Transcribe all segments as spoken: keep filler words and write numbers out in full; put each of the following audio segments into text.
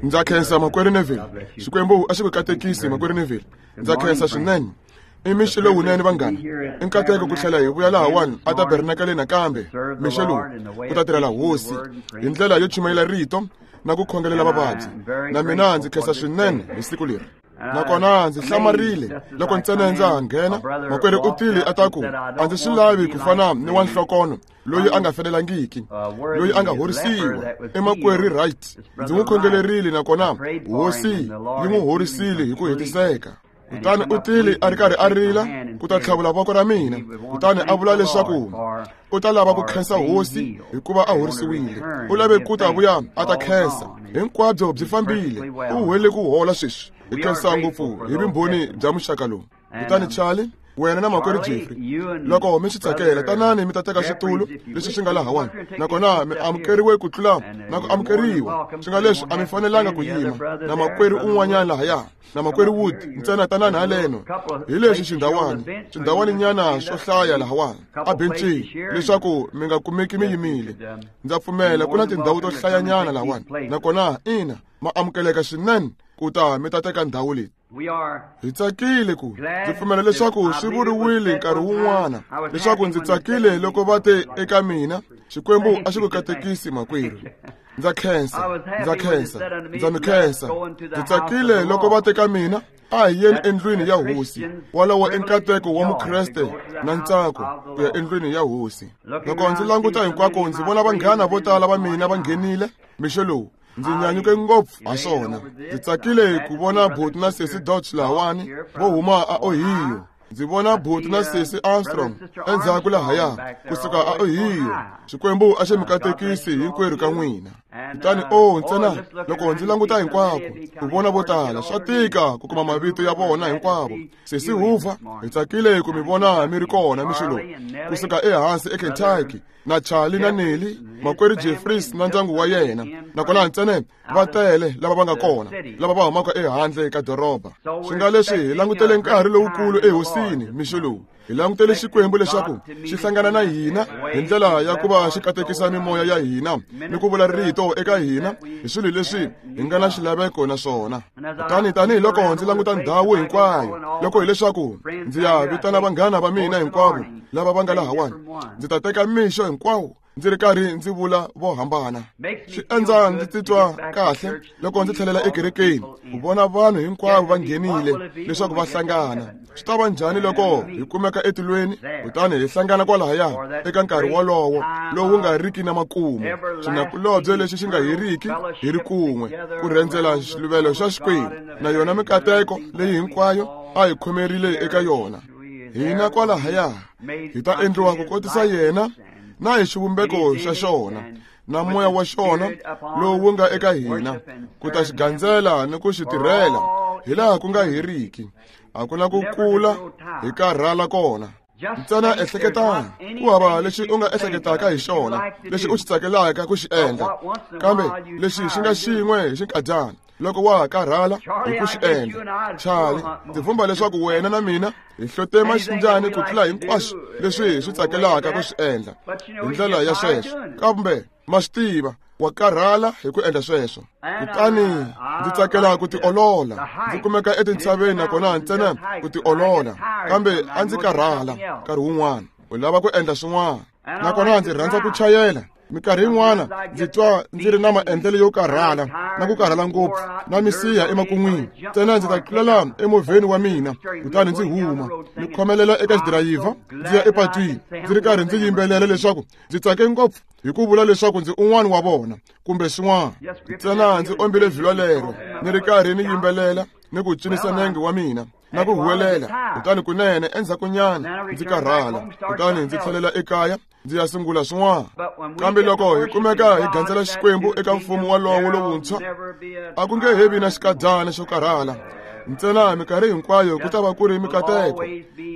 Ndza khensa makwerhu Neville. Xikwembu a xi ku katekisi makwerhu Neville. Ndza khensa swinene. I mixo lowunene vanghana. I nkateko ku tlhela hi vuya lahawani a tabernakeleni nakambe mixo lowu ku ta tirhela hosi hi ndlela yo chumayela rito na ku khongelela vavabyi. Na mina ndzi khensa swinene hi siku leri. Nakona ndzi hlamarile loko ntsena ndza ha nghena makwerhu u tile a ta ku a ndzi swi lavi ku fana ni wa nhlokono loyi a nga fanelangiki loyi a nga horisiwa i makwerhu Wright. Ndzi n'wi khongelerile nakona hosi yi n'wi horisile hi ku hetiseka. Kutani u tile a ri karhi a rila ku ta tlhavula voko ra mina, kutani a vula leswaku u ta lava ku khensa hosi hikuva a horisiwile. U lave ku ta vuya a ta khensa. Hinkwabyo byi fambile, u huwele ku hola sweswi. Hi khensa ngopfu hi vumbhoni bya muxaka lowu. Kutani Charlie, wena na makwerhu Jeffrey, loko mi swi tsakela tanani mi ta teka xitulu lexi xi nga lahawani, nakona mi amukeriwe ku tlula na ku amukeriwa. Swi nga leswi a mi fanelanga ku yima na makwerhu un'wanyana lahaya na makwerhu Wood ntsena tanani haleno. Hi leswi xindhawani xindhawaninyana swo hlaya lahawani a bencini leswaku mi nga kumeki mi yimile. Ndza pfumela ku na tindhawu to hlayanyana lahawani, nakona ina ma amukeleka swinene ku ta mi ta teka ndhawu leyi. Hi tsakile ku ndzi pfumela leswaku swi vuriwile nkarhi wun'wana leswaku ndzi tsakile loko va te eka mina Xikwembu a xi ku katekisi makwerhu. Ndza khensa, ndza khensa, ndza mi khensa. Ndzi tsakile loko va te ka mina a hi yeni endlwini ya hosi. Walowo i nkateko wa Mukreste na ntsako ku ya endlwini ya hosi. Loko ndzi languta hinkwako ndzi vona vanghana vo tala va mina va nghenile mixo lowu. Ndzi nyanyuke ngopfu ha swona. Ndzi tsakile ku vona Buti na Sesi Dodge lahawani vo huma a Ohio. Ndzi vona Buti na Sesi Armstrong endzhaku lahaya kusuka a Ohio. Xikwembu a xi mi katekisi hinkwerhu ka n'wina. Kutani o ntsena loko ndzi languta hinkwako ku vona vo tala swa tika ku kuma mavito ya vona hinkwavo. Sesi Hoover, hi tsakile ku mi vona mi ri kona mixo lowu kusuka ehansi eKentucky, na Charlie na Nelly, makwerhu Jeffries na ndyangu wa yena. Nakona ntsena va tele lava va nga kona lava va humaka ehandle ka doroba. Swi nga leswi hi langutele nkarhi lowukulu ehosini mixo lowu. Hi langutele Xikwembu leswaku xi hlangana na hina hi ndlela ya ku va xi katekisa mimoya ya hina ni ku vula rito eka hina hi swilo leswi hi nga na xilaveko na swona. Kutani tanihiloko ndzi languta ndhawu hinkwayo, loko hileswaku ndzi ya vitana vanghana va mina hinkwavo lava va nga lahawani, ndzi ta teka mixo hinkwawo ndzi ri karhi ndzi vula vo hambana. Swi endla ndzi titwa kahle loko ndzi tlhelela ekerekeni ku vona vanhu hinkwavo va nghenile leswaku va hlangana. Swi ta va njhani loko hi kumeka etilweni kutani hi hlangana kwalahaya eka nkarhi wolowo lowu nga riki na makumu, xinakulobye lexi xi nga heriki hi ri kun'we ku rhendzela xiluvelo xa Xikwembu na yona mikateko leyi hinkwayo a hi khomerile eka yona. Hina kwalahaya hi ta endliwa ku kotisa yena na hi xivumbeko xa xona na moya wa xona lowu wu nga eka hina ku ta xi gandzela ni ku xi tirhela hi laha ku nga heriki. A ku na ku kula hi karhala kona. Ntsena ehleketani ku hava lexi u nga ehleketaka hi xona lexi u xi tsakelaka ku xi endla, kambe lexi xi nga xin'we hi xinkadyana loko wa ha karhala hi ku xi endla. Charlie, ndzi vumba leswaku wena na mina hi hlote maxinjani ku tlula hinkwaswo leswi hi swi tsakelaka ku swi endla hi ndlela ya sweswo, kambe ma swi tiva wa karhala hi ku endla sweswo. Kutani ndzi tsakela ku tiolola, ndzi kumeka etintshaveni nakona ntsena ku tiolola, kambe a ndzi karhala nkarhi wun'wana u lava ku endla swin'wana. Nakona ndzi rhandza ku chayela. Minkarhi yin'wana ndzi twa ndzi ri na maendlelo yo karhala na ku karhala ngopfu na misiha emakun'wini. Ntsena ndzi ta tlulela emovheni wa mina kutani ndzi huma ni khomelela eka xidirayivha ndzi ya epatwini ndzi ri karhi ndzi yimbelela leswaku ndzi tsake ngopfu hi ku vula leswaku ndzi un'wana wa vona kumbe swin'wana. Ntsena ndzi ombile vhilwa lero ni ri karhi ni yimbelela ni ku cinisa nenge wa mina na ku huwelela. Kutani kunene endzhakunyana ndzi karhala, kutani ndzi tlhelela ekaya ndzi ya sungula swin'wana. Kambe loko hi kumeka hi gandzela Xikwembu eka mfumo walowo lowuntshwa, a ku nge he vi na xikadyana xo karhala. Ntsena minkarhi hinkwayo ku ta va ku ri mikateko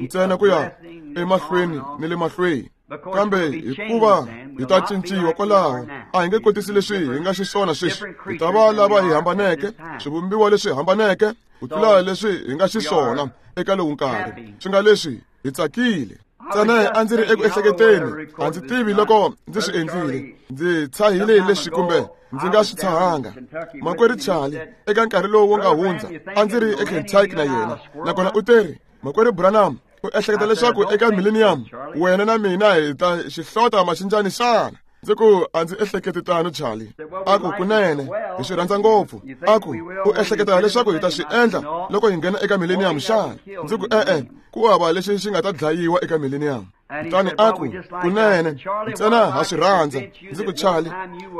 ntsena ku ya emahlweni ni le mahlweni. Kambe hikuva hi ta cinciwa kwalaho, a hi nge kotisi leswi hi nga xiswona sweswi. Hi ta va lava hi hambaneke, swivumbiwa leswi hambaneke ku tlula leswi hi nga xiswona eka lowu nkarhi. Swi nga leswi hi tsakile. Ntsena a ndzi ri eku ehleketeni, a ndzi tivi loko ndzi swi endlile. Ndzi tshahile leswi kumbe ndzi nga swi tshahanga. Makwerhu Charlie, eka nkarhi lowu wu nga hundza, a ndzi ri eKentucky na yena, nakona u teri, Makwerhu Branham, u ehleketa leswaku eka millennium wena na mina hi ta xihlota maxinjani xana? Ndzi ku a ndzi ehleketi tano, Charlie. A ku kunene hi swi rhandza ngopfu. A ku u ehleketa leswaku hi ta swi endla loko hi nghena eka millennium xana? Ndzi ku e-e, ku hava lexi xi nga ta dlayiwa eka millennium. Kutani a ku kunene ntsena ha swi rhandza. Ndzi ku Charlie,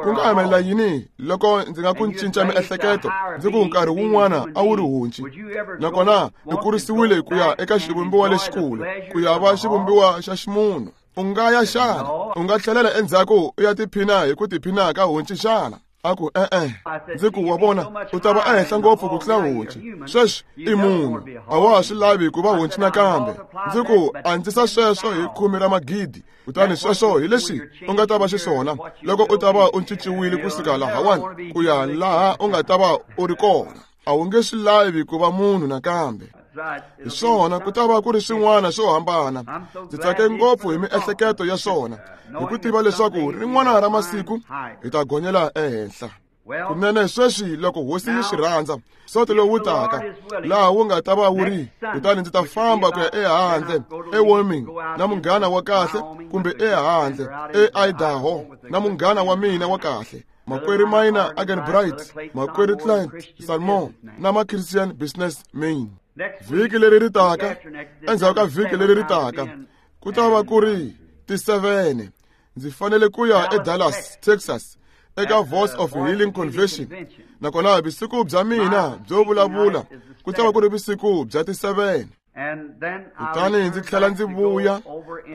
ku nga humelela yini loko ndzi nga ku cinca miehleketo? Ndzi ku nkarhi wun'wana a wu ri honci, nakona u kurisiwile ku ya eka xivumbiwa lexikulu, ku ya va xivumbiwa xa ximunhu. U nga ya xana? U nga tlhelela endzhaku u ya tiphina hi ku tiphina ka honci xana? A ku e-e. Ndzi ku wa vona, u ta va ehenhla ngopfu ku tlula honci. Sweswi i munhu, a wa ha swi lavi ku va honci nakambe. Ndzi ku andzisa sweswo hi khume ra magidi, kutani sweswo hi leswi u nga ta va xiswona loko u ta va u cinciwile kusuka lahawani ku ya laha u nga ta va u ri kona. A wu nge swi lavi ku va munhu nakambe. Hi swona, ku ta va ku ri swin'wana swo hambana. Ndzi tsake ngopfu hi miehleketo ya swona, hi ku tiva leswaku rin'wana ra masiku hi ta gonyela ehenhla. Kunene sweswi loko hosi yi swi rhandza, soto lowu taka laha wu nga ta va wu ri, kutani ndzi ta famba ku ya ehandle eWyoming na munghana wa kahle, kumbe ehandle eIdaho na munghana wa mina wa kahle, Makwerhu Minor Agenbright, Makwerhu Clint Salmon na ma Christian Business Men. Vhiki leri ri taka, endzhaku ka vhiki leri ri taka, ku ta va ku ri ti-seven. Ndzi fanele ku ya eDallas, Texas, eka Voice of Healing Convention. Nakona vusiku bya mina byo vulavula ku ta va ku ri vusiku bya ti-seven. Kutani ndzi tlhela ndzi vuya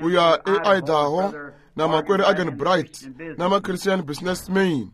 ku ya eIdaho na Makwerhu Agenbright na ma Christian Business Men.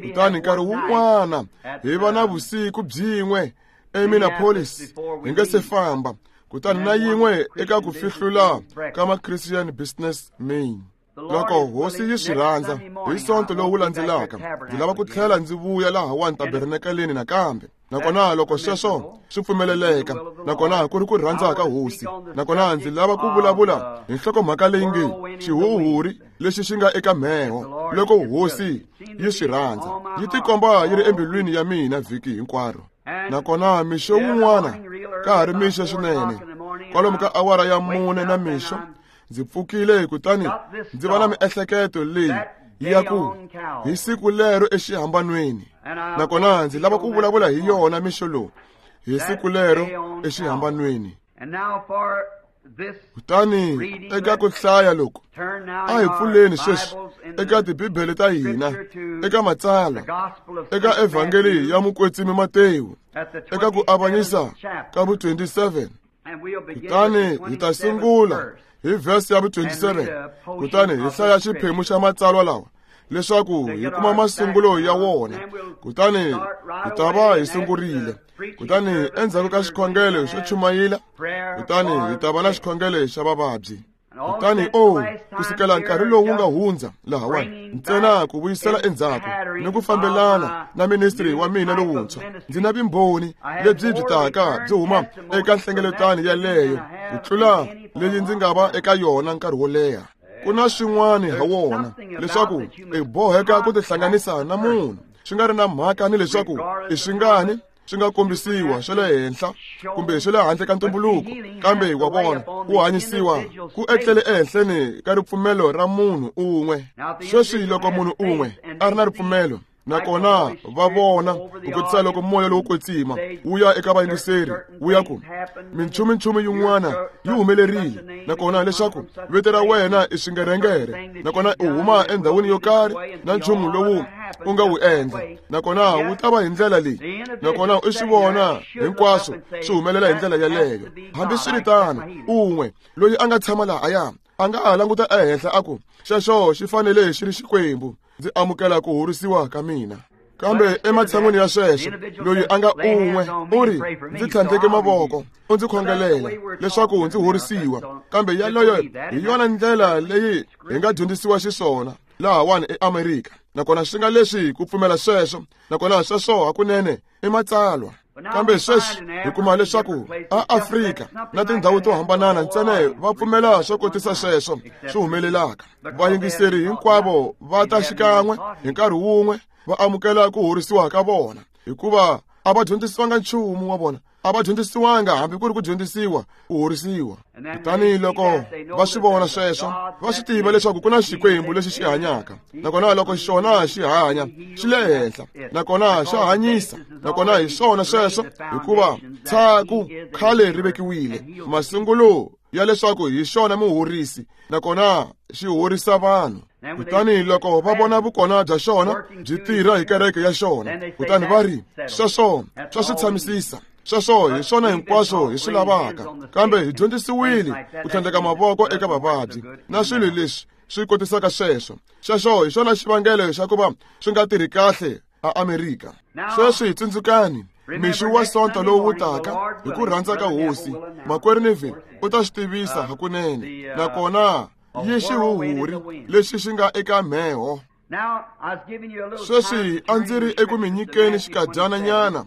Kutani nkarhi wun'wana hi va na vusiku byin'we eMinneapolis hi nga se famba, kutani na yin'we eka ku fihlula ka ma Christian Business Men. Loko hosi yi swi rhandza, hi sonto lowu landzelaka ndzi lava ku tlhela ndzi vuya lahawani tabernakeleni nakambe. Nakona loko sweswo swi pfumeleleka, nakona ku ri ku rhandza ka hosi, nakona ndzi lava ku vulavula hi nhlokomhaka leyi nge xihuhuri lexi xi nga eka mheho. Loko hosi yi swi rhandza, yi tikomba yi ri embilwini ya mina vhiki hinkwaro. Nakona mixo wun'wana ka ha ri mixo swinene, kwalomu ka awara ya mune na mixo, ndzi pfukile kutani ndzi va na miehleketo leyi ya ku hi siku lero exihambanweni. Nakona ndzi lava ku vulavula hi yona mixo lowu, hi siku lero exihambanweni. Kutani eka ku hlaya loku, a hi pfuleni sweswi eka tibibele ta hina, eka matsalwa, eka evhangeli ya mukwetsimi Matewu, eka ku avanyisa ka vu twenty-seven. Kutani hi ta sungula hi verse ya vu twenty-seven, kutani hi hlaya xiphemu xa matsalwa lawa leswaku hi kuma masungulo ya wona. Kutani hi ta va hi sungurile. Kutani endzhaku ka xikhongelo xo chumayila, kutani hi ta va na xikhongelo xa vavabyi. Kutani o kusukela nkarhi lowu wu nga hundza lahawani, ntsena ku vuyisela endzhaku ni ku fambelana na ministry wa mina lowuntshwa, ndzi na vumbhoni lebyi byi taka byi huma eka nhlengeletano yaleyo ku tlula leyi ndzi nga va eka yona nkarhi wo leha. Ku na swin'wana ha wona leswaku i boheka ku tihlanganisa na munhu, swi nga ri na mhaka ni leswaku i swingani swi nga kombisiwa swa le henhla kumbe swa le handle ka ntumbuluko, kambe wa vona ku hanyisiwa ku etlele ehenhleni ka ripfumelo ra munhu un'we. Sweswi loko munhu un'we a ri na ripfumelo, nakona va vona ku kotisa loko moya lowo kwetsima wu ya eka vayingiseri wu ya ku minchuminchumi yin'wana yi humelerile, nakona leswaku vito ra wena i swingerengere, nakona u huma endhawini yo karhi na nchumu lowu u nga wu endla, nakona wu ta va hi ndlela leyi, nakona u swi vona hinkwaswo swi humelela hi ndlela yaleyo. Hambiswiritano, un'we loyi a nga tshama lahaya a nga ha languta ehenhla a ku xexo xi fanele xi ri Xikwembu, ndzi amukela ku horisiwa ka mina. Kambe ematshan'wini ya sweswo, loyi a nga un'we u ri ndzi tlhandleke mavoko u ndzi khongelela leswaku ndzi horisiwa. Kambe yaleyo hi yona ndlela leyi hi nga dyondzisiwa xiswona lahawani eAmerika, nakona swi nga leswi ku pfumela sweswo, nakona sweswo hakunene i matsalwa. Kambe sweswi hi kuma leswaku a Afrika na tindhawu to hambanana ntsena va pfumela swo kotisa sweswo swi humelelaka. Vayingiseri hinkwavo va ta xikan'we hi nkarhi wun'we va amukela ku horisiwa ka vona, hikuva a va dyondzisiwanga nchumu wa vona, a va dyondzisiwanga hambi ku ri ku dyondzisiwa ku horisiwa. Kutani loko va swi vona sweswo, va swi tiva leswaku ku na Xikwembu lexi xi hanyaka, nakona loko xona xi hanya xi le henhla, nakona xa hanyisa, nakona hi swona sweswo, hikuva tshaku khale ri vekiwile masungulo ya leswaku hi xona muhorisi, nakona xi horisa vanhu. Kutani loko va vona vukona bya xona byi tirha hi kereke ya xona, kutani va ri sweswo swa swi tshamisisa, sweswo hi swona hinkwaswo hi swi lavaka. Kambe hi dyondzisiwile ku tlhandleka mavoko eka vavabyi na swilo leswi swi kotisaka sweswo. Sweswo hi swona xivangelo xa ku va swi nga tirhi kahle a Amerika. Sweswi tsundzukani, mixo wa Sonto lowu wu taka, hi ku rhandza ka Hosi, Makwerhu Neville u ta swi tivisa hakunene, nakona yi xihuhuri lexi xi nga eka mheho. Sweswi a ndzi ri eku mi nyikeni xikadyananyana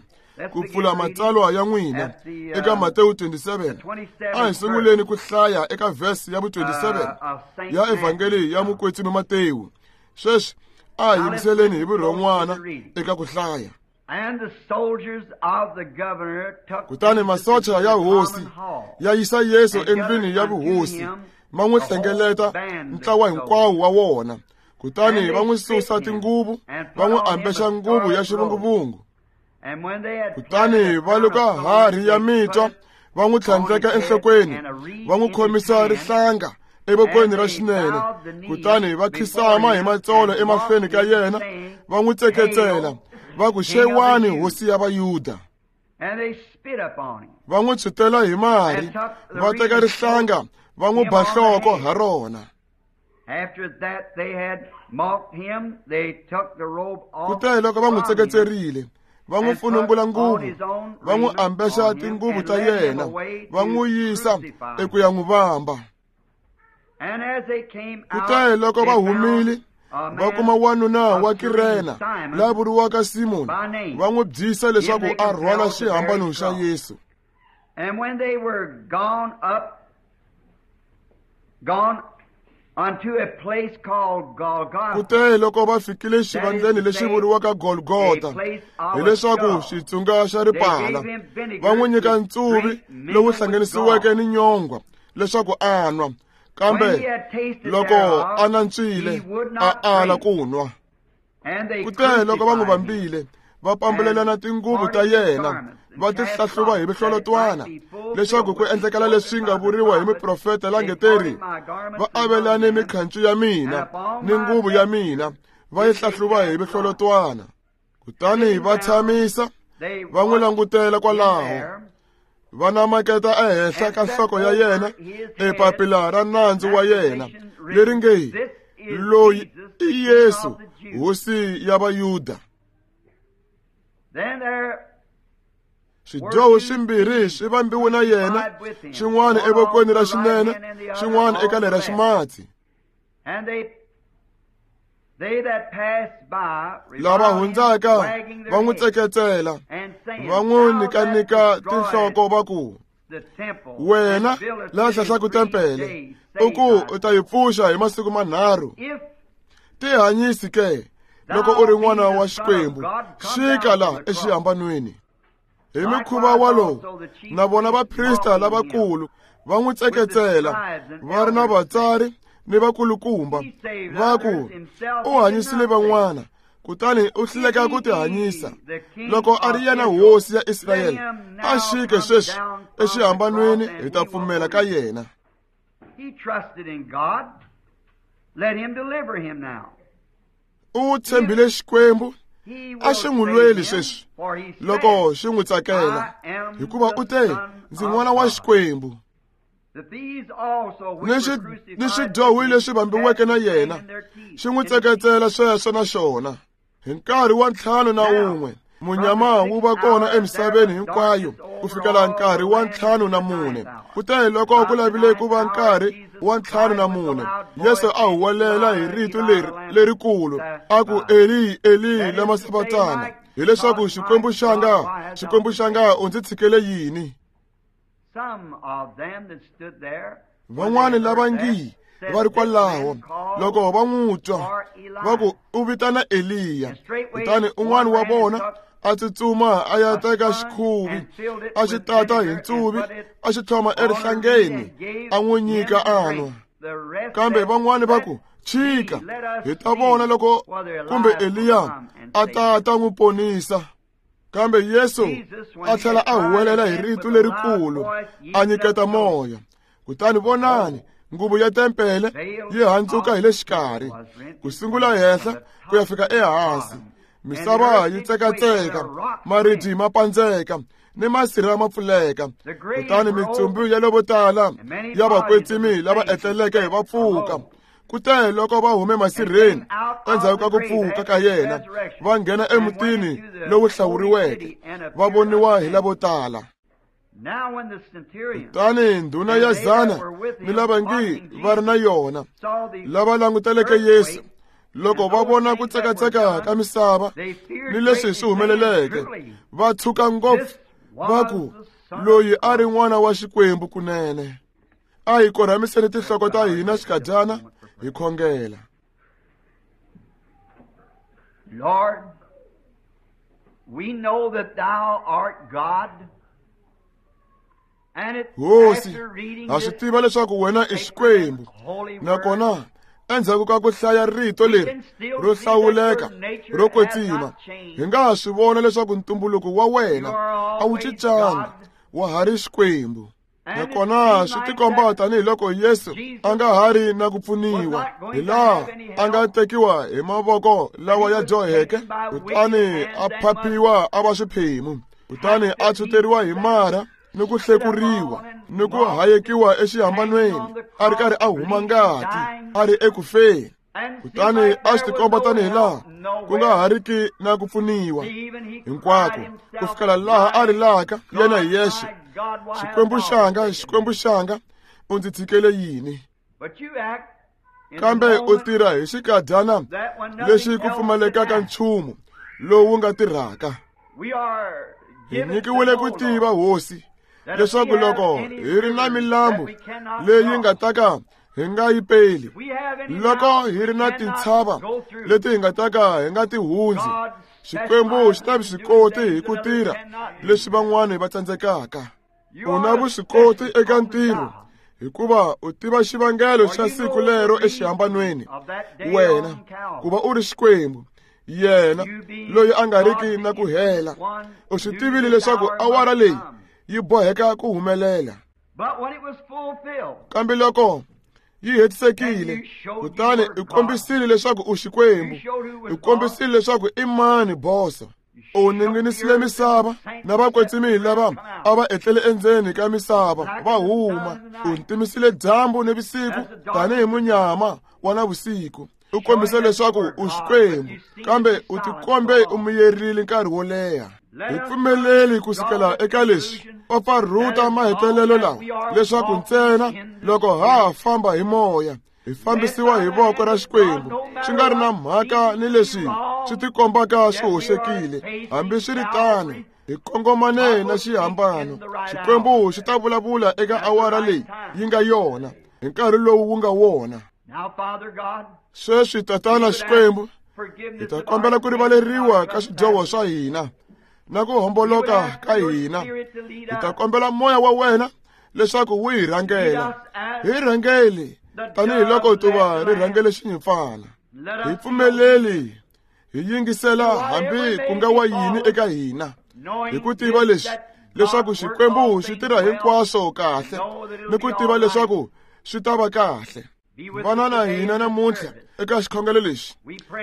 ku pfula matsalwa ya n'wina eka Matewu twenty-seven. A hi sunguleni ku hlaya eka vhesi ya vu twenty-seven ya Evhangeli ya Mukwetsimi Matewu. Sweswi a hi yingiseleni hi vurhon'wana eka ku hlaya. Kutani masocha ya hosi ya yisa Yesu endlwini ya vuhosi, va n'wi hlengeleta ntlawa hinkwawo wa wona. Kutani va n'wi susa tinguvu, va n'wi ambexa nguvu ya xivunguvungu. Kutani va luka harhi ya mitwa, va n'wi tlhandleka enhlokweni, va n'wi khomisa rihlanga evokweni ra xinene. Kutani va khisama hi matsolo emahlweni ka yena, va n'wi tseketsela, va ku xewani hosi ya Vayuda. Va n'wi tshwutela hi mari, va teka rihlanga va n'wi ba nhloko ha rona. Kutani loko va n'wi tseketserile, va n'wi funungula nguvu, va n'wi ambexa tinguvu ta yena, va n'wi yisa eku ya n'wi vamba. Kutani loko va humile, va kuma wanuna wa Kirena la vuriwaka Simoni, va n'wi byisa leswaku a rhwala xihambano xa Yesu. And when they were gone up, gone unto a place called Golgotha. Kutani loko va fikile xivandleni lexi vuriwaka Golgotha, hileswaku xitsunga xa ripala, va n'wi nyika ntsuvi lowu hlanganisiweke ni nyongwa leswaku a nwa. Kambe loko a nantswile, a ala ku nwa. Kutani loko va n'wi vambile, va pambulelana tinguvu ta yena, va ti hlahluva hi mihlolotwana, leswaku ku endlekela leswi nga vuriwa hi muprofeta la nge teri, va avelane mikhancu ya mina ni nguvu ya mina, va yi hlahluva hi mihlolotwana. Kutani va tshamisa, va n'wi langutela kwalaho, va namaketa ehenhla ka nhloko ya yena epapila ra nandzu wa yena leri nge, loyi i Yesu, hosi ya Vayuda. Swidyoho swimbirhi swi vambiwe na yena, xin'wana evokweni ra xinene, xin'wana eka lera ximatsi. Lava hundzaka va n'wi tseketsela, va n'wi nyikanika tinhloko va ku, wena la hlahlaka tempele, u ku u ta yi pfuxa hi masiku manharhu. Tihanyisi ke loko u ri n'wana wa Xikwembu, xika la exihambanweni. Hi mikhuva walowu na vona vaprista lavakulu va n'wi tseketsela, va ri na vatsari ni vakulukumba, va ku u hanyisile van'wana, kutani u hluleka ku tihanyisa. Loko a ri yena hosi ya Israyele, a xike sweswi exihambanweni, hi ta pfumela ka yena. U tshembile Xikwembu, a xi n'wi lweli sweswi loko xi n'wi tsakela, hikuva u te, ndzi n'wana wa Xikwembu. Ni swidyohi leswi vambiweke na yena xi n'wi tseketsela sweswo na xona. Hi nkarhi wa ntlhanu na wun'we munyama wu va kona emisaveni hinkwayo ku fikela nkarhi wa ntlhanu na mune. Kutani loko ku lavile ku va nkarhi wa ntlhanu na mune, Yesu a huwelela hi rito leri lerikulu a ku, Eli, Eli lama sabatana, Hileswaku Xikwembu xanga, Xikwembu xanga, u ndzi tshikele yini? Van'wani lava ngi va ri kwalaho loko va n'wi twa va ku u vitana Eliya. Kutani un'wana wa vona a tsutsuma a ya teka xikhuvi a xi tata hi ntsuvi a xi tlhoma erihlangeni a n'wi nyika a nwa. Kambe van'wani va ku, chika, hi ta vona loko kumbe Eliya a ta ta n'wi ponisa. Kambe Yesu a tlhela a huwelela hi rito lerikulu a nyiketa moya. Kutani vonani, nguvu ya tempele yi handzuka hi le xikarhi, ku sungula henhla ku ya fika ehansi. Misava yi tsekatseka, maribye ma pandzeka, ni masirha ma pfuleka. Kutani mitsumbu ya lavo tala ya vakwetsimi lava etleleke va pfuka. Kute loko va hume masirheni endzhaku ka ku pfuka ka yena, va nghena emutini lowu hlawuriweke, va voniwa hi lavo tala. Kutani ndhuna ya zana ni lava ngi va ri na yona, lava languteleke Yesu, loko va vona ku tsekatseka ka misava ni leswi swi humeleleke, va tshuka ngopfu, va ku, loyi a ri n'wana wa Xikwembu kunene. A hi korhamiseni tinhloko ta hina xikadyana hi khongela. Lord, we know that thou art God. Hosi, ha swi tiva leswaku wena i Xikwembu, nakona endzhaku ka ku hlaya rito leri ro hlawuleka ro kwetsima, hi nga ha swi vona leswaku ntumbuluko wa wena a wu cincanga, wa ha ri Xikwembu. Nakona swi tikomba tanihiloko Yesu a nga ha ri na ku pfuniwa, hi laha a nga tekiwa hi mavoko lawa ya dyoheke, kutani a phaphiwa a va swiphemu, kutani a tshwuteriwa hi marha ni ku hlekuriwa ni ku hayekiwa exihambanweni, a ri karhi a huma ngati, a ri eku feni. Kutani a swi tikomba tanihi laha ku nga ha riki na ku pfuniwa hinkwako, ku fikela laha a rilaka yena hi yexe, Xikwembu xanga, Xikwembu xanga, u ndzi tshikele yini? Kambe u tirha hi xikadyana lexi ku pfumalekaka nchumu lowu nga tirhaka. Hi nyikiwile ku tiva, Hosi, leswaku loko hi ri na milambu leyi nga ta ka hi nga yi peli, loko hi ri na tintshava leti hi nga ta ka hi nga ti hundzi, Xikwembu xi ta vuswikoti hi ku tirha leswi van'wani va tsandzekaka. U na vuswikoti eka ntirho, hikuva u tiva xivangelo xa siku lero exihambanweni. Wena, ku va u ri Xikwembu, yena loyi a nga riki na ku hela, u swi tivile leswaku awara leyi yi boheka ku humelela. Kambe loko yi hetisekile, kutani u kombisile leswaku u Xikwembu, u kombisile leswaku i mani boso. U ninginisile misava na vakwetsimi lava a va etlele endzeni ka misava va huma. U ntimisile dyambu ni vusiku tanihi munyama wa navusiku. U kombise leswaku u Xikwembu, kambe u tikombe u miyerile nkarhi wo leha. Hi pfumeleli ku sukela eka leswi pfapfarhuta mahetelelo lawa, leswaku ntsena loko ha ha famba hi moya, hi fambisiwa hi voko ra Xikwembu, swi nga ri na mhaka ni leswi swi tikombaka swi hoxekile. Hambi swi ri tano, hi kongomane na xihambano. Xikwembu xi ta vulavula eka awara leyi yi nga yona, hi nkarhi lowu wu nga wona. Sweswi, Tatana Xikwembu, hi ta kombela ku rivaleriwa ka swidyoho swa hina na ku homboloka ka hina. Hi ta kombela moya wa wena leswaku wu hi rhangela. Hi rhangeli tanihiloko tuva ri rhangele xinyimpfana. Hi pfumeleli hi yingisela hambi ku nga wa yini eka hina, hi ku tiva leswi, leswaku Xikwembu xi tirha hinkwaswo kahle, ni ku tiva leswaku swi ta va kahle. Vana na hina namuntlha eka xikhongelo lexi.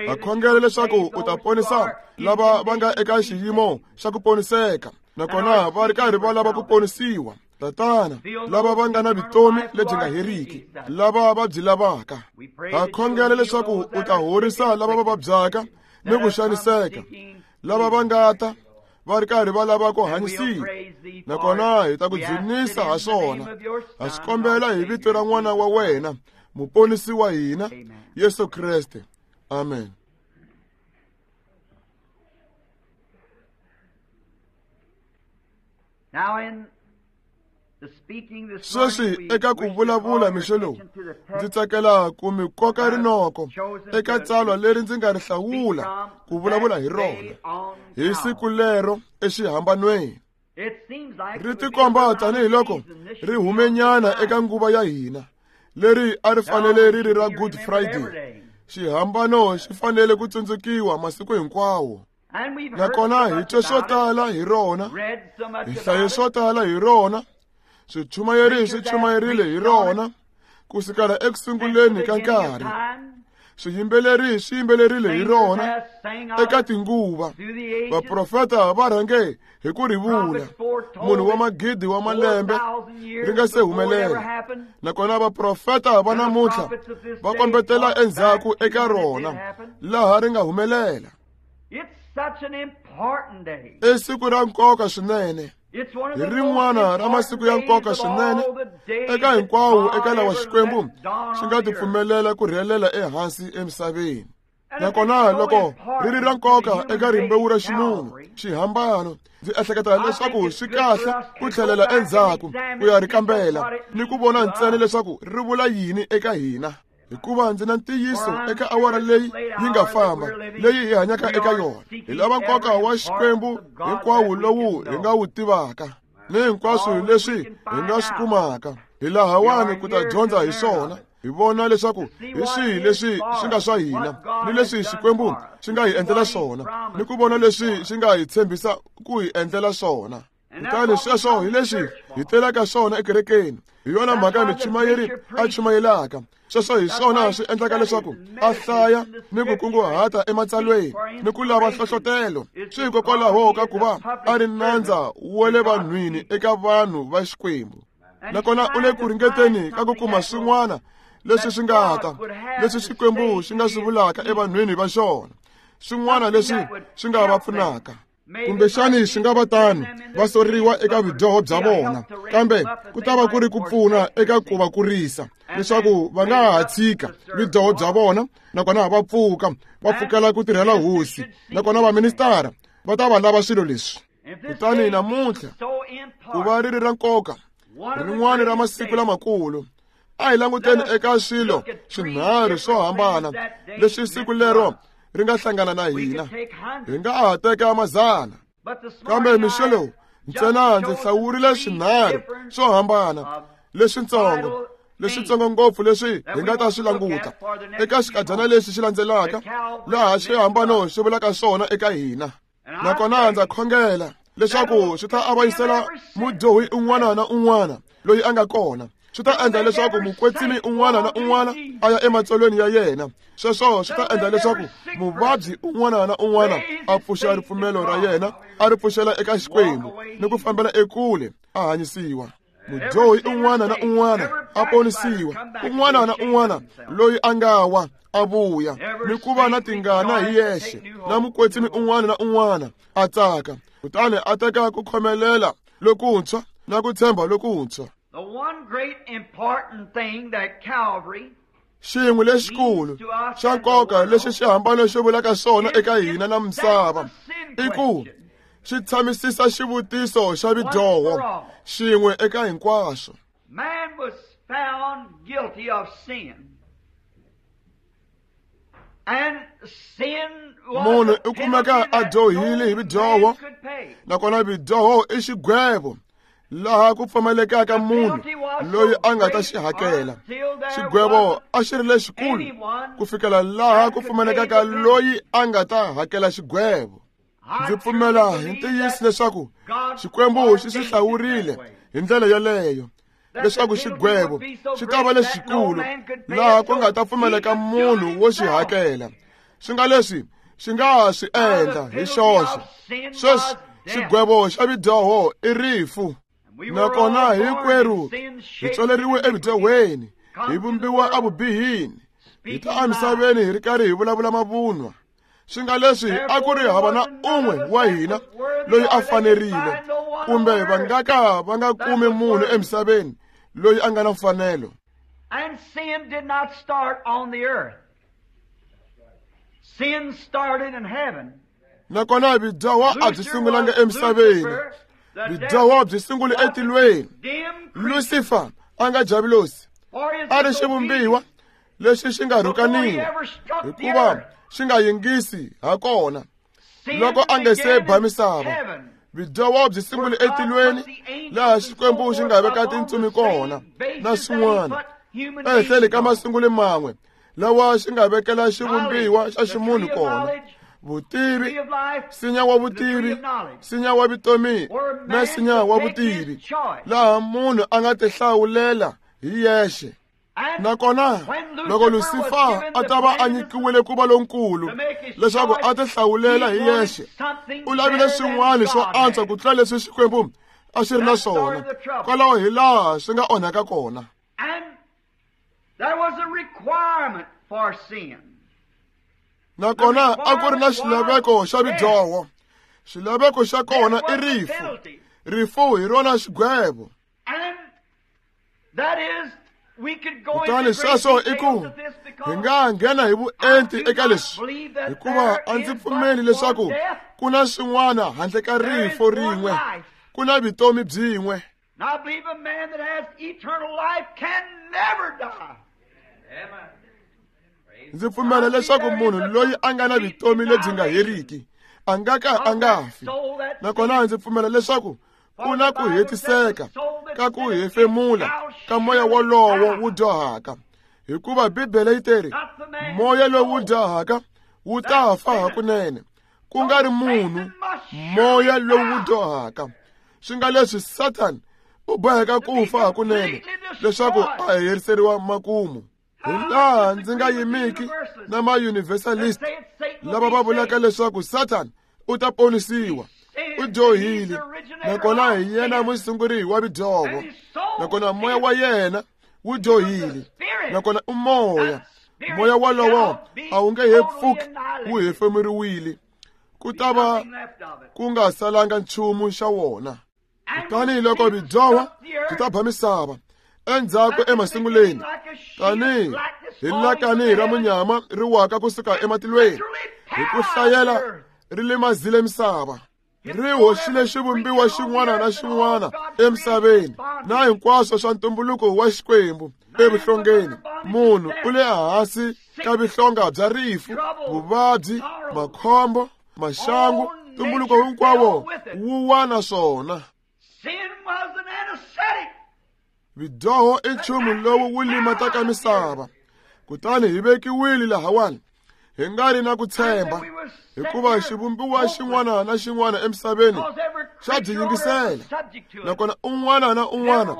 Ha khongela leswaku u ta ponisa lava va nga eka xiyimo xa ku poniseka, nakona va ri karhi va lava ku ponisiwa. Tatana, lava va nga na vutomi lebyi nga heriki, lava va byi lavaka. Ha khongela leswaku u ta horisa lava va vabyaka ni ku xaniseka, lava va nga ta va ri karhi va lava ku hanyisiwa, nakona hi ta ku dzunisa ha swona. Ha swi kombela hi vito ra n'wana wa wena, muponisi wa hina, Yesu Kreste. Amen. Sweswi eka ku vulavula mixo lowu, ndzi tsakela ku mi koka rinoko eka tsalwa leri ndzi nga ri hlawula ku vulavula hi rona hi siku lero exihambanweni. Ri tikomba tanihiloko ri humenyana eka nguva ya hina, leri a ri fanele ri ri ra Good Friday. Xihambano xi fanele ku tsundzukiwa masiku hinkwawo. Nakona hi twe swo tala hi rona, hi hlaye swo tala hi rona, swichumayeri swi chumayerile hi rona kusukela ekusunguleni ka nkarhi. Swiyimbeleri swi yimbelerile hi rona eka tinguva. Vaprofeta va rhange hi ku ri vula munhu wa magidi wa malembe ri nga se humelela. Nakona vaprofeta va namuntlha va kombetela endzhaku eka rona laha ri nga humelela. I siku ra nkoka swinene, hi rin'wana ra masiku ya nkoka swinene eka hinkwawo eka lawa Xikwembu xi nga tipfumelela ku rhelela ehansi emisaveni. Nakona loko ri ri ra nkoka eka rimbewu ra ximunhu, xihambano, ndzi ehleketa leswaku swi kahle ku tlhelela endzhaku ku ya ri kambela ni ku vona ntsena leswaku ri vula yini eka hina. Hikuva ndzi na ntiyiso eka awara leyi yi nga famba, leyi hi hanyaka eka yona, hi lava nkoka wa Xikwembu hinkwawo lowu hi nga wu tivaka ni hinkwaswo leswi hi nga swi kumaka. Hi lahawani ku ta dyondza hi swona, hi vona leswaku hi swihi leswi swi nga swa hina ni leswi Xikwembu xi nga hi endlela swona, ni ku vona leswi xi nga hi tshembisa ku hi endlela swona. Kutani sweswo hi leswi hi telaka swona ekerekeni. Hi yona mhaka michumayeri a chumayelaka. Sweswo hi swona swi endlaka leswaku a hlaya ni ku kunguhata ematsalweni ni ku lava nhlohlotelo. Swi hikokwalaho ka ku va a ri nandza wa le vanhwini eka vanhu va Xikwembu. Nakona u le ku ringeteni ka ku kuma swin'wana leswi swi nga ta, leswi Xikwembu xi nga swi vulaka evanhwini va xona, swin'wana leswi swi nga va pfunaka. Kumbexani swi nga va tano va soriwa eka vudyoho bya vona, kambe ku ta va ku ri ku pfuna eka ku va kurisa leswaku va nga ha tshika vudyoho bya vona, nakona va pfuka va pfukela ku tirhela hosi. Nakona vaministara va ta va lava swilo leswi. Kutani namuntlha ku va ri ri ra nkoka, rin'wana ra masiku lamakulu, a hi languteni eka swilo swinharhu swo hambana leswi siku lero ri nga hlangana na hina. Hi nga ha teka mazana, kambe mixo lowu ntsena ndzi hlawurile swinharhu swo hambana leswitsongo, leswitsongo ngopfu leswi hi nga ta swi languta eka xikadyana lexi xi landzelaka, laha xihambano xi vulaka swona eka hina. Nakona ndza khongela leswaku swi ta avanyisela mudyohi un'wana na un'wana loyi a nga kona. Swi ta endla leswaku mukwetsimi un'wana na un'wana a ya ematsolweni ya yena. Sweswo swi ta endla leswaku muvabyi un'wana na un'wana a pfuxa ripfumelo ra yena, a ri pfuxela eka Xikwembu ni ku fambela ekule a hanyisiwa. Mudyohi un'wana na un'wana a ponisiwa, un'wana na un'wana loyi a nga wa a vuya ni ku va na tingana hi yexe, na mukwetsimi un'wana na un'wana a tsaka, kutani a teka ku khomelela lokuntshwa na ku tshemba lokuntshwa. The one great important thing that Calvary Xin'we lexikulu xa nkoka lexi xihambano xi vulaka swona eka hina na misava i ku xi tshamisisa xivutiso xa vidyoho xin'we eka hinkwaswo. Man was found guilty of sin. And sin was Munhu u kumeka a dyohile hi vidyoho, nakona vidyoho i xigwevo laha ku pfumelekaka munhu loyi a nga ta xi hakela. Xigwevo a xi ri lexikulu ku fikela laha ku pfumelekaka loyi a nga ta hakela xigwevo. Ndzi pfumela hi ntiyiso leswaku Xikwembu xi swi hlawurile hi ndlela yeleyo leswaku xigwevo xi ta va lexikulu laha ku nga ta pfumeleka munhu wo xi hakela. Swi nga leswi xi nga ha swi endla hi xoxe. Sweswi xigwevo xa vidyoho i rifu. Nakona hinkwerhu hi tswaleriwe evidyohweni, hi vumbiwa evubihini, hi ta emisaveni hi ri karhi hi vulavula mavunwa. Swi nga leswi a ku ri hava na un'we wa hina loyi a fanerile, kumbe va nga ka va nga kumi munhu emisaveni loyi a nga na mfanelo. And sin did not start on the earth. Sin started in heaven. Nakona vidyoho a byi sungulanga emisaveni. Vudyoho byi sungule etilweni. Lucifer a nga javulosi a ri xivumbiwa lexi xi nga rhukaniwa hikuva xi nga yingisi ha kona loko a nge se ba misava. Vudyoho byi sungule etilweni laha Xikwembu xi nga veka tintsumi kona na swin'wana ehenhleni ka masungulo man'we lawa xi nga vekela xivumbiwa xa ximunhu kona. Vutivi, nsinya wa vutivi, nsinya wa vutomi na nsinya wa vutivi, laha munhu a nga tihlawulela hi yexe. Nakona loko Lucifer a ta va a nyikiwile ku va lonkulu leswaku a tihlawulela hi yexe, u lavile swin'wana swo antswa ku tlula leswi Xikwembu a xi ri na swona. Kwalaho hi laha swi nga onhaka kona. There was a requirement for sin. Nakona a ku ri na xilaveko xa vudyoho. Xilaveko xa kona i rifu. Rifu hi rona xigwevo. Kutani sweswo i ku hi nga nghena hi vuenti eka leswi, hikuva a ndzi pfumeli leswaku ku na swin'wana handle ka rifu rin'we, ku na vutomi byin'we. I believe a man that has eternal life can never die. Amen. Ndzi pfumela leswaku munhu loyi a nga na vutomi lebyi nga heriki a nga ka a nga fi. Nakona ndzi pfumela leswaku ku na ku hetiseka ka ku hefemula ka moya wolowo wu dyohaka, hikuva Bibele yi teri moya lowu dyohaka wu ta fa hakunene, ku nga ri munhu, moya lowu dyohaka. Swi nga leswi Satan u boheka ku fa hakunene leswaku a heriseriwa makumu. Hi laha ndzi nga yimiki na ma-universalist lava va vulaka leswaku Satan u ta ponisiwa. U dyohile, nakona hi yena musunguri wa vudyoho, nakona moya wa yena wu dyohile, nakona u moya. Moya wolowo a wu nge he pfuki wu hefemuriwile, ku ta va ku nga salanga nchumu xa wona. Kutani loko vudyoho byi ta ba misava endzhaku emasunguleni, tanihi hi lakani ra munyama ri waka kusuka ematilweni, hi ku hlayela ri limazile misava, ri hoxile xivumbiwa xin'wana na xin'wana emisaveni na hinkwaswo swa ntumbuluko wa Xikwembu evuhlongeni. Munhu u le hansi ka vuhlonga bya rifu, vuvabyi, makhombo, maxangu, ntumbuluko hinkwawo wu wa na swona. Vudyoho i nchumu lowu wu limataka misava. Kutani hi vekiwile lahawani hi nga ri na ku tshemba, hikuva xivumbiwa xin'wana na xin'wana emisaveni xa byi yingisela, nakona un'wana na un'wana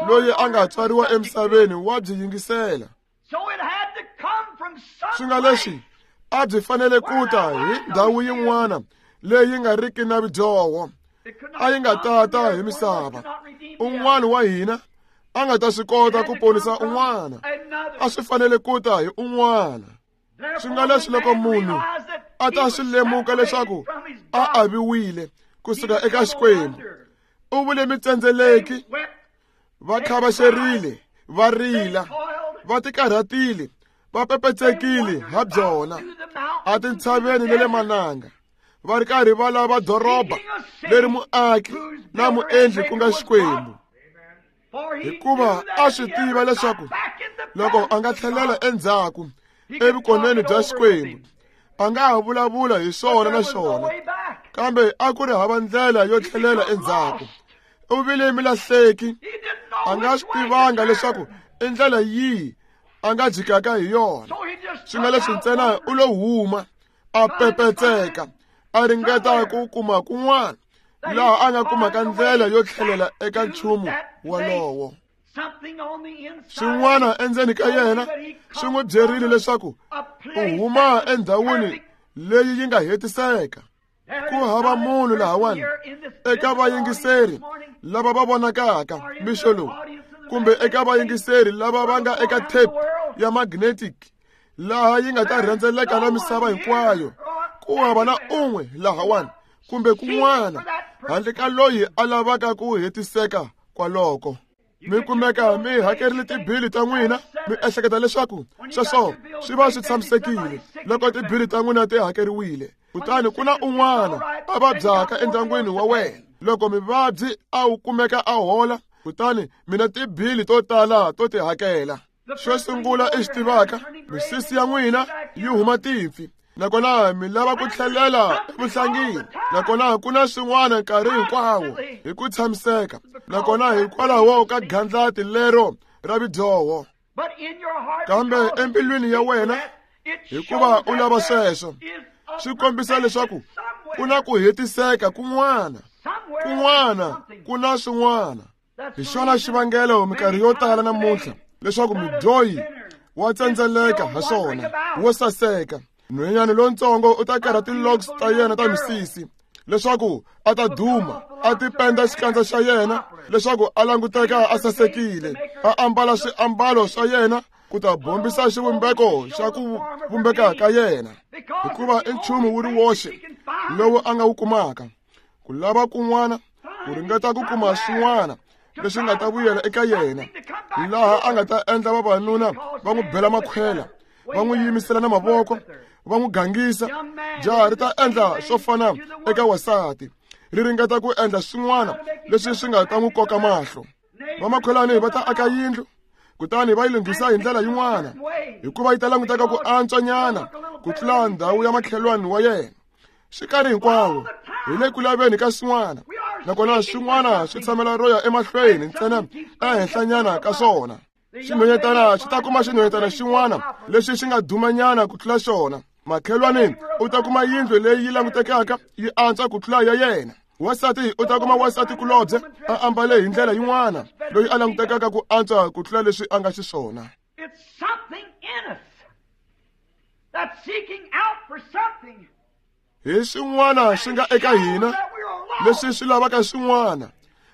loyi a nga tswariwa emisaveni wa byi yingisela. Swi nga leswi a byi fanele ku ta hi ndhawu yin'wana leyi nga riki na vudyoho, a yi nga tata hi misava. Un'wana wa hina a nga ta swi kota ku ponisa un'wana, a swi fanele ku ta hi un'wana. Swi nga leswi loko munhu a ta swi lemuka leswaku a aviwile kusuka eka Xikwembu, u vule mitsendzeleki, va khavaxerile, va rila, va tikarhatile, va pepetsekile ha byona etintshaveni na le mananga, va ri karhi va lava doroba leri muaki na muendli ku nga Xikwembu. Hikuva a swi tiva leswaku loko a nga tlhelela endzhaku evukoneni bya Xikwembu, a nga ha vulavula hi swona na xona, kambe a ku ri hava ndlela yo tlhelela endzhaku. U vile milahleki, a nga swi tivanga leswaku i ndlela yihi a nga jikaka hi yona. Swi nga leswi ntsena u lo huma a pepetseka, a ringeta ku kuma kun'wana laha a nga kumaka ndlela yo tlhelela eka nchumu wolowo. Swin'wana endzeni ka yena swi n'wi byerile leswaku u huma endhawini leyi yi nga hetiseka. Ku hava munhu lahawani eka vayingiseri lava va vonakaka mixo lowu, kumbe eka vayingiseri lava va nga eka tape ya magnetic laha yi nga ta rhendzeleka na misava hinkwayo. Ku hava na un'we lahawani kumbe kun'wana handle ka loyi a lavaka ku hetiseka kwaloko. Mi kumeka mi hakerile tibili ta n'wina, mi ehleketa leswaku sweswo swi va swi tshamisekile loko tibili ta n'wina ti hakeriwile. Kutani ku na un'wana a vabyaka endyangwini wa wena Loko mivabyi a wu kumeka a hola, kutani mina tibili to tala to ti hakela. Xo sungula i xi tivaka, misisi ya n'wina yi huma timpfi, nakona mi lava ku tlhelela evuhlangini, nakona ku na swin'wana nkarhi hinkwawo hi ku tshamiseka, nakona hikwalaho ka gandlati lero ra vidyoho. Kambe embilwini ya wena, hikuva u lava sweswo, swi kombisa leswaku ku na ku hetiseka kun'wana, kun'wana ku na swin'wana. Hi xona xivangelo minkarhi yo tala namuntlha leswaku mudyohi wa tsendzeleka ha swona, wo saseka. Nhwenyana lontsongo u ta karha ti-locks ta yena ta misisi leswaku a ta duma, a tipenda xikandza xa yena leswaku a languteka a sasekile, a ambala swiambalo swa yena ku ta bombisa xivumbeko xa ku vumbeka ka yena, hikuva i nchumu wu ri woxe lowu a nga wu kumaka. Ku lava kun'wana, ku ringeta ku kuma swin'wana leswi nga ta vuyela eka yena, laha a nga ta endla vavanuna va n'wi bela makhwela, va n'wi yimisela na mavoko, va n'wi gangisa. Jaha ri ta endla swo fana eka wasati, ri ringeta ku endla swin'wana leswi swi nga ta n'wi koka mahlo. Vamakhwelani va ta aka yindlu, kutani va yi lunghisa hi ndlela yin'wana, hikuva yi ta languteka ku antswanyana ku tlula ndhawu ya makhelwani wa yena. Swi karhi hinkwawo hi le ku laveni ka swin'wana, nakona swin'wana swi tshamela ro ya emahlweni ntsena ehenhlanyana ka swona. Xinhwanyetana xi ta kuma xinhwanyetana xin'wana lexi xi nga dumanyana ku tlula xona. Makhelwani u ta kuma yindlu leyi yi langutekaka yi antswa ku tlula ya yena. Wasati u ta kuma wasati kulobye a ambale hi ndlela yin'wana loyi a langutekaka ku antswa ku tlula leswi a nga xiswona. Hi swin'wana swi nga eka hina leswi swi lavaka swin'wana,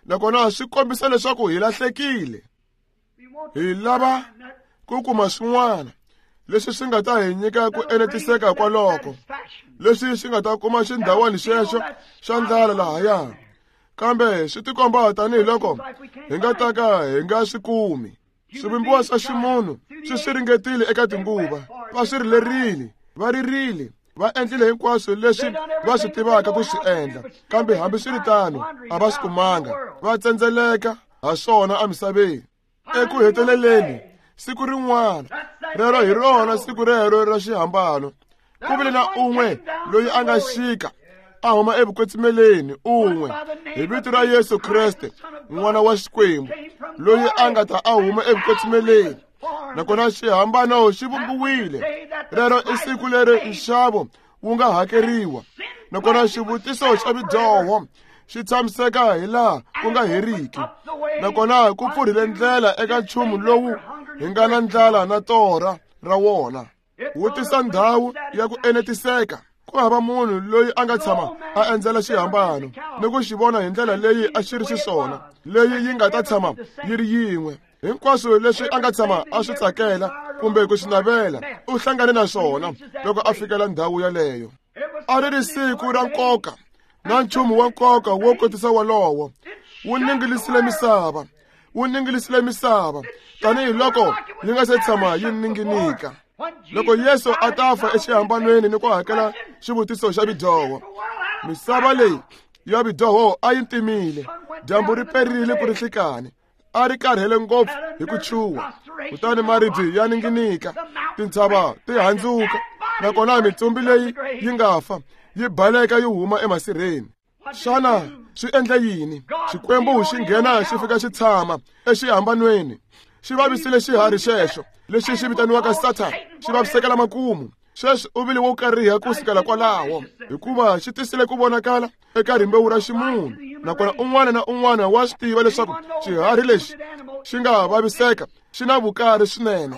nakona swi kombisa leswaku hi lahlekile. Hi lava ku kuma swin'wana leswi swi nga ta hi nyika ku enetiseka kwaloko, leswi swi nga ta kuma xindhawani xexo xa ndlala lahaya. Kambe swi tikomba tanihiloko hi nga ta ka hi nga swi kumi. Swivumbiwa swa ximunhu swi swi ringetile eka tinguva, va swi rilerile, va ririle, va endlile hinkwaswo leswi va swi tivaka ku swi endla, kambe hambiswiritano a va swi kumanga, va tsendzeleka ha swona emisaveni. Eku heteleleni siku rin'wana rero hi rona siku rero ra xihambano, ku vile na un'we loyi a nga xika a huma evukwetsimeleni, un'we hi vito ra Yesu Kreste n'wana wa Xikwembu, loyi a nga ta a huma evukwetsimeleni, nakona xihambano xi vumbiwile. Rero i siku leri nxavo wu nga hakeriwa, nakona xivutiso xa vidyoho xi tshamiseka hi laha ku nga heriki, nakona ku pfurhile ndlela eka nchumu lowu hi nga na ndlala na torha ra wona. Wu tisa ndhawu ya ku enetiseka. Ku hava munhu loyi a nga tshama a endzela xihambano ni ku xi vona hi ndlela leyi a xi ri xiswona, leyi yi nga ta tshama yi ri yin'we. Hinkwaswo leswi a nga tshama a swi tsakela kumbe ku swi navela, u hlangane na swona loko a fikela ndhawu yaleyo. A ri ri siku ra nkoka na nchumu wa nkoka wo kotisa wolowo wu ningilisile misava, wu ningilisile misava tanihiloko yi nga se tshama yi ninginika. Loko Yesu a ta fa exihambanweni ni ku hakela xivutiso xa vidyoho, misava leyi ya vidyoho a yi ntimile, dyambu ri perile ku ri nhlikani, a ri karhele ngopfu hi ku chuha, kutani maribye ya ninginika, tintshava ti handzuka, nakona mitsumbi leyi yi nga fa yi baleka yi huma emasirheni. Xana swi endla yini? Xikwembu xi nghena xi fika xi tshama exihambanweni, xi vavisile xiharhi xexo lexi xi vitaniwaka Sathana, xi vavisekela makumu. Sweswi u vile wo kariha ku sukela kwalaho, hikuva xi tisile ku vonakala eka rimbewu ra ximunhu, nakona un'wana na un'wana wa swi tiva leswaku xiharhi lexi xi nga vaviseka xi na vukari swinene,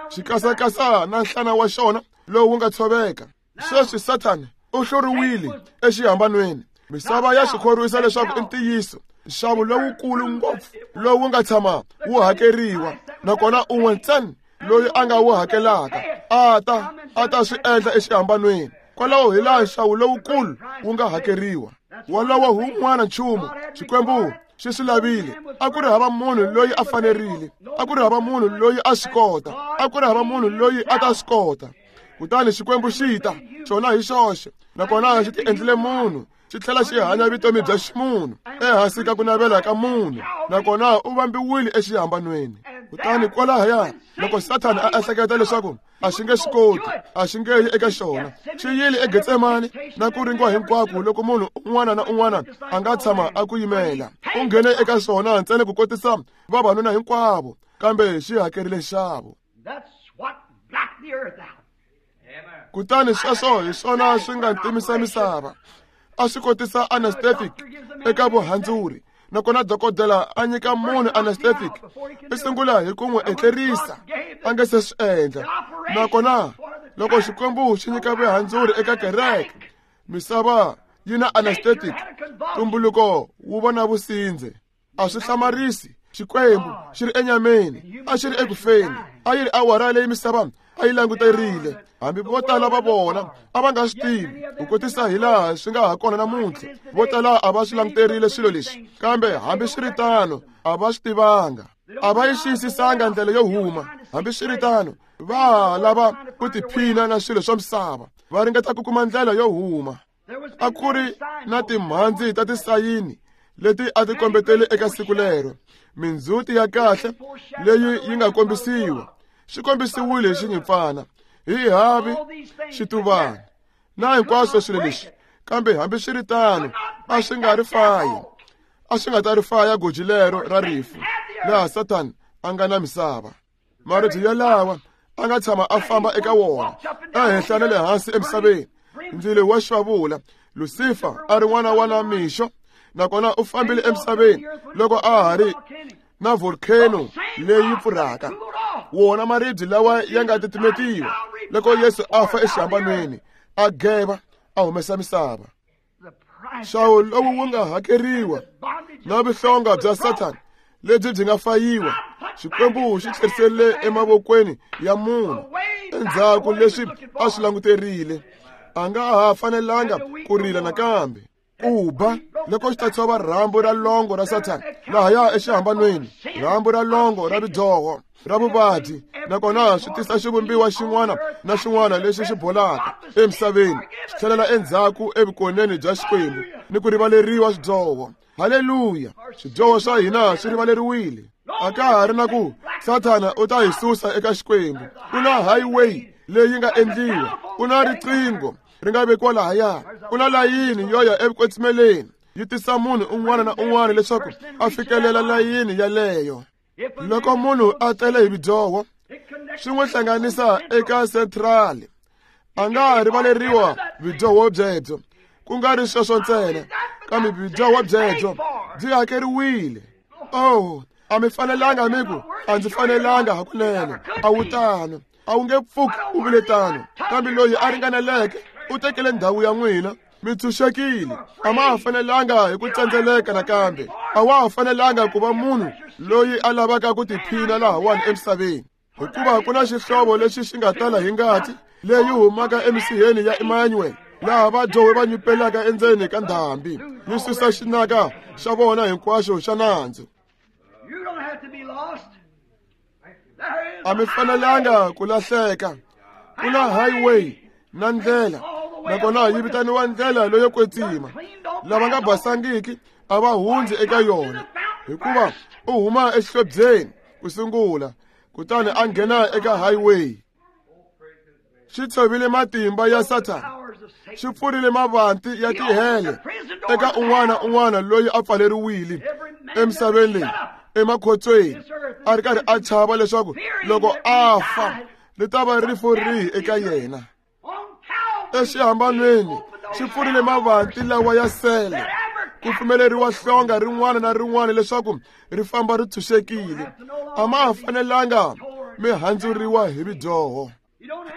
xi kasakasa na nhlana wa xona lowu wu nga tshoveka. Sweswi Sathana u hluriwile exihambanweni. Misava ya swi khorwisa leswaku i ntiyiso, nxavo lowukulu ngopfu lowu nga tshama wu hakeriwa, nakona un'we ntsena loyi a nga wu hakelaka a ta a ta swi endla exihambanweni. Kwalaho hi laha nxavo lowukulu wu nga hakeriwa. Wolowo hi wun'wana nchumu Xikwembu xi swi lavile. A ku ri hava munhu loyi a fanerile, a ku ri hava munhu loyi a swi kota, a ku ri hava munhu loyi a ta swi kota. Kutani Xikwembu xi ta xona hi xoxe, nakona xi ti endlile munhu xi tlhela xi hanya vutomi bya ximunhu ehansi ka ku navela ka munhu, nakona u vambiwile exihambanweni. Kutani kwalahaya loko Sathana a ehleketa leswaku a xi nge swi koti, a xi nge yi eka xona, xi yile eGetsemane na ku ringiwa hinkwako loko munhu un'wana na un'wana a nga tshama a ku yimela. U nghene eka swona ntsena ku kotisa vavanuna hinkwavo, kambe xi hakerile nxavo. Kutani sweswo hi swona swi nga ntimisa misava. A swi kotisa anesthetic eka vuhandzuri, nakona dokodela a nyika munhu anesthetic i sungula hi ku n'wi etlerisa a nge se swi endla. Nakona loko Xikwembu xi nyika vuhandzuri eka kereke, misava yi na anesthetic, tumbuluko wu vona vusindze. A swi hlamarisi Xikwembu xi ri enyameni, a xi ri ekufeni, a yi ri awara leyi misava a yi languterile. Hambi vo tala va vona a va nga swi tivi ku kotisa hi laha swi nga ha kona namuntlha. Vo tala a va swi languterile swilo leswi, kambe hambiswiritano a va swi tivanga, a va yi xiyisisanga ndlela yo huma. Hambiswiritano va ha lava ku tiphina na swilo swa misava, va ringeta ku kuma ndlela yo huma. A ku ri na timhandzi ta tisayini leti a ti kombetele eka siku lero, mindzhuti ya kahle leyi yi nga kombisiwa. Xi kombisiwile hi xinyimpfana, hi havi, xituvana na hinkwaswo swilo leswi, kambe hambiswiritano a swi nga ri fayi, a swi nga ta ri faya goji lero ra rifu laha Sathana a nga na misava. Maribye yalawa a nga tshama a famba eka wona ehenhla na le hansi emisaveni. Ndzilo wa xivavula, Lucifer a ri n'wana wa na mixo, nakona u fambile emisaveni loko a ha ri na volcano leyi pfurhaka. Wona maribye lawa ya nga titimetiwa loko Yesu a fa exihambanweni, a geva a humesa misava. Nxavo lowu wu nga hakeriwa na vuhlonga bya Sathana lebyi byi nga fayiwa, Xikwembu xi tlheriserile emavokweni ya munhu endzhaku leswi a swi languterile. A nga ha fanelanga ku rila nakambe. Ku ba loko xi ta tshova rhambu ra longo ra Sathana lahaya exihambanweni, rhambu ra longo ra ridyoho ra vuvabyi, nakona swi tisa xivumbiwa xin'wana na xin'wana lexi xi bolaka emisaveni, xi tlhelela endzhaku evukoneni bya Xikwembu ni ku rivaleriwa swidyoho. Haleluya! Swidyoho swa hina swi rivaleriwile. A ka ha ri na ku Sathana u ta hi susa eka Xikwembu. Ku na highway leyi nga endliwa, ku na riqingho ri nga vekiwa lahaya, ku na layini yo ya evukwetsimeni yi tisa munhu un'wana na un'wana leswaku a fikelela layini yaleyo. Loko munhu a tele hi vudyoho, swi n'wi hlanganisa eka central, a nga rivaleriwa vudyoho byebyo. Ku nga ri sweswo ntsena, kambe vudyoho byebyo byi hakeriwile. Oh, a mi fanelanga mi ku a ndzi fanelanga hakunene, a wu tano, a wu nge pfuki u vile tano. Kambe loyi a ringaneleke u tekele ndhawu ya n'wina, mi tshunxekile. A ma ha fanelanga hi ku tsandzeleka nakambe, a wa ha fanelanga ku va munhu loyi a lavaka ku tiphina lahawani emisaveni, hikuva ku na xihlovo lexi xi nga tala hi ngati leyi humaka emisiheni ya Emmanuel, laha vadyohi va nyupelaka endzeni ka ndhambi yi susa xinaka xa vona hinkwaxo xa nandzu. A mi fanelanga ku lahleka. Ku na highway na ndlela, nakona yi vitaniwa ndlela leyo kwetsima. Lava nga basangiki a va hundzi eka yona, hikuva u huma exihlobyeni ku sungula, kutani a nghena eka highway. Xi tshovile matimba ya Sathana, xi pfurile mavanti ya tihele eka un'wana un'wana loyi a pfaleriwile emisaveni leyi emakhotsweni, a ri karhi a chava leswaku loko a fa ri ta va rifu rihi eka yena. Exihambanweni xi pfurile mavanti lawa ya sele ku pfumeleriwa hlonga rin'wana na rin'wana leswaku ri famba ri tshunxekile. A ma ha fanelanga mi handzuriwa hi vidyoho,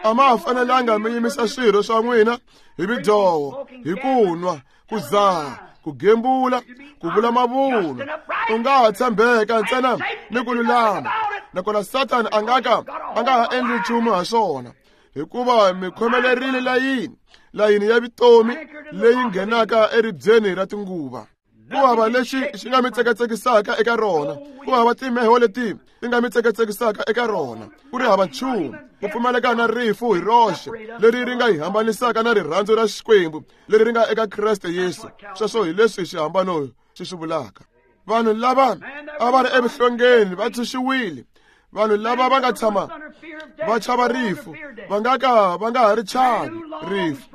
a ma ha fanelanga mi yimisa swirho swa n'wina hi vidyoho, hi ku nwa, ku dzaha, ku gembula, ku vula mavunwa. U nga ha tshembeka ntsena ni ku lulama, nakona Sathana a nga ka a nga ha endli nchumu ha swona, hikuva mi khomelerile layini, layini ya vutomi leyi nghenaka eribyeni ra tinguva. Ku hava lexi xi nga mi tsekatsekisaka eka rona, ku hava timeho leti ti nga mi tsekatsekisaka eka rona, ku ri hava nchumu ku pfumaleka na rifu hi roxe leri ri nga hi hambanisaka na rirhandzu ra Xikwembu leri ri nga eka Kreste Yesu. Sweswo hi leswi xihambano xi swi vulaka. Vanhu lava a va ri evuhlongeni va tshunxiwile. Vanhu lava va nga tshama va chava rifu va nga ka va nga ha ri chavi rifu.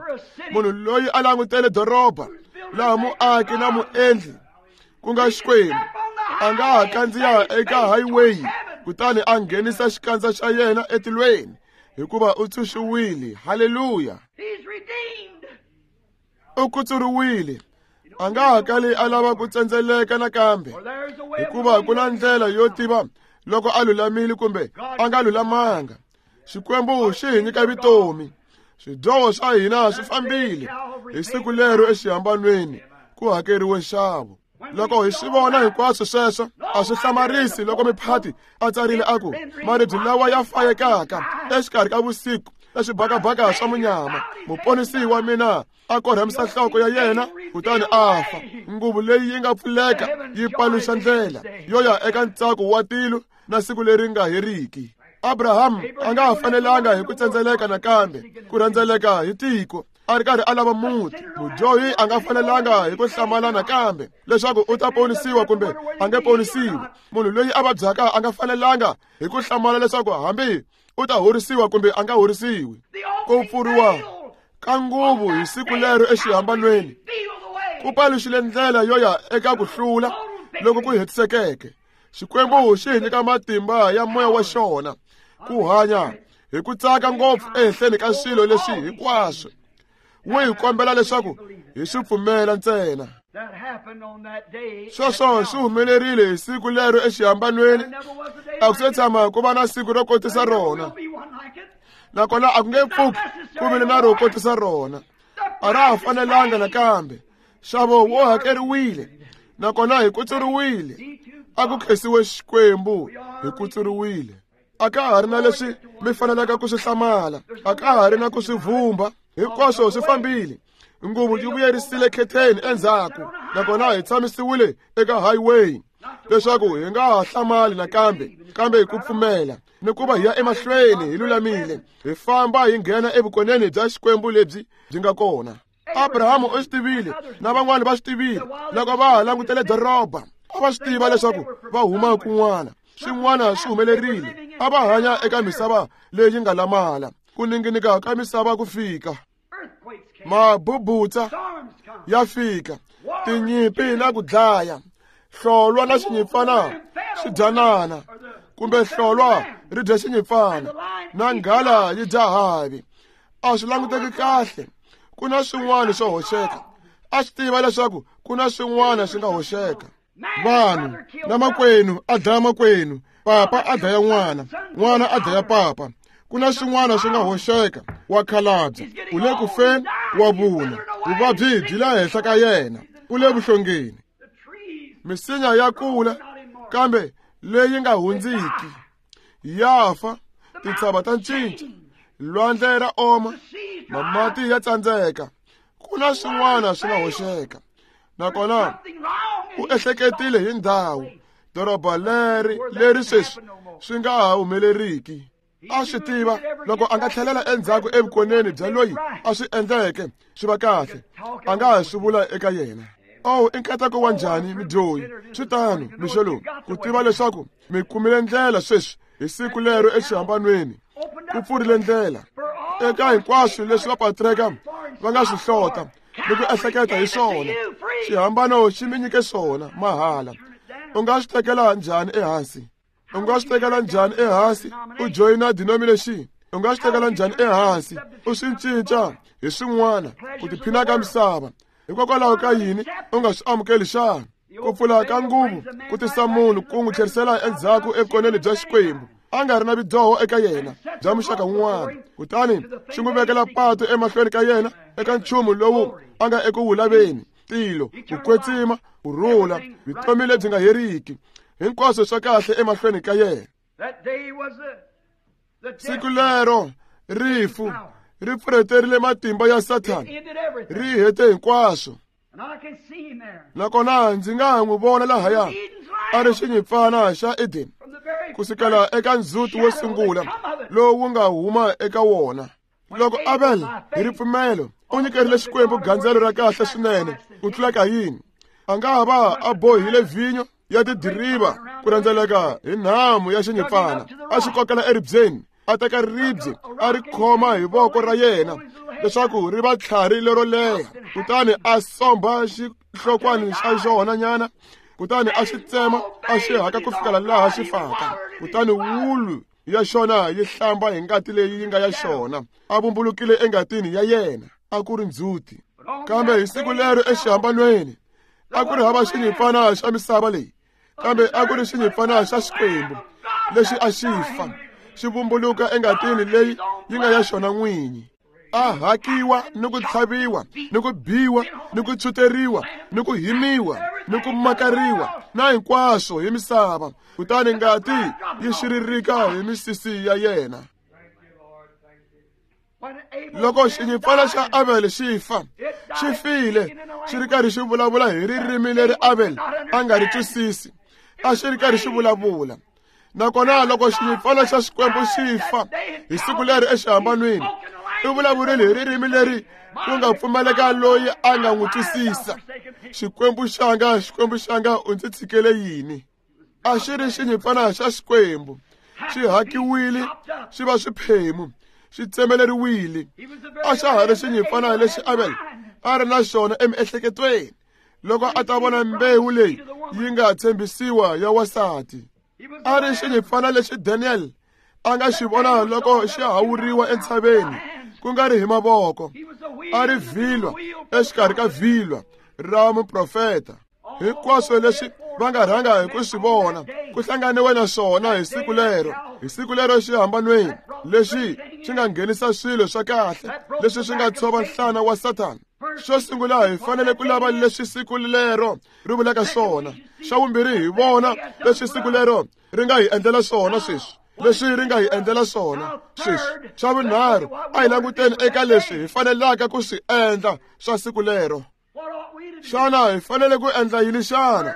Munhu loyi a langutele doroba laha muaki na muendli ku nga Xikwembu a nga ha kandziya eka highway kutani a nghenisa xikandza xa yena etilweni hikuva u tshunxiwile. Haleluya! U kutsuriwile. A nga ha kali a lava ku tsendzeleka nakambe, hikuva ku na ndlela yo tiva loko a lulamile kumbe a nga lulamanga. Xikwembu xi hi nyika vutomi. Swidyoho swa hina swi fambile hi siku lero exihambanweni ku hakeriwe nxavo. Loko hi swi vona hinkwaswo sweswo, a swi hlamarisi loko miphati a tsarile a ku, maribye lawa ya fayekaka exikarhi ka vusiku na swibakabaka swa munyama, muponisi wa mina a korhamisa nhloko ya yena kutani a fa. Nguvu leyi yi nga pfuleka yi paluxa ndlela yo ya eka ntsako wa tilo na siku leri nga heriki. Abraham a nga ha fanelanga hi ku tsendzeleka nakambe ku rhendzeleka hi tiko a ri karhi a lava muti. Mudyohi a nga fanelanga hi ku hlamala nakambe leswaku u ta ponisiwa kumbe a nge ponisiwi. Munhu loyi a vabyaka a nga fanelanga hi ku hlamala leswaku hambi u ta horisiwa kumbe a nga horisiwi. Ku pfuriwa ka nguvu hi siku lero exihambanweni ku paluxile ndlela yo ya eka ku hlula loko ku hetisekeke. Xikwembu xi hi nyika matimba ya moya wa xona ku hanya hi ku tsaka ngopfu ehenhleni ka swilo leswi hinkwaswo. Wu hi kombela leswaku hi swi pfumela ntsena. Sweswo swi humelerile hi siku lero exihambanweni. A ku se tshama ku va na siku ro kotisa rona, nakona a ku nge pfuki ku vile na ro kotisa rona. A ra ha fanelanga nakambe. Nxavo wo hakeriwile, nakona hi kutsuriwile. A ku khensiwe Xikwembu, hi kutsuriwile. A ka ha ri na leswi mi fanelaka ku swi hlamala, a ka ha ri na ku swi vhumba. Hinkwaswo swi fambile. Nguvu yi vuyerisile khetheni endzhaku, nakona hi tshamisiwile eka highway leswaku hi nga ha hlamali nakambe, kambe hi ku pfumela ni ku va hi ya emahlweni hi lulamile, hi famba hi nghena evukoneni bya Xikwembu lebyi byi nga kona. Abrahamu u swi tivile na van'wani va swi tivile loko va ha langutele doroba. A va swi tiva leswaku va huma kun'wana, swin'wana swi humelerile. A va hanya eka misava leyi nga lamala, ku ninginika ka misava ku fika, mabubutsa ya fika, tinyimpi na ku dlaya, hlolwa na xinyimpfana swi dyanana, kumbe hlolwa ri dya xinyimpfana na nghala yi dya havi. A swi languteki kahle. Ku na swin'wana swo hoxeka. A swi tiva leswaku ku na swin'wana swi nga hoxeka. Vanhu na makwenu a dlaya makwenu, papa a dlaya n'wana, n'wana a dlaya papa. Ku na swin'wana swi nga hoxeka. Wa khalabya, u le ku feni, wa vuna, vuvabyi byi le henhla ka yena, u le vuhlongeni. Misinya ya kula, kambe leyi nga hundziki ya fa. Tintshava ta cinca, lwandle ra oma, mamati ya tsandzeka. Ku na swin'wana swi nga hoxeka. Nakona u ehleketile hi ndhawu, doroba leri leri sweswi swi nga ha humeleriki. A swi tiva loko a nga tlhelela endzhaku evukoneni bya loyi a swi endleke swi va kahle, a nga ha swi vula eka yena. Oh, i nkateko wa njhani midyohi. Swi tano mixo lowu ku tiva leswaku mi kumile ndlela sweswi hi siku lero exihambanweni. Ku pfurile ndlela eka hinkwaswo leswi vapatreka va nga swi hlota ni ku ehleketa hi swona. Xihambano xi mi nyike swona mahala. U nga swi tekela njhani ehansi? U nga swi tekela njhani ehansi u joyina denomination? U nga swi tekela njhani ehansi u swi cinca hi swin'wana ku tiphina ka misava? Hikokwalaho ka yini u nga swi amukeli xana? Ku pfula ka nguvu ku tisa munhu ku n'wi tlherisela endzhaku evukoneni bya Xikwembu a nga ri na vudyoho eka yena bya muxaka wun'wana, kutani xi n'wi vekela pato emahlweni ka yena eka nchumu lowu a nga eku wu laveni, tilo, ku kwetsima, ku rhula, vutomi lebyi nga heriki, hinkwaswo swa kahle emahlweni ka yena. Siku lero rifu ri pfurheterile matimba ya Sathana, ri hete hinkwaswo. Nakona ndzi nga n'wi vona lahaya a ri xinyimpfana xa Eden kusukela eka ndzhuti wo sungula lowu wu nga huma eka wona. Loko Abel hi ripfumelo u nyikerile Xikwembu gandzelo ra kahle swinene ku tlula Kayini, a nga va a bohile vhinyo ya tidiriva ku rhendzeleka hi nhamu ya xinyimpfana, a xi kokela eribyeni, a teka ribye a ri khoma hi voko ra yena leswaku ri va tlhari lero leha, kutani a somba xihlokwani xa xona nyana, kutani a xi tsema a xi haka ku fikela laha xi faka, kutani wulu ya xona yi hlamba hi ngati leyi yi nga ya xona, a vumbulukile engatini ya yena. A ku ri ndzhuti. Kambe hi siku lero exihambanweni a ku ri hava xinyimpfana xa misava leyi, kambe a ku ri xinyimpfana xa Xikwembu lexi a xi fa xi vumbuluka engatini leyi yi nga ya xona n'winyi. A hakiwa ni ku tlhaviwa ni ku biwa ni ku tshuteriwa ni ku himiwa ni ku makariwa na hinkwaswo hi misava, kutani ngati yi xiririka hi misisi ya yena. Loko xinyimpfana xa Abel xi fa, xi file xi ri karhi xi vulavula hi ririmi leri Abel a nga ri twisisi, a xi ri karhi xi vulavula. Nakona loko xinyimpfana xa Xikwembu xi fa hi siku leri exihambanweni, u vulavurile hi ririmi leri ku nga pfumaleka loyi a nga n'wi twisisa. Xikwembu xanga, Xikwembu xanga, u ndzi tshikele yini? A xi ri xinyimpfana xa Xikwembu, xi hakiwile xi va swiphemu, xi tsemeleriwile. A xa ha ri xinyimpfana lexi Abel a ri na xona emiehleketweni loko a ta vona mbewu leyi yi nga tshembisiwa ya wansati. A ri xinyimpfana lexi Daniel a nga xi vona loko xi hawuriwa entshaveni ku nga ri hi mavoko, a ri vhilwa exikarhi ka vhilwa ra muprofeta. Hinkwaswo leswi va nga rhanga hi ku swi vona ku hlanganiwe na swona hi siku lero, hi siku lero xihambanweni lexi xi nga nghenisa swilo swa kahle leswi swi nga tshova nhlana wa Sathana. Xo sungula hi fanele ku lava leswi siku lero ri vulaka swona. Xa vumbirhi hi vona leswi siku lero ri nga hi endlela swona sweswi, leswi ri nga hi endlela swona sweswi. Xa vunharhu a hi languteni eka leswi hi fanelaka ku swi endla swa siku lero. Xana hi fanele ku endla yini xana?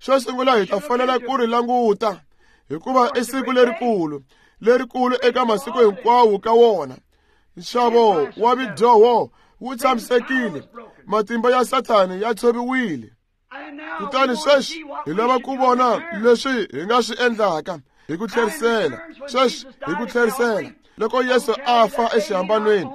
Xo sungula hi ta fanela ku ri languta, hikuva i siku lerikulu, lerikulu eka masiku hinkwawo ka wona. Nxavo wa vidyoho wu tshamisekile, matimba ya Sathani ya tshoviwile. Kutani sweswi hi lava ku vona leswi hi nga swi endlaka hi ku tlherisela. Sweswi hi ku tlherisela, loko Yesu a fa exihambanweni,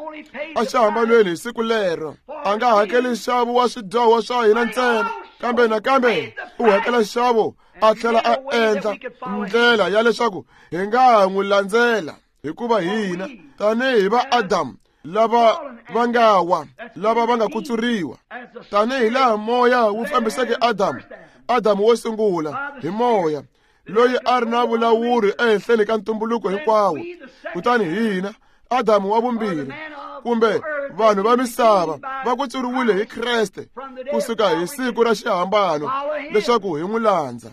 exihambanweni hi siku lero, a nga hakeli nxavo wa swidyoho swa hina ntsena, kambe nakambe u hakela nxavo a tlhela a endla ndlela ya leswaku hi nga n'wi landzela, hikuva hina tanihi va Adamu lava va nga wa, lava va nga kutsuriwa, tanihi laha moya wu fambiseke Adamu, Adamu wo sungula hi moya loyi a ri na vulawuri ehenhleni ka ntumbuluko hinkwawo, kutani hina Adamu wa vumbirhi kumbe vanhu va misava va kutsuriwile hi Kreste kusuka hi siku ra xihambano leswaku hi n'wi landza.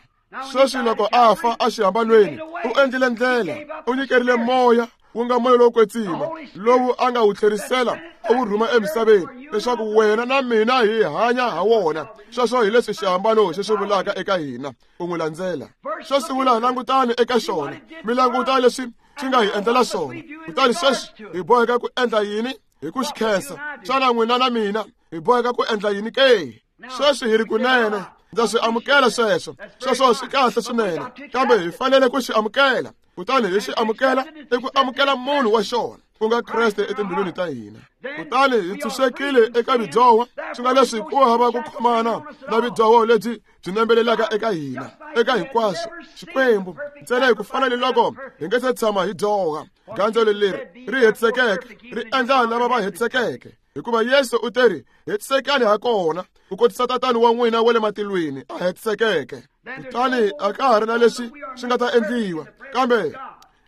Sweswi loko a fa exihambanweni, u endlile ndlela, u nyikerile moya wu nga moya lowo kwetsima lowu a nga wu tlherisela a wu rhuma emisaveni leswaku wena na mina hi hanya ha wona. Sweswo hi leswi xihambano xi swi vulaka eka hina, u n'wi landzela. Xo sungula langutani eka xona, mi languta leswi xi nga hi endlela swona. Kutani sweswi hi boheka ku endla yini? Hi ku xi khensa. Xana n'wina na mina hi boheka ku endla yini ke? Sweswi hi ri kunene, ndza swi amukela sweswo, sweswo swi kahle swinene, kambe hi fanele ku xi amukela. Kutani hi xi amukela i ku amukela munhu wa xona, ku nga Kreste etimbilwini ta hina. Kutani hi tshunxekile eka vidyoho, swi nga leswi ku hava ku khomana na vidyoho lebyi byi nembelelaka eka hina, eka hinkwaswo. Xikwembu ntsena hi ku fana ni loko hi nga se tshama hi dyoha. Gandzelo leri ri hetisekeke ri endla lava va hetisekeke, hikuva Yesu u teri hetisekani ha kona ku kotisa Tatani wa n'wina wa le matilweni a hetisekeke. Kutani a ka ha ri na leswi swi nga ta endliwa, kambe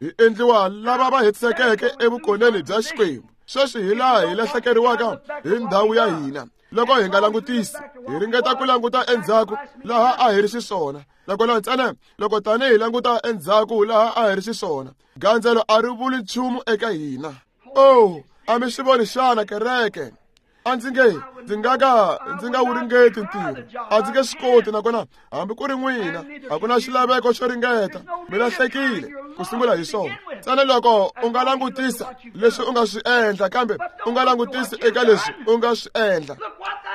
hi endliwa lava va hetisekeke evukoneni bya Xikwembu. Sweswi hi laha hi lahlekeriwaka hi ndhawu ya hina loko hi nga langutisi, hi ringeta ku languta endzhaku laha a hi ri xiswona. Nakona ntsena loko tanihi languta endzhaku laha a hi ri xiswona, gandzelo a ri vuli nchumu eka hina. Oh, a mi swi voni xana kereke? A ndzi nge ndzi nga ka ndzi nga wu ringeti ntirho, a ndzi nge swi koti, nakona hambi ku ri n'wina a ku na xilaveko xo ringeta. Mi lahlekile ku sungula hi swona. Ntsena loko u nga langutisa leswi u nga swi endla, kambe u nga langutisi eka leswi u nga swi endla.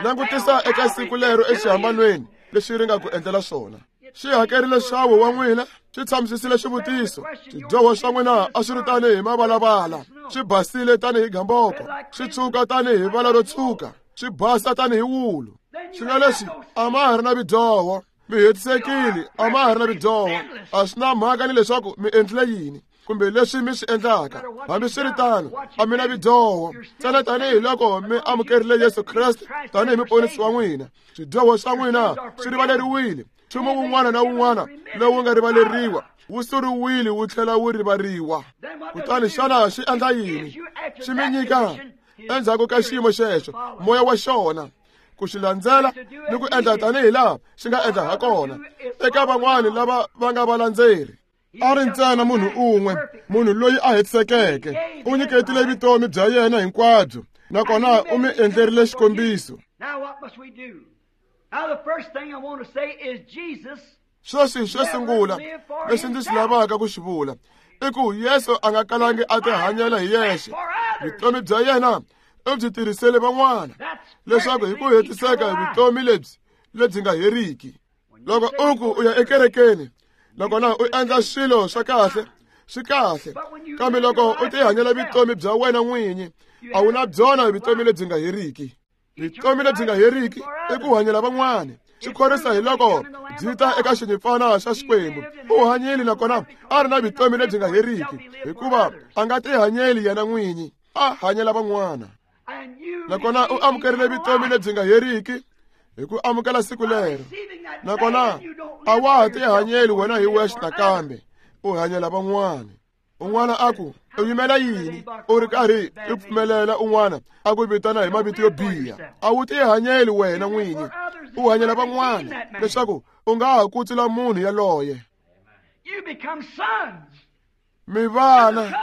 Langutisa eka siku lero exihambanweni leswi ri nga ku endlela swona. Xi hakerile nxavo wa n'wina, xi tshamisisile xivutiso. Swidyoho swa n'wina a swi ri tanihi mavalavala, swi basile tanihi gamboko, swi tshuka tanihi vala ro tshuka, swi basa tanihi wulu. Swi nga leswi a ma ha ri na vidyoho, mi hetisekile, a ma ha ri na vidyoho. A swi na mhaka ni leswaku mi endlile yini kumbe leswi mi swi endlaka, hambiswiritano a mi na vidyoho. Ntsena tanihiloko mi amukerile Yesu Kreste tanihi muponisi wa n'wina, swidyoho swa n'wina swi rivaleriwile. Nchumu wun'wana na wun'wana lowu nga rivaleriwa wu suriwile wu tlhela wu rivariwa. Kutani xana xi endla yini? Xi mi nyika endzhaku ka xiyimo xexo moya wa xona ku xi landzela ni ku endla tanihi laha xi nga endla ha kona eka van'wani lava va nga valandzeri. A ri ntsena munhu un'we, munhu loyi a hetisekeke, u nyiketile vutomi bya yena hinkwabyo, nakona u mi endlerile xikombiso. Sweswi xo sungula lexi ndzi xi lavaka ku xi vula i ku Yesu a nga kalangi a tihanyela hi yexe. Vutomi bya yena u byi tirhisele van'wana leswaku hi ku hetiseka vutomi lebyi lebyi nga heriki. Loko u ku u ya ekerekeni nakona u endla swilo swa kahle, swi kahle, kambe loko u tihanyela vutomi bya wena n'winyi, a wu na byona vutomi lebyi nga heriki. Vutomi lebyi nga heriki i ku hanyela van'wana. Swi khorwisa hi loko byi ta eka xinyimpfana xa Xikwembu. U hanyile nakona a ri na vutomi lebyi nga heriki, hikuva a nga tihanyeli yena n'winyi, a hanyela van'wana. Nakona u amukerile vutomi lebyi nga heriki hi ku amukela siku lero. Nakona a wa ha tihanyeli wena hi wexe nakambe, u hanyela van'wana. Un'wana a ku u yimela yini u ri karhi u pfumelela un'wana a ku vitana hi mavito yo biha? A wu tihanyeli wena n'winyi, u hanyela van'wana leswaku u nga ha kutsula munhu yaloye. Mi vana,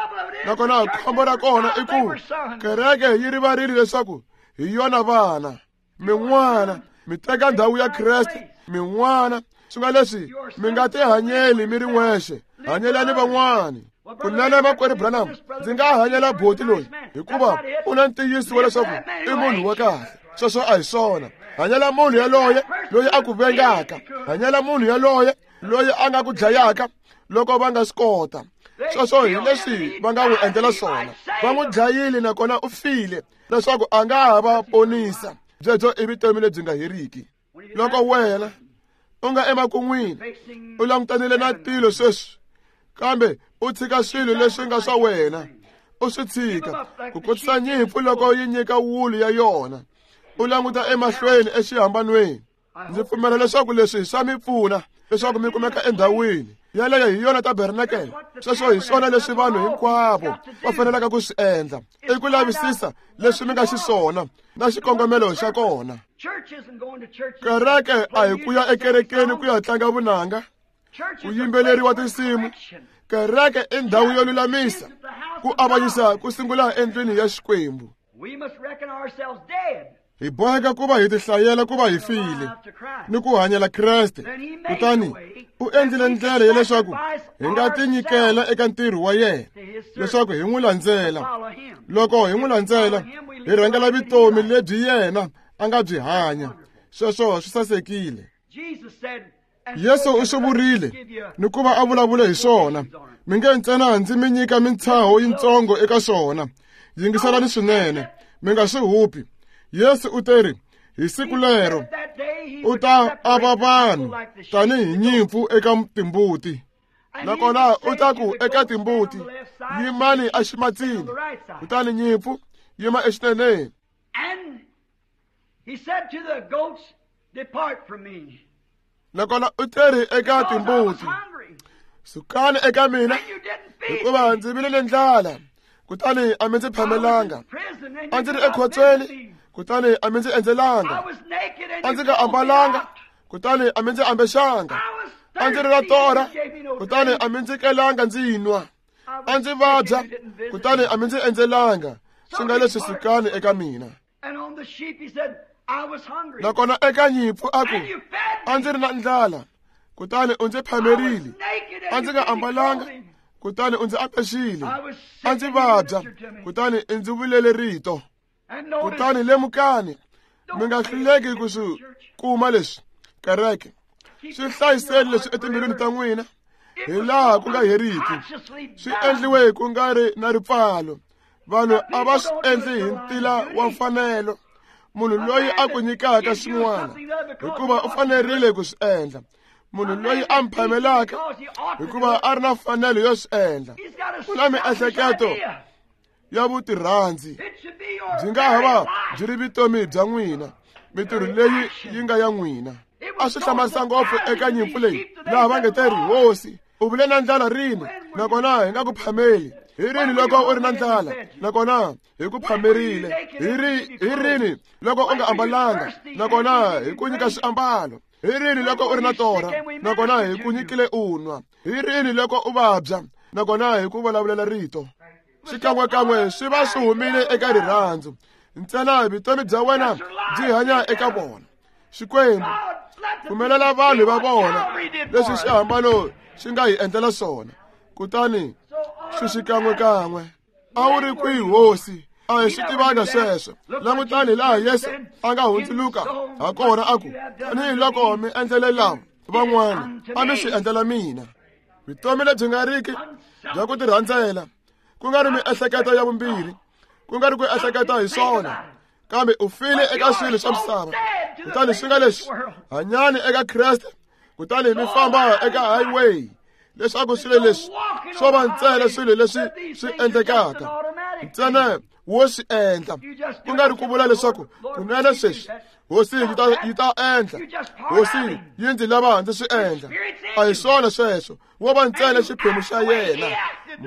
nakona khombo ra kona i ku kereke yi rivarile leswaku hi yona vana. Min'wana mi teka ndhawu ya Kreste, min'wana swi nga leswi mi nga tihanyeli mi ri n'wexe, hanyelani van'wana. Kunene makwerhu Branham, ndzi nga hanyela boti loyi hikuva u na ntiyiso wa leswaku i munhu wa kahle. Sweswo a hi swona. Hanyela munhu yaloye loyi a ku vengaka, hanyela munhu yaloye loyi a nga ku dlayaka loko va nga swi kota. Sweswo hi leswi va nga n'wi endlela swona. Va n'wi dlayile nakona u file leswaku a nga ha va ponisa. Byebyo i vutomi lebyi nga heriki. Loko wena u nga emakun'wini u langutanile na tilo sweswi, kambe u tshika swilo leswi nga swa wena, u swi tshika ku kotisa nyimpfu loko yi nyika wulu ya yona, u languta emahlweni exihambanweni. Ndzi pfumela leswaku leswi swa mi pfuna leswaku mi kumeka endhawini yaleyo hi yona tabernakele. Sweswo hi swona leswi vanhu hinkwavo va fanelaka ku swi endla, i ku lavisisa leswi mi nga xiswona na xikongomelo xa kona. Kereke a hi ku ya ekerekeni ku ya tlanga vunanga, ku yimbeleriwa tinsimu. Kereke i ndhawu yo lulamisa ku avanyisa ku sungula endlwini ya Xikwembu. Hi boheka ku va hi tihlayela ku va hi file ni ku hanyela Kreste. Kutani u endlile ndlela ya leswaku hi nga tinyikela eka ntirho wa yena, leswaku hi n'wi landzela. Loko hi n'wi landzela, hi rhangela vutomi lebyi yena a nga byi hanya. Sweswo swi sasekile. Yesu u swi vurile ni ku va a vulavule hi swona. Mi nge ntsena ndzi mi nyika mintshaho yitsongo eka swona. Yingiselani swinene, mi nga swi hupi. Yesu u teri hi siku lero u ta ava vanhu tanihi nyimpfu eka timbuti. Nakona u ta ku eka timbuti, yimani eximatsini, kutani nyimpfu yima exineneni. Nakona u teri eka timbuti, sukani eka mina, hikuva ndzi vile ni ndlala, kutani a mi ndzi phamelanga. A ndzi ri ekhotsweni, kutani a mi ndzi endzelanga. A ndzi nga ambalanga, kutani a mi ndzi ambexanga. A ndzi ri na torha, kutani a mi ndzi kelanga ndzi nwa. A ndzi vabya, kutani a mi ndzi endzelanga. Swi nga leswi sukani eka mina. Nakona eka nyimpfu a ku, a ndzi ri na ndlala, kutani u ndzi phamerile. A ndzi nga ambalanga, kutani u ndzi apexile. A ndzi vabya, kutani i ndzi vulele rito. Kutani lemukani, mi nga hluleki ku swi kuma leswi, kereke. Swi hlayiseni leswi etimbilwini ta n'wina hi laha ku nga heriki. Swi endliwe ku nga ri na ripfalo. Vanhu a va swi endli hi ntila wa mfanelo. Munhu loyi a ku nyikaka swin'wana hikuva u fanerile ku swi endla. Munhu loyi a mphamelaka hikuva a ri na mfanelo yo swi endla. Ku na miehleketo ya vutirhandzi. Byi nga ha va byi ri vutomi bya n'wina, mitirho leyi yi nga ya n'wina. A swi hlamarisa ngopfu eka nyimpfu leyi laha va nge te ri, Hosi, u vule na ndlala rini, nakona hi nga ku phameli? Hi rini loko u ri na ndlala, nakona hi ku phamerile? Hi ri hi rini loko u nga ambalanga, nakona hi ku nyika swiambalo? Hi rini loko u ri na torha, nakona hi ku nyikile u nwa? Hi rini loko u vabya, nakona hi ku vulavulela rito? Xikan'wekan'we swi va swi humile eka rirhandzu. Ntsena vutomi bya wena byi hanya eka vona. Xikwembu, pfumelela vanhu va vona leswi xihambano xi nga hi endlela swona. Kutani swi xikan'wekan'we. A wu ri kwihi, Hosi? A hi swi tivanga sweswo. Langutani laha Yesu a nga hundzuluka ha kona a ku, tanihiloko mi endlele lava van'wana, a mi swi endlela mina. Vutomi lebyi nga riki bya ku tirhandzela, ku nga ri miehleketo ya vumbirhi, ku nga ri ku ehleketa hi swona, kambe u file eka swilo swa misava. Kutani swi nga leswi, hanyani eka Kreste, kutani mi famba eka highway, leswaku swilo leswi swo va ntsena swilo leswi swi endlekaka. Ntsena wo swi endla, ku nga ri ku vula leswaku kunene sweswi Hosi yi ta yi ta endla, Hosi yi ndzi lava ndzi swi endla. A hi swona sweswo, wo va ntsena xiphemu xa yena.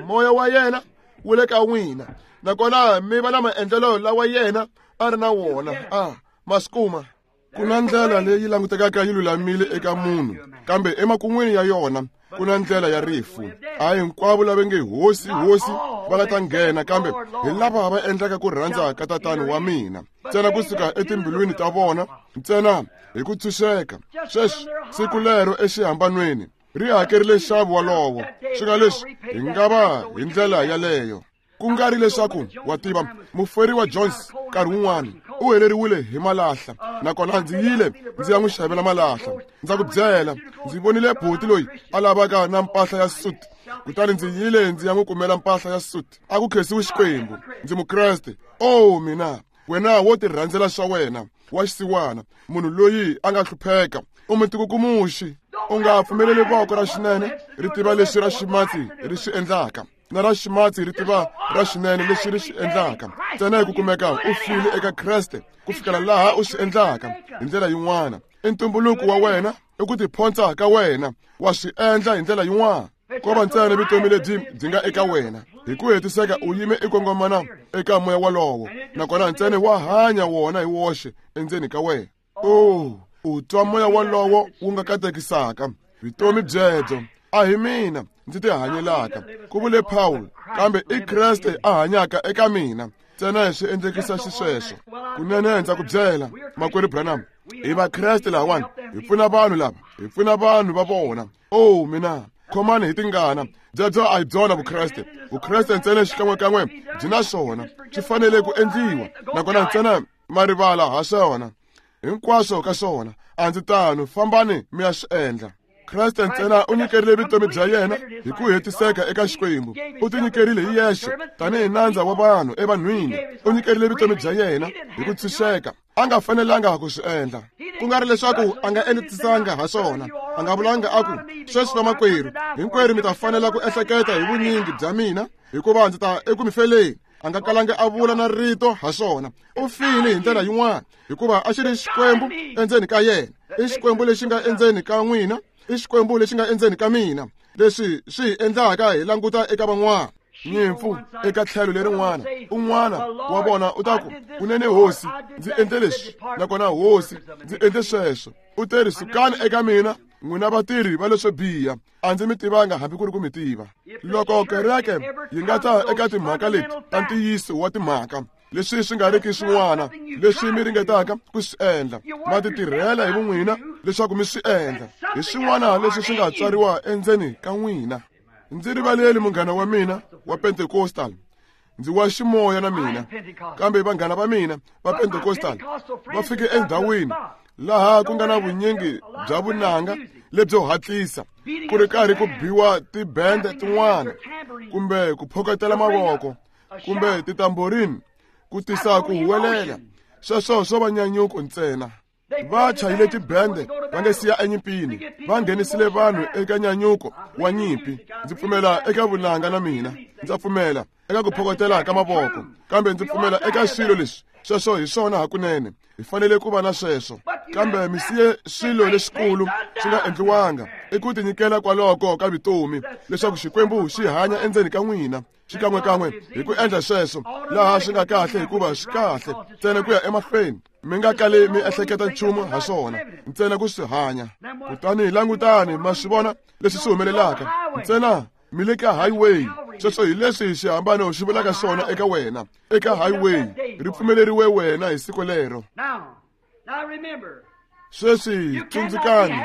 Moya wa yena wu le ka n'wina, nakona mi va na maendlelo lawa yena a ri na wona. A ma swi kuma. Ku na ndlela leyi langutekaka yi lulamile eka munhu, kambe emakun'wini ya yona ku na ndlela ya rifu. A hinkwavo lava nge Hosi, Hosi va nga ta nghena, kambe hi lava va endlaka ku rhandza ka Tatana wa mina. Ntsena kusuka etimbilwini ta vona, ntsena hi ku tshunxeka. Sweswi siku lero exihambanweni ri hakerile nxavo walowo. Swi nga leswi hi nga va hi ndlela yaleyo. Ku nga ri leswaku wa tiva, muferiwa Jones nkarhi wun'wana u heleriwile hi malahla, nakona ndzi yile ndzi ya n'wi xavela malahla. Ndza ku byela, ndzi vonile buti loyi a lavaka na mpahla ya suit, kutani ndzi yile ndzi ya n'wi kumela mpahla ya suit. A ku khensiwi Xikwembu, ndzi Mukreste. Oh mina, wena wo tirhandzela swa wena wa xisiwana, munhu loyi a nga hlupheka, u mutikukumuxi. U nga pfumeleli voko ra xinene ri tiva leswi ra ximatsi ri swi endlaka, na ra ximatsi ri tiva ra xinene leswi ri swi endlaka. Ntsena hi ku kumeka u file eka Kreste ku fikela laha u swi endlaka hi ndlela yin'wana. I ntumbuluko wa wena, i ku tiphonsa ka wena, wa swi endla hi ndlela yin'wana. Ko va ntsena vutomi lebyi byi nga eka wena. Hi ku hetiseka u yime i kongomana eka moya walowo, nakona ntsena wa hanya wona hi woxe endzeni ka wena. Oh, u twa moya walowo wu nga katekisaka vutomi byebyo. A hi mina ndzi tihanyelaka, ku vule Paul, kambe i Kreste a hanyaka eka mina. Ntsena swi endlekisa xisweswo. Kunene ndza ku byela, makwerhu Branham, hi Vakreste lahawani, hi pfuna vanhu lava, hi pfuna vanhu va vona. Oh mina, khomani hi tingana. Byebyo a hi byona Vukreste. Vukreste ntsena xikan'wekan'we byi na swona, swi fanele ku endliwa, nakona ntsena ma rivala ha swona hinkwaswo ka swona. A ndzi tano, fambani mi ya swi endla. Kreste ntsena u nyikerile vutomi bya yena hi ku hetiseka eka Xikwembu. U tinyikerile hi yexe tanihi nandza wa vanhu evanhwini. U nyikerile vutomi bya yena hi ku tshunxeka. A nga fanelanga ku swi endla. Ku nga ri leswaku a nga enetisanga ha swona. A nga vulanga a ku, sweswi vamakwerhu, hinkwerhu mi ta fanela ku ehleketa hi vunyingi bya mina, hikuva ndzi ta eku mi feleni. A nga kalanga a vula na rito ha swona. U file hi ndlela yin'wana, hikuva a xi ri Xikwembu endzeni ka yena. I Xikwembu lexi nga endzeni ka n'wina, i Xikwembu lexi nga endzeni ka mina, leswi swi hi endlaka hi languta eka van'wana. Nyimpfu eka tlhelo lerin'wana, un'wana wa vona u ta ku, kunene Hosi, ndzi endle leswi, nakona Hosi, ndzi endle sweswo. U te ri, sukani eka mina, n'wina vatirhi va leswo biha, a ndzi mi tivanga hambi ku ri ku mi tiva. Loko kereke yi nga ta eka timhaka leti ta ntiyiso wa timhaka, leswi swi nga riki swin'wana leswi mi ringetaka ku swi endla. Ma ti tirhela hi vun'wina leswaku mi swi endla. Hi swin'wana leswi swi nga tswariwa endzeni ka n'wina. Ndzi rivaleli munghana wa mina wa Pentecostal. Ndzi wa ximoya na mina, kambe vanghana va mina va Pentecostal va fike endhawini laha ku nga na vunyingi bya vunanga lebyo hatlisa, ku ri karhi ku biwa tibende tin'wana kumbe ku phokotela mavoko kumbe titamborini ku tisa ku huwelela. Sweswo swo va nyanyuko ntsena. Va chayile tibende va nge siya enyimpini, va nghenisile vanhu eka nyanyuko wa nyimpi. Ndzi pfumela eka vunanga na mina, ndza pfumela eka ku phokotela ka mavoko, kambe ndzi pfumela eka swilo leswi. Sweswo hi swona hakunene, hi fanele ku va na sweswo. Kambe mi siye swilo leswikulu swi nga endliwanga i ku tinyikela kwaloko ka vutomi leswaku Xikwembu xi hanya endzeni ka n'wina xikan'wekan'we. Hi ku endla sweswo laha swi nga kahle, hikuva swi kahle ntsena ku ya emahlweni, mi nga kali mi ehleketa nchumu ha swona, ntsena ku swi hanya. Kutani langutani, ma swi vona leswi swi humelelaka. Ntsena mi le ka highway. Sweswo hi leswi xihambano xi vulaka swona eka wena. Eka highway ri pfumeleriwe wena hi siku lero. Sweswi tsundzukani,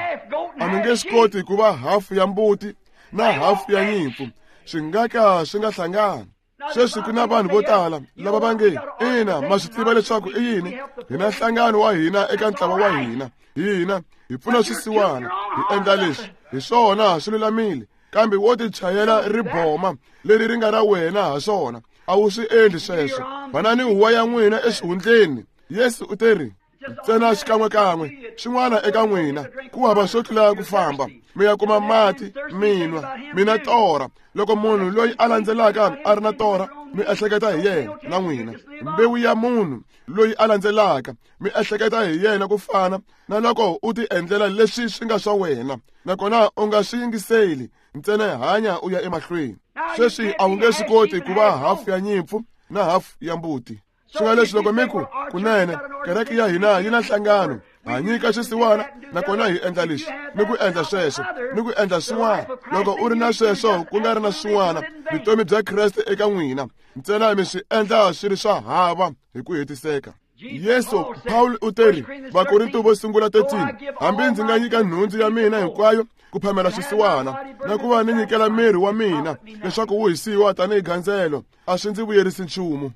a mi nge swi koti ku va hafu ya mbuti na hafu ya nyimpfu, swi nga ka swi nga hlangani. Sweswi ku na vanhu vo tala lava va nge, ina, ma swi tiva leswaku i yini, hi na nhlangano wa hina eka ntlawa wa hina, hina hi pfuna swisiwana, hi endla leswi, hi swona swi lulamile. Kambe wo ti chayela riboma leri ri nga ra wena ha swona, a wu swi endli sweswo. Vanani huwa ya n'wina exihundleni. Yesu u teri, ntsena xikan'wekan'we xin'wana eka n'wina, ku hava swo tlula ku famba mi ya kuma mati mi nwa, mi na torha. Loko munhu loyi a landzelaka a ri na torha, mi ehleketa hi yena na n'wina. Mbewu ya munhu loyi a landzelaka, mi ehleketa hi yena ku fana na loko u ti endlela leswi swi nga swa wena, nakona u nga swi yingiseli, ntsena hanya u ya emahlweni. Sweswi a wu nge swi koti ku va hafu ya nyimpfu na hafu ya mbuti. Swi nga leswi loko mi ku, kunene kereke ya hina yi na nhlangano, ha nyika xisiwana, nakona hi endla leswi ni ku endla sweswo ni ku endla swin'wana. Loko u ri na sweswo ku nga ri na swin'wana, vutomi bya Kreste eka n'wina, ntsena mi swi endla swi ri swa hava hi ku hetiseka. Yesu, Paul u teri, Vakorinto vo sungula thirteen, hambi ndzi nga nyika nhundzu ya mina hinkwayo ku phamela xisiwana na ku va ni nyikela miri wa mina leswaku wu hisiwa tanihi gandzelo, a swi ndzi vuyerisi nchumu.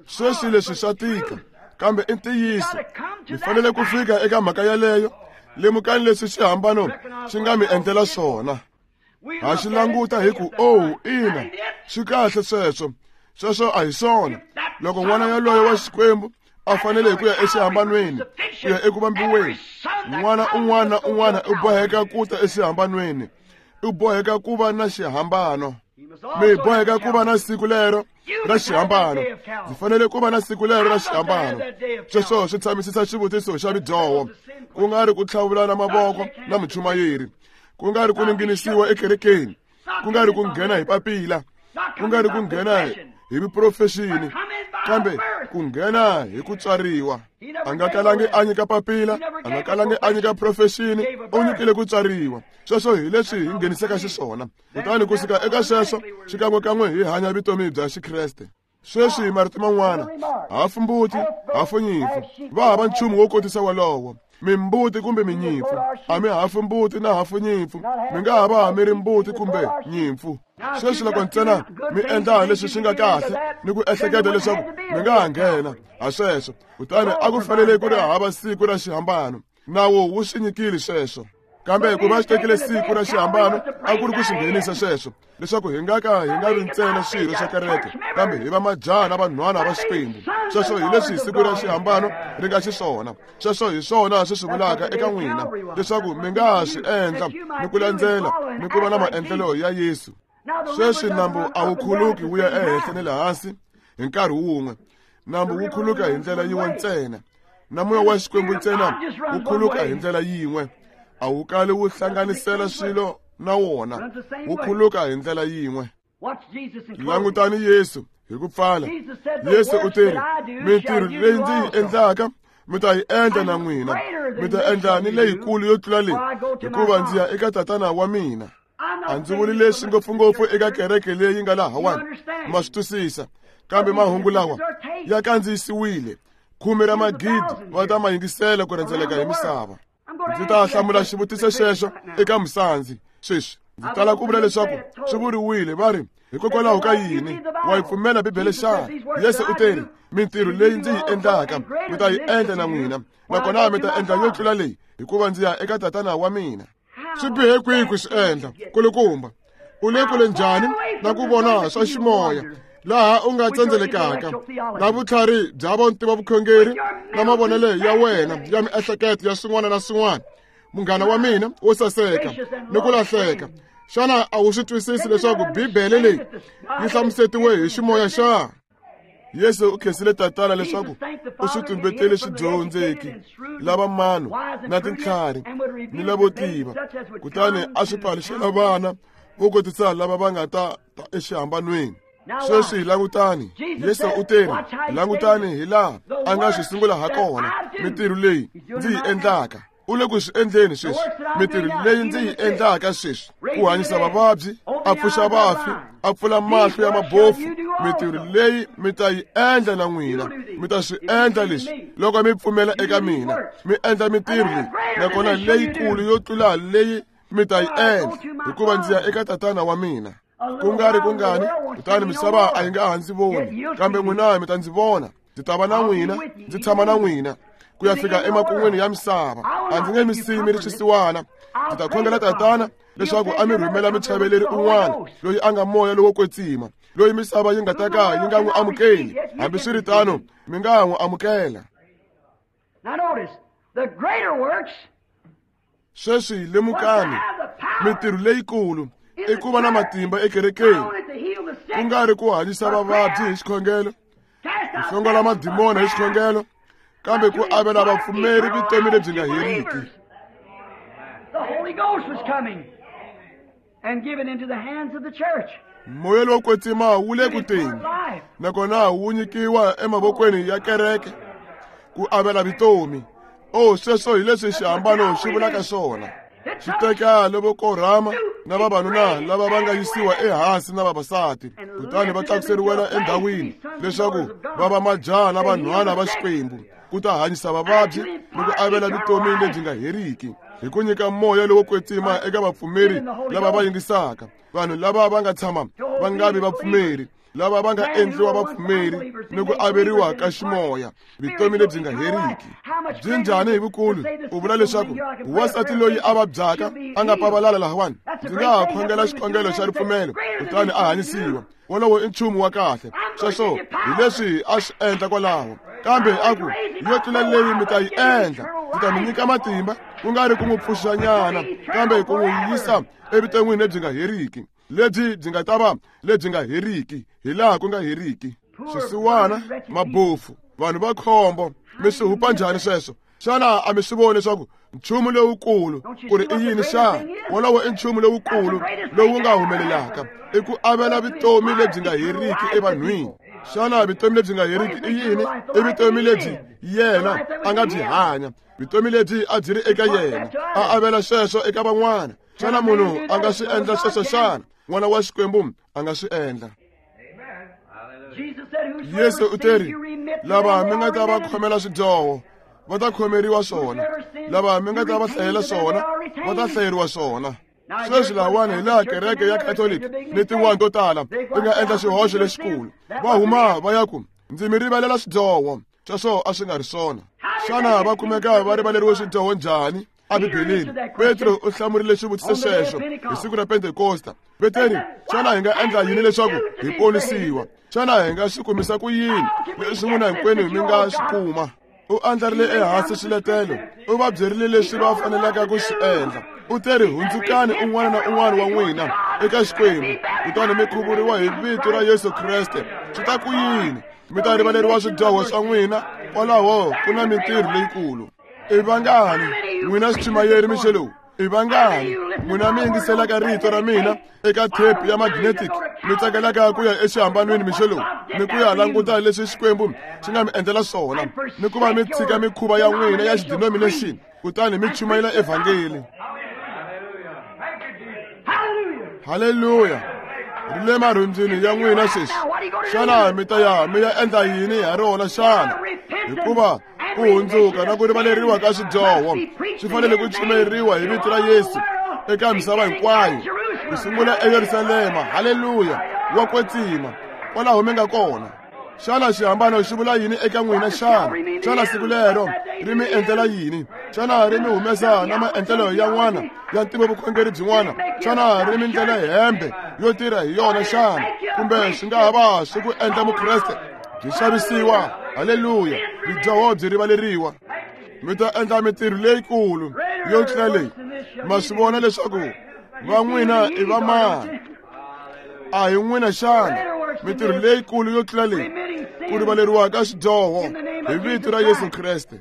Sweswi leswi swa tika, kambe i ntiyiso. Mi fanele ku fika eka mhaka yaleyo. Lemukani leswi xihambano xi nga mi endlela swona. Ha xi languta hi ku, oh, ina, swi kahle sweswo. Sweswo a hi swona. Loko n'wana yaloye wa Xikwembu a fanele hi ku ya exihambanweni, ku ya eku vambiweni, n'wana un'wana na un'wana u boheka ku ta exihambanweni, u boheka ku va na xihambano. Mi boheka ku va na siku lero ra xihambano. Ndzi fanele ku va na siku lero ra xihambano. Sweswo swi tshamisisa xivutiso xa ridyoho, ku nga ri ku tlhavulana mavoko na muchumayeri, ku nga ri ku ninginisiwa ekerekeni, ku nga ri ku nghena hi papila, ku nga ri ku nghena hi vuprofexini, kambe ku nghena hi ku tswariwa. A nga kalangi a nyika papila, a nga kalangi a nyika profexini, u nyikile ku tswariwa. Sweswo hi leswi hi ngheniseka xiswona. Kutani ku suka eka sweswo xikan'wekan'we hi hanya vutomi bya Xikreste. Sweswi marito man'wana, hafu mbuti, hafu nyimpfu, va hava nchumu wo kotisa wolowo. Mimbuti kumbe minyimpfu, a mi hafu mbuti na hafu nyimpfu, mi nga ha va mi ri mbuti kumbe nyimpfu. Sweswi loko ntsena mi endla leswi swi nga kahle ni ku ehleketa leswaku mi nga ha nghena ha sweswo, kutani a ku fanele ku ri hava siku ra xihambano. Nawu wu swi nyikile sweswo, kambe ku va xi tekile siku ra xihambano a ku ri ku swi nghenisa sweswo, leswaku hi nga ka hi nga ri ntsena swirho swa kereke, kambe hi va majaha na vanhwana va Xikwembu. Sweswo hi leswi siku ra xihambano ri nga xiswona. Sweswo hi swona swi swi vulaka eka n'wina, leswaku mi nga ha swi endla ni ku landzela ni ku va na maendlelo ya Yesu. Sweswi nambu a wu khuluki wu ya ehenhla ni le hansi hi nkarhi wun'we. Nambu wu khuluka hi ndlela yin'we ntsena, na moya wa Xikwembu ntsena wu khuluka hi ndlela yin'we. A wu kali wu hlanganisela swilo na wona, wu khuluka hi ndlela yin'we. Langutani Yesu hi ku pfala. Yesu u teri, mintirho leyi ndzi yi endlaka mi ta yi endla na n'wina, mi ta endla ni leyikulu yo tlula leyi, hikuva ndzi ya eka Tatana wa mina. A ndzi vuli leswi ngopfungopfu eka kereke leyi nga lahawani, ma swi twisisa, kambe mahungu lawa ya kandziyisiwile. Khume ra magidi va ta ma yingisela ku rhendzeleka hi misava. Ndzi ta hlamula xivutiso xexo eka musandzi sweswi. Ndzi tala ku vula leswaku swi vuriwile va ri hikokwalaho ka yini wa yi pfumela Bibele xana? Yesu u teri mintirho leyi ndzi yi endlaka mi ta yi endla na n'wina, nakona mi ta endla yo tlula leyi, hikuva ndzi ya eka Tatana wa mina. Swi bihe kwihi ku swi endla kulukumba? U le kule njhani na ku vona swa ximoya laha u nga tsendzelekaka na vutlhari bya vontiva vukhongeri na mavonelo ya wena ya miehleketo ya swin'wana na swin'wana, munghana wa mina wo saseka ni ku lahleka. Xana a wu swi twisisi leswaku Bibele leyi yi hlamusetiwe hi ximoya xa? Yesu u khensile Tatana leswaku u swi tumbetele swidyondzeki lava mano na tintlhari ni lavo tiva, kutani a swi paluxela vana vo kotisa lava va nga ta ta exihambanweni. Sweswi langutani, Yesu u teri langutani hi laha a nga swi sungula ha kona mintirho leyi ndzi yi endlaka. U le ku swi endleni sweswi mintirho leyi ndzi yi endlaka sweswi, ku hanyisa vavabyi, a pfuxa vafi, a pfula mahlo ya mabofu. Mintirho leyi mi ta yi endla na n'wina, mi ta swi endla leswi loko mi pfumela eka mina. Mi endla mintirho leyi, nakona leyikulu yo tlula leyi mi ta yi endla, hikuva ndzi ya eka Tatana wa mina. Ku nga ri kungani, kutani misava a yi nga ha ndzi voni, kambe n'wina mi ta ndzi vona. Ndzi ta va na n'wina, ndzi tshama na n'wina ku ya fika emakun'wini ya misava. A ndzi nge mi siyi mi ri swisiwana. Ndzi ta khongela Tatana leswaku a mi rhumela muchaveleri un'wana loyi a nga Moya lowo Kwetsima, loyi misava yi nga ta ka yi nga n'wi amukeli. Hambiswiritano mi nga n'wi amukela. Sweswi lemukani, mintirho leyikulu i ku va na matimba ekerekeni, ku nga ri ku hanyisa vavabyi hi xikhongelo, ku hlongola madimona hi xikhongelo, kambe ku avela vapfumeri vutomi lebyi nga heriki. Moya lowo Kwetsima wu le ku teni, nakona wu nyikiwa emavokweni ya kereke ku avela vutomi. O sweswo hi leswi xihambano xi vulaka swona. Xi teka lavo korhama na vavanuna lava va nga yisiwa ehansi na vavasati, kutani va tlakuseriwela endhawini leswaku va va majaha na vanhwana va Xikwembu, ku ta hanyisa vavabyi ni ku avela vutomi lebyi nga heriki, hi ku nyika Moya lowo Kwetsima eka vapfumeri lava va yingisaka, vanhu lava va nga tshama va nga vi vapfumeri, lava va nga endliwa vapfumeri ni ku averiwa ka ximoya vutomi lebyi nga heriki. Byi njhani hi vukulu u vula leswaku wansati loyi a vabyaka a nga pavalala lahawani, ndzi nga ha khongela xikhongelo xa ripfumelo kutani a hanyisiwa. Wolowo i nchumu wa kahle. Sweswo hi leswi a swi endla kwalaho. Kambe a ku yo tlula leyi mi ta yi endla, ndzi ta mi nyika matimba, ku nga ri ku n'wi pfuxanyana, kambe ku n'wi yisa evuton'wini lebyi nga heriki, lebyi byi nga ta va lebyi nga heriki hi laha ku nga heriki. Swisiwana, mabofu, vanhu va khombo, mi swi hupa njhani sweswo? Xana a mi swi voni leswaku nchumu lowukulu ku ri i yini xana? Wolowo i nchumu lowukulu lowu nga humelelaka, i ku avela vutomi lebyi nga heriki evanhwini. Xana vutomi lebyi nga heriki i yini? I vutomi lebyi yena a nga byi hanya, vutomi lebyi a byi ri eka yena, a avela sweswo eka van'wana. Xana munhu a nga swi endla sweswo xana? N'wana wa Xikwembu a nga swi endla. Yesu u teri lava mi nga ta va khomela swidyoho va ta khomeriwa swona, lava mi nga ta va hlayela swona va ta hlayeriwa swona. Sweswi lahawani hi laha kereke ya Catholic ni tin'wana to tala ti nga endla xihoxo lexikulu, va huma va ya ku ndzi mi rivalela swidyoho. Sweswo a swi nga ri swona. Xana va kumeka va rivaleriwe swidyoho njhani? Ebibeleni Petro u hlamurile xivutiso xexo hi siku ra Pentekosta. Peteri, xana hi nga endla yini leswaku hi ponisiwa? Xana hi nga swi kumisa ku yini leswi n'wina hinkwenu mi nga swi kuma? U andlarile ehansi swiletelo, u va byerile leswi va fanelaka ku swi endla. U teri hundzukani un'wana na un'wana wa n'wina eka Xikwembu, kutani mi khuvuriwa hi vito ra Yesu Kreste. Swi ta ku yini? Mi ta rivaleriwa swidyoho swa n'wina. Kwalaho ku na mintirho leyikulu. I vangani n'wina swichumayeri mixo lowu? I vangani n'wina mi yingiselaka rito ra mina eka tape ya magnetic, mi tsakelaka ku ya exihambanweni mixo lowu, ni ku ya languta leswi Xikwembu xi nga mi endlela swona, ni ku va mi tshika mikhuva ya n'wina ya xidenomination, kutani mi chumayela evhangeli? Haleluya! Ri le marhumbyini ya n'wina sweswi. Xana mi ta ya mi ya endla yini ha rona xana? Hikuva ku hundzuka na ku rivaleriwa ka swidyoho swi fanele ku chumayeriwa hi vito ra Yesu eka misava hinkwayo, ku sungula eYerusalema. Haleluya! Wa kwetsima kwalaho mi nga kona. Xana xihambano xi vula yini eka n'wina xana? Xana siku lero ri mi endlela yini? Xana ri mi humesa na maendlelo yan'wana ya ntivovukhongeri byin'wana? Xana ri mi ndlela hembe yo tirha hi yona xana? Kumbe swi nga ha va swi ku endla mukreste byi xavisiwa? Haleluya! Bidyoho byi rivaleriwa. Mi ta endla mintirho leyikulu yo tlula leyi. Ma swi vona leswaku va n'wina i va mani? A hi n'wina xana? Mintirho leyikulu yo tlula leyi, ku rivaleriwa ka swidyoho hi vito ra Yesu Kreste.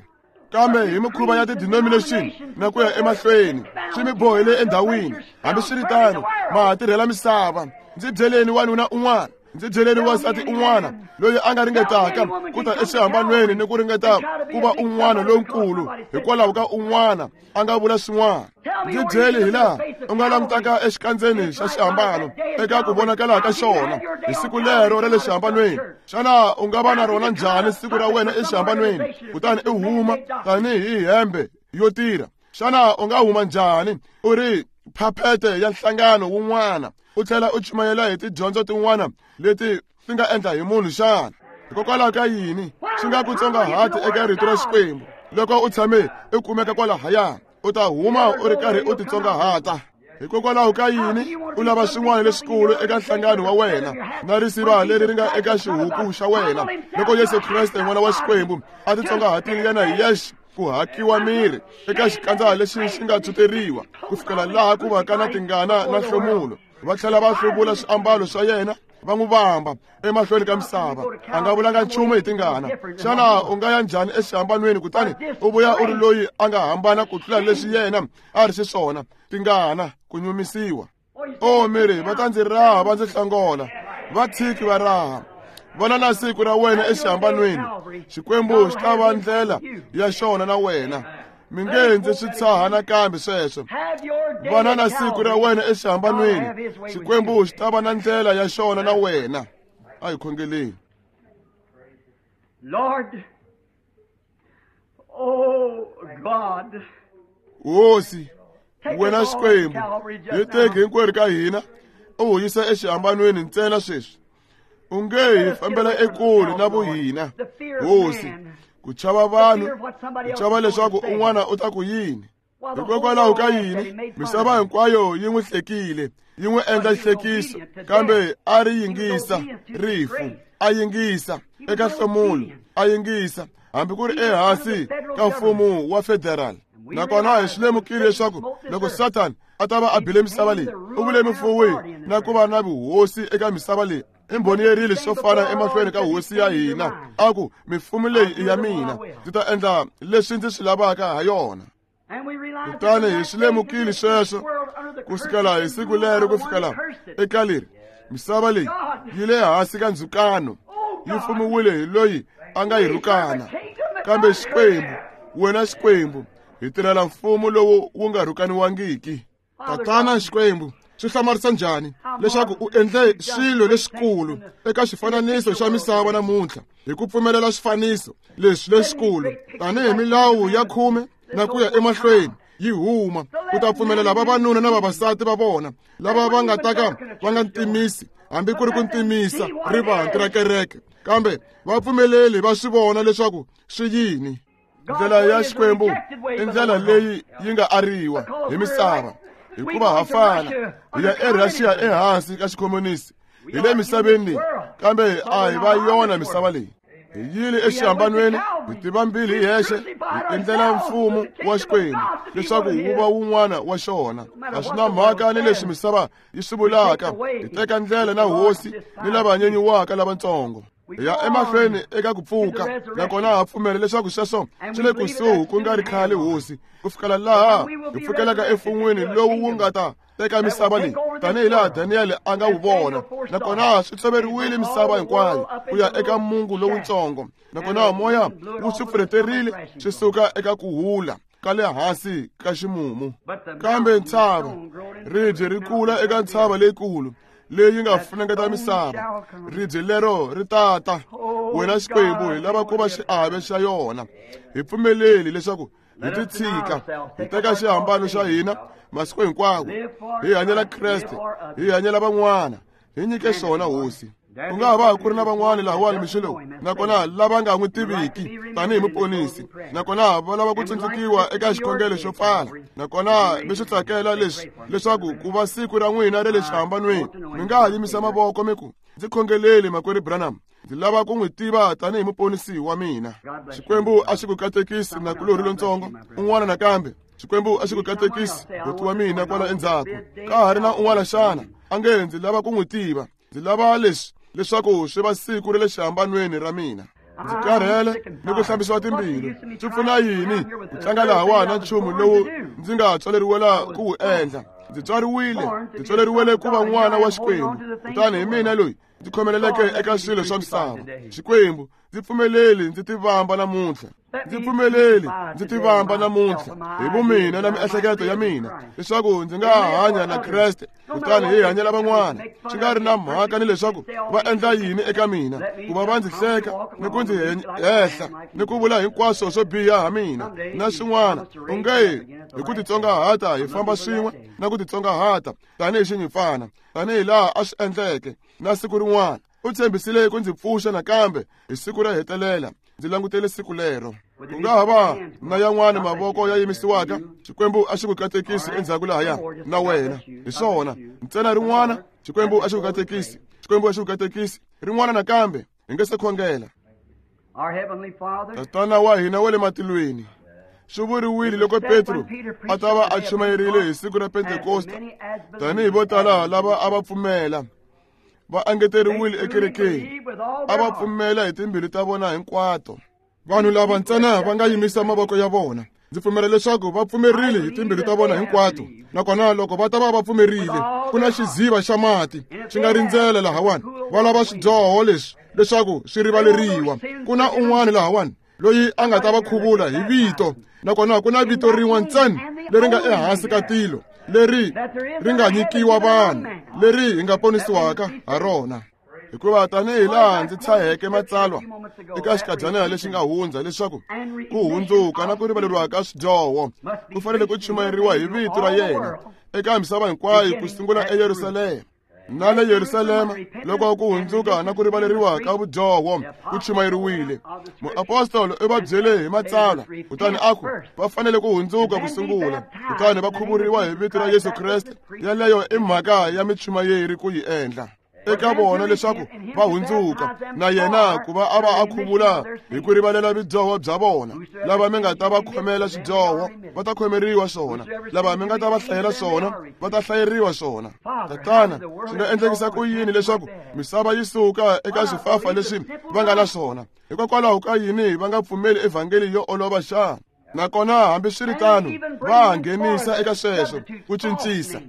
Kambe hi mikhuva ya ti-denomination na ku ya emahlweni swi mi bohele endhawini. Hambiswiritano ma ha tirhela misava. Ndzi byeleni wanuna un'wana, ndzi byeleni wansati un'wana loyi a nga ringetaka ku ta exihambanweni ni ku ringeta ku va un'wana lonkulu hikwalaho ka un'wana a nga vula swin'wana. Ndzi byeli hi laha u nga langutaka exikandzeni xa xihambano eka ku vonakala ka xona hi siku lero ra le xihambanweni. Xana u nga va na rona njhani siku ra wena exihambanweni kutani u huma tanihi hembe yo tirha? Xana u nga huma njhani u ri phaphete ya nhlangano wun'wana u tlhela u chumayela hi tidyondzo tin'wana leti ti nga endla hi munhu xana? Hikokwalaho ka yini swi nga ku tsongahati eka rito ra Xikwembu? Loko u tshame u kumeka kwalahaya, u ta huma u ri karhi u titsongahata. Hikokwalaho ka yini u lava swin'wana leswikulu eka nhlangano wa wena na risiva leri ri nga eka xihuku xa wena, loko Yesu Kreste n'wana wa Xikwembu a titsongahatile yena hi yexe ku hakiwa miri eka xikandza lexi xi nga tshwuteriwa ku fikela laha ku va ka na tingana na nhlomulo? Va tlhela va hluvula swiambalo swa yena va n'wi vamba emahlweni ka misava. A nga vulanga nchumu hi tingana. Xana u nga ya njhani exihambanweni kutani u vuya u ri loyi a nga hambana ku tlula leswi yena a ri xiswona? Tingana, ku nyumisiwa. O miri, va ta ndzi raha va ndzi hlangola, va tshiki va raha. Vona na siku ra wena exihambanweni, Xikwembu xi ta va ndlela ya xona na wena. Mi nge ndzi swi tshaha nakambe sweswo. Vona na siku ra wena exihambanweni, Xikwembu xi ta va na ndlela ya xona na wena. A hi khongeleni. Lord, oh God, Hosi, wena Xikwembu, hi teki hinkwerhu ka hina u hi yisa exihambanweni ntsena sweswi. U nge hi fambela ekule na vuhina, Hosi, ku chava vanhu, ku chava leswaku un'wana u ta ku yini. Hikokwalaho ka yini misava hinkwayo yi n'wi hlekile, yi n'wi endla xihlekiso, kambe a ri yingisa rifu, a yingisa eka nhlomulo, a yingisa hambi ku ri ehansi ka mfumo wa federal. Nakona hi swi lemukile leswaku loko Satan a ta va a bile misava leyi, u vule mufuwi na ku va na vuhosi eka misava leyi. I mbhoni yerile swo fana emahlweni ka hosi ya hina, a ku mifumo leyi i ya mina, ndzi ta endla leswi ndzi swi lavaka ha yona. Kutani hi swi lemukile sweswo ku sukela hi siku lero ku fikela eka leri, misava leyi yi le hansi ka ndzhukano, yi fumiwile hi loyi a nga yi rhukana. Kambe Xikwembu, wena Xikwembu, hi tirhela mfumo lowu wu nga rhukaniwangiki. Tatana Xikwembu, swi hlamarisa njhani leswaku u endle swilo leswikulu eka xifananiso xa misava namuntlha hi ku pfumelela swifaniso leswi leswikulu tanihi milawu ya khume na ku ya emahlweni yi huma, ku ta pfumelela vavanuna na vavasati va vona lava va nga ta ka va nga ntimisi hambi ku ri ku ntimisa rivanti ra kereke, kambe va pfumeleli va swi vona leswaku swi yini. Ndlela ya Xikwembu i ndlela leyi yi nga ariwa hi misava, hikuva ha fana. Hi ya eRussia ehansi ka xikhomunisi, hi le misaveni leyi, kambe a hi va yona misava leyi. Hi yile exihambanweni, hi tiva mbili hi hexe, hi endlela mfumo wa Xikwembu leswaku wu va wun'wana wa xona. A swi na mhaka ni leswi misava yi swi vulaka, hi teka ndlela na hosi ni lava nyenyiwaka lavatsongo. Hi ya emahlweni eka ku pfuka, nakona ha pfumela leswaku sweswo swi le kusuhi ku nga ri khale, Hosi, ku fikela laha hi pfukelaka emfun'wini lowu wu nga ta teka misava leyi tanihi laha Daniel a nga wu vona. Nakona swi tshoveriwile misava hinkwayo ku ya eka mungu lowutsongo, nakona moya wu swi pfuleterile swi suka eka ku hula ka le hansi ka ximumu. Kambe ntshava, ribye ri kula eka ntshava leyikulu leyi nga funengeta misava ribye lero ri tata wena Xikwembu hi lava ku va xiave xa yona hi pfumeleli leswaku hi titshika hi teka xihambano xa hina masiku hinkwawo hi hanyela Kreste hi hanyela van'wana hi nyike swona hosi ku nga ha va ku ri na van'wani lahawani mixo lowu nakona lava nga n'wi tiviki tanihi muponisi nakona va lava ku tsundzukiwa eka xikhongelo xo pfala nakona mi swi tsakela leswi leswaku ku va siku ra n'wina ra le xihambanweni mi nga ha yimisa mavoko mi ku ndzi khongeleli makwerhu Branham ndzi lava ku n'wi tiva tanihi muponisi wa mina Xikwembu a xi ku katekisi nakulorhi lontsongo un'wana nakambe Xikwembu a xi ku katekisi buti wa mina kwala endzhaku ka ha ri na un'wana xana a nge ndzi lava ku n'wi tiva ndzi lava leswi leswaku swi va siku ra le xihambanweni ra mina ndzi karhele ni ku hlambisiwa timbilu swi pfuna yini ku tlanga lahawani na nchumu lowu ndzi nga tswaleriwela ku wu endla ndzi tswariwile ndzi tswaleriwele ku va n'wana wa Xikwembu kutani hi mina loyi ndzi khomeleleke eka swilo swa misava Xikwembu ndzi pfumeleli ndzi tivamba namuntlha ndzi pfumeleli ndzi tivamba namuntlha hi vumina na miehleketo ya mina leswaku ndzi nga hanya na Kreste kutani hi hanyela van'wana swi nga ri na mhaka ni leswaku va endla yini eka mina ku va va ndzi hleka ni ku ndzi hehla ni ku vula hinkwaswo swo biha ha mina na swin'wana onge hi ku titsongahata hi famba swin'we na ku titsongahata tanihi xinyimpfana tanihi laha a swi endleke na siku rin'wana u tshembisile ku ndzi pfuxa nakambe hi siku ra hetelela ndzi langutele siku lero ku nga ha va na yan'wana mavoko ya yimisiwaka Xikwembu a xi ku katekisi endzhaku lahaya na wena hi swona ntsena rin'wana Xikwembu a xi ku katekisi Xikwembu a xi ku katekisi rin'wana nakambe hi nge se khongela Tatana wa hina wa le matilweni swi vuriwile loko Petro a ta va a chumayerile hi siku ra Pentekosta tanihi vo tala lava a va pfumela va engeteriwile ekerekeni a va pfumela hi timbilu ta vona hinkwato vanhu lava ntsena va nga yimisa mavoko ya vona ndzi pfumela leswaku va pfumerile hi timbilu ta vona hinkwato nakona loko va ta va va pfumerile ku na xiziva xa mati xi nga rindzela lahawani va lava swidyoho leswi leswaku swi rivaleriwa ku na un'wana lahawani loyi a nga ta va khuvula hi vito nakona ku na vito rin'we ntsena leri nga ehansi ka tilo leri ri nga nyikiwa vanhu leri hi nga ponisiwaka ha rona hikuva tanihi laha ndzi tshaheke matsalwa eka xikadyana lexi nga hundza leswaku ku hundzuka na ku rivaleriwa ka swidyoho ku fanele ku chumayeriwa hi vito ra yena eka misava hinkwayo ku sungula eYerusalema na le Yerusalema loko ku hundzuka na ku rivaleriwa ka vudyoho ku chumayeriwile muapostolo u va byele hi matsalwa kutani a ku va fanele ku hundzuka ku sungula kutani va khuvuriwa hi vito ra Yesu Kreste yaleyo i mhaka ya michumayeri ku yi endla eka vona leswaku va hundzuka na yena ku va a va a khuvula hi ku rivalela vudyoho bya vona lava mi nga ta va khomela swidyoho va ta khomeriwa swona lava mi nga ta va hlayela swona va ta hlayeriwa swona Tatana swi nga endlekisa ku yini leswaku misava yi suka eka swifafa leswi va nga na swona hikokwalaho ka yini va nga pfumeli evhangeli yo olova xana nakona hambiswiritano va nghenisa eka sweswo ku cincisa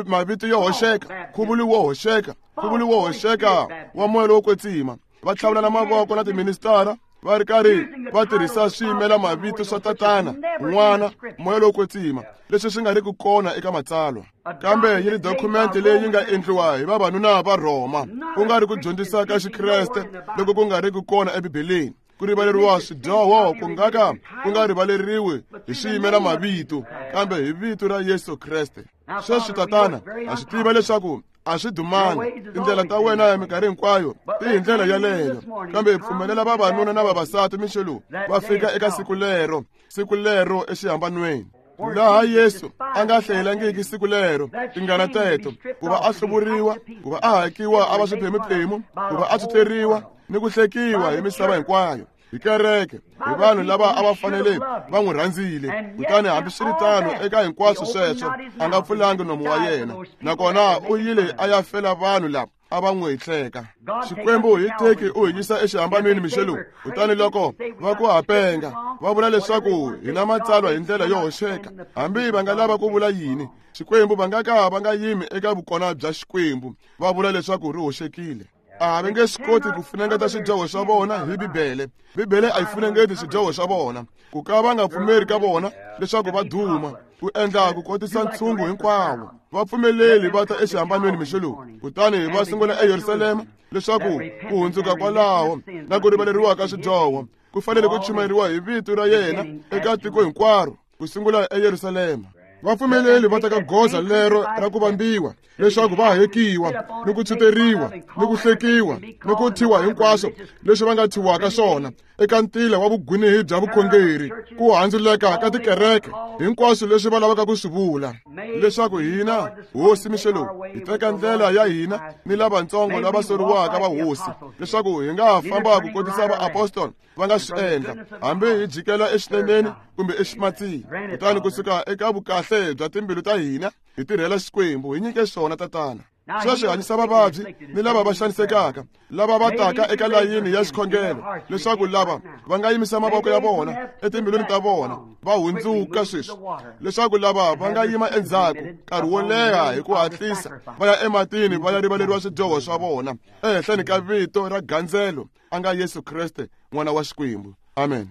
mavito yo hoxeka nkhuvulo wo hoxeka nkhuvulo wo hoxeka wa moya lowo kwetsima va tlhavulana mavoko na tiministara va ri karhi va tirhisa swiyimela mavito swa tatana n'wana moya lowo kwetsima leswi swi nga ri ku kona eka matsalwa kambe yi ri dokumenti leyi yi nga endliwa hi vavanuna va Rhoma ku nga ri ku dyondzisa ka Xikreste loko ku nga ri ku kona eBibeleni ku rivaleriwa swidyoho ku nga ka ku nga rivaleriwi hi swiyimela mavito kambe hi vito ra Yesu Kreste sweswi tatana ha swi tiva leswaku a swi dumanga tindlela ta wena ya minkarhi hinkwayo ti hi ndlela yaleyo kambe hi pfumelela vavanuna na vavasati mixo lowu va fika eka siku lero siku lero exihambanweni laha Yesu a nga hlayelangiki siku lero tingana teto ku va a hluvuriwa ku va a hakiwa a va swiphemuphemu ku va a tsutleriwa ni ku hlekiwa hi misava hinkwayo hi kereke hi vanhu lava a va fanele va n'wi rhandzile kutani hambiswiritano eka hinkwaswo sweswo a nga pfulangi nomu wa yena nakona u yile a ya fela vanhu lava a va n'wi hleka Xikwembu hi teki u hi yisa exihambanweni mixo lowu kutani loko va ku hapenga va vula leswaku hi na matsalwa hi ndlela yo hoxeka hambi va nga lava ku vula yini Xikwembu va nga ka va nga yimi eka vukona bya Xikwembu va vula leswaku ri hoxekile a va nge swi koti ku funengeta swidyoho swa vona hi Bibele Bibele a yi funengeti swidyoho swa vona ku ka va nga pfumeri ka vona leswaku va duma ku endla ku kotisa ntshungu hinkwawo. Va pfumeleli va ta exihambanweni mixo lowu, kutani va sungula eYerusalema leswaku ku hundzuka kwalaho na ku rivaleriwa ka swidyoho ku fanele ku chumayeriwa hi vito ra yena eka tiko hinkwaro, ku sungula eYerusalema. Va pfumeleli va teka goza lero ra ku vambiwa leswaku va hekiwa ni ku tshuteriwa ni ku hlekiwa ni ku thyiwa hinkwaswo leswi va nga thyiwaka swona eka ntila wa vugwinehi bya vukhongeri, ku handzuleka ka tikereke, hinkwaswo leswi va lavaka ku swi vula, leswaku hina hosi mixo lowu hi teka ndlela ya hina ni lavatsongo lava soriwaka va hosi, leswaku hi nga famba ku kotisa vaapostoli va nga swi endla, hambi hi jikela exineneni kumbe eximatsini. Kutani kusuka eka vukahle bya timbilu ta hina hi tirhela Xikwembu, hi nyike swona Tatana. Sweswi hanyisa vavabyi ni lava va xanisekaka, lava va taka eka layini ya xikhongelo, leswaku lava va nga yimisa mavoko ya vona etimbilwini ta vona va hundzuka sweswi, leswaku lava va nga yima endzhaku nkarhi wo leha hi ku hatlisa va ya ematini va ya rivaleriwa swidyoho swa vona ehenhleni ka vito ra gandzelo a nga Yesu Kreste n'wana wa Xikwembu. Amen.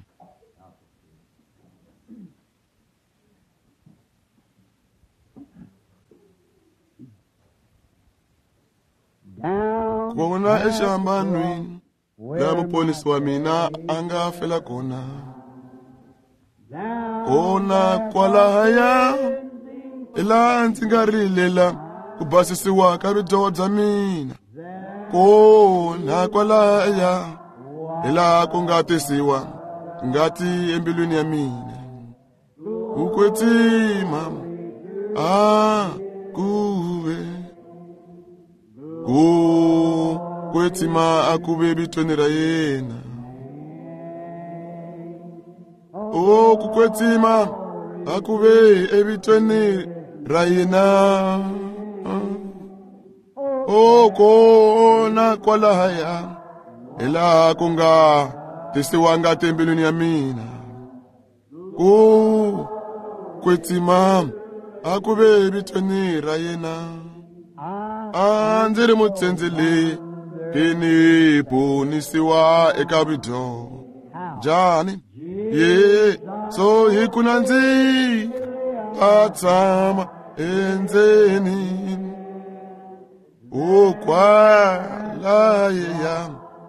Kona exihambanweni laha muponisi wa mina a nga fela kona, kona kwalahaya hi laha ndzi nga rilela ku basisiwa ka vudyoho bya mina, kona kwalahaya hi laha ku nga tisiwa ngati embilwini ya mina, ku kwetsima a ku ve ku kwetsima a ku ve vitweni ra yena. O ku kwetsima a ku ve evitweni ra yena. O kona kwalahaya hi laha ku nga tisiwa ngati embilwini ya mina, ku kwetsima a ku ve evitweni ra yena. A ndzi ri mutsendzeleki ni ponisiwa eka vudyoho njhani ye so hi ku nandzika a tshama endzeni o kwalaya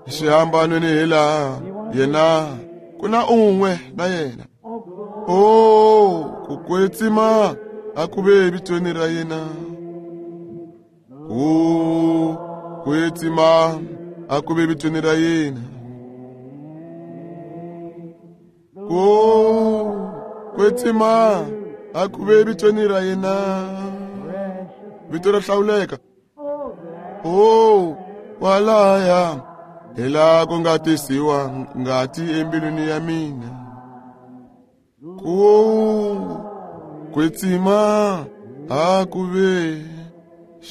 xihambanweni hi laha yena ku na un'we na yena. O ku kwetsima a ku ve evitweni ra yena, ku kwetsima a ku ve vitweni ra yena, ku kwetsima a ku ve vitweni ra yena, vito ra hlawuleka. O kwalaya hi laha ku nga tisiwa ngati embilwini ya mina, ku kwetsima a ku ve.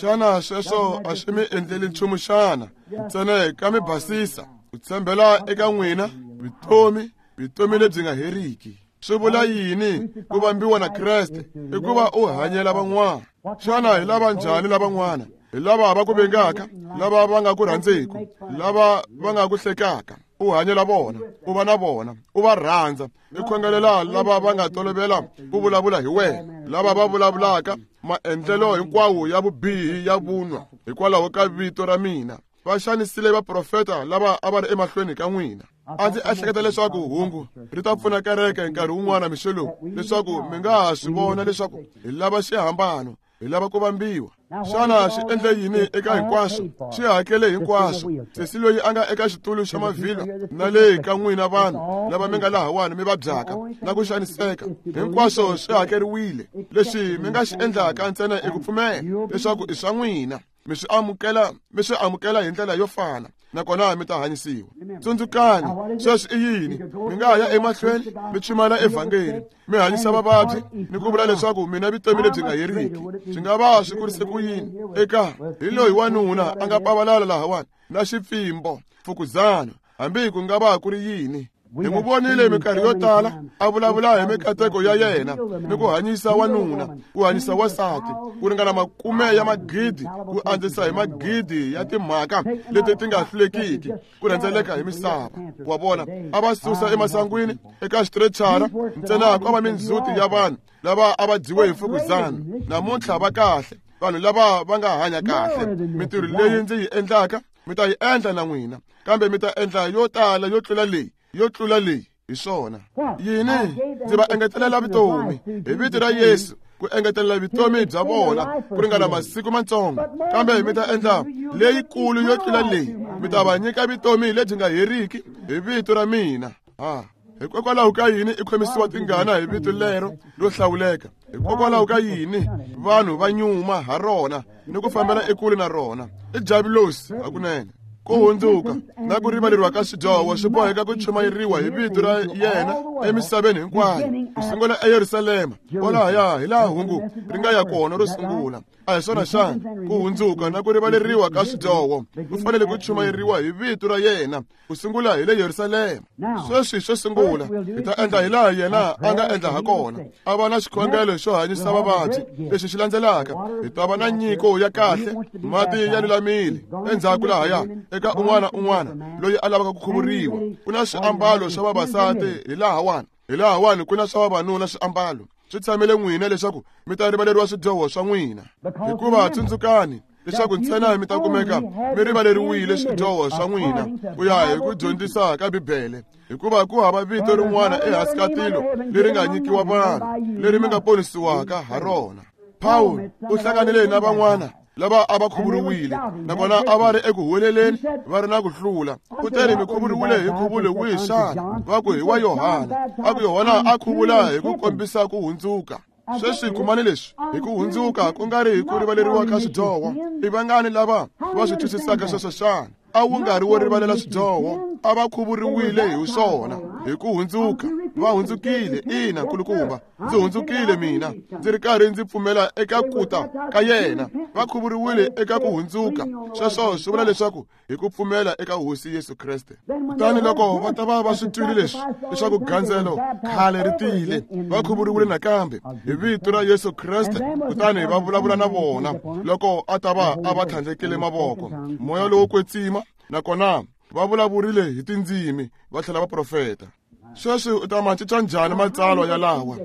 Xana sweswo a swi mi endleli nchumu xana? Ntsena ka mi basisa ku tshembela eka n'wina vutomi, vutomi lebyi nga heriki. Swi vula yini ku vambiwa na Kreste? I ku va u hanyela van'wana. Xana hi lava njhani lavan'wana? Hi lava va ku vengaka, lava va nga ku rhandzeki, lava va nga ku hlekaka. U hanyela vona, u va na vona, u va rhandza, i khongelela lava va nga tolovela ku vulavula hi wena, lava va vulavulaka maendlelo hinkwawo ya vubihi ya vunwa hikwalaho ka vito ra mina. Va xanisile vaprofeta lava a va ri emahlweni ka n'wina. A ndzi ehleketa leswaku hungu ri ta pfuna kereke nkarhi wun'wana mixo lowu, leswaku mi nga ha swi vona leswaku hi lava xihambano, hi lava ku vambiwa. Xana xi endle yini eka hinkwaswo? Xi hakele hinkwaswo. Sesi loyi a nga eka xitulu xa mavhilwa na le ka n'wina vanhu lava mi nga lahawani mi vabyaka na ku xaniseka, hinkwaswo swi hakeriwile. Leswi mi nga xi endlaka ntsena i ku pfumela leswaku i swa n'wina, mi swi amukela, mi swi amukela hi ndlela yo fana, nakona mi ta hanyisiwa. Tsundzukani, sweswi i yini? Mi nga ya emahlweni mi chumayela evhangeli, mi hanyisa vavabyi ni ku vula leswaku mina vutomi lebyi nga heriki. Swi nga va swi kurise ku yini eka hi loyi wanuna a nga pavalala lahawani na xipfimbo, mfukuzana, hambi ku nga va ku ri yini. Hi n'wi vonile minkarhi yo tala a vulavula hi mikateko ya yena ni ku hanyisa wanuna, ku hanyisa wansati, ku ringana makume ya magidi, ku andzisa hi magidi ya timhaka leti ti nga hlulekiki ku rhendzeleka hi misava. Wa vona, a va susa emasangwini eka xitiretshara ntsena ko va mindzhuti ya vanhu lava a va dyiwe hi mfukuzana. Namuntlha va kahle, vanhu lava va nga hanya kahle. Mintirho leyi ndzi yi endlaka mi ta yi endla na n'wina, kambe mi ta endla yo tala yo tlula leyi, yo tlula leyi. Hi swona yini? Ndzi va engetelela vutomi hi vito ra Yesu, ku engetelela vutomi bya vona ku ringana masiku matsongo, kambe mi ta endla leyikulu yo tlula leyi, mi ta va nyika vutomi lebyi nga heriki hi vito ra mina. Ha, hikokwalaho ka yini i khomisiwa tingana hi vito lero ro hlawuleka? Hikokwalaho ka yini vanhu va nyuma ha rona ni ku fambela ekule na rona? I javulosi hakunene. Ku hundzuka na ku rivaleriwa ka swidyoho swi boheka ku chumayeriwa hi vito ra yena emisaveni hinkwayo, ku sungula eYerusalema, kwalahaya hi laha hungu ri nga ya kona ro sungula. A hi swona xana? Ku hundzuka na ku rivaleriwa ka swidyoho ku fanele ku chumayeriwa hi vito ra yena ku sungula hi le Yerusalema. Sweswi xo sungula hi ta endla hi laha yena a nga endla ha kona, a va na xikhongelo xo hanyisa vavabyi. Lexi xi landzelaka hi ta va na nyiko ya kahle, mati ya lulamile. Endzhaku lahaya eka un'wana un'wana loyi a lavaka ku khuvuriwa, ku na swiambalo swa vavasati hi lahawani, hi lahawani ku na swa vavanuna swiambalo. Swi tshamele n'wina leswaku mi ta rivaleriwa swidyoho swa n'wina, hikuva tsundzukani leswaku ntsena mi ta kumeka mi rivaleriwile swidyoho swa n'wina ku ya hi ku dyondzisa ka Bibele, hikuva ku hava vito rin'wana ehansi ka tilo leri nga nyikiwa vanhu leri mi nga ponisiwaka ha rona. Pawulo u hlanganile na van'wana lava a va khuvuriwile, nakona a va ri eku huweleleni va ri na ku hlula. Kutani mi khuvuriwile hi nkhuvulo wihi xana? Va ku hi wa Yohana. A ku Yohana a khuvula hi ku kombisa ku hundzuka. Sweswi kumani leswi hi ku hundzuka ku nga ri hi ku rivaleriwa ka swidyoho. I vangani lava va swi twisisaka sweswo xana? A wu nga ri wo rivalela swidyoho, a va khuvuriwile hi swona hi ku hundzuka. Va hundzukile, ina nkulukumba, ndzi hundzukile mina, ndzi ri karhi ndzi pfumela eka kuta ka yena. Va khuvuriwile eka ku hundzuka. Sweswo swi vula leswaku hi ku pfumela eka Hosi Yesu Kreste. Kutani loko va ta va va swi twile leswi leswaku gandzelo khale ri tile, va khuvuriwile nakambe hi vito ra Yesu Kreste. Kutani va vulavula na vona loko a ta va a va tlhandlekile mavoko, moya lowo kwetsima, nakona va vulavurile hi tindzimi va tlhela va profeta. Sweswi u ta ma cinca njhani matsalwa ya lawa?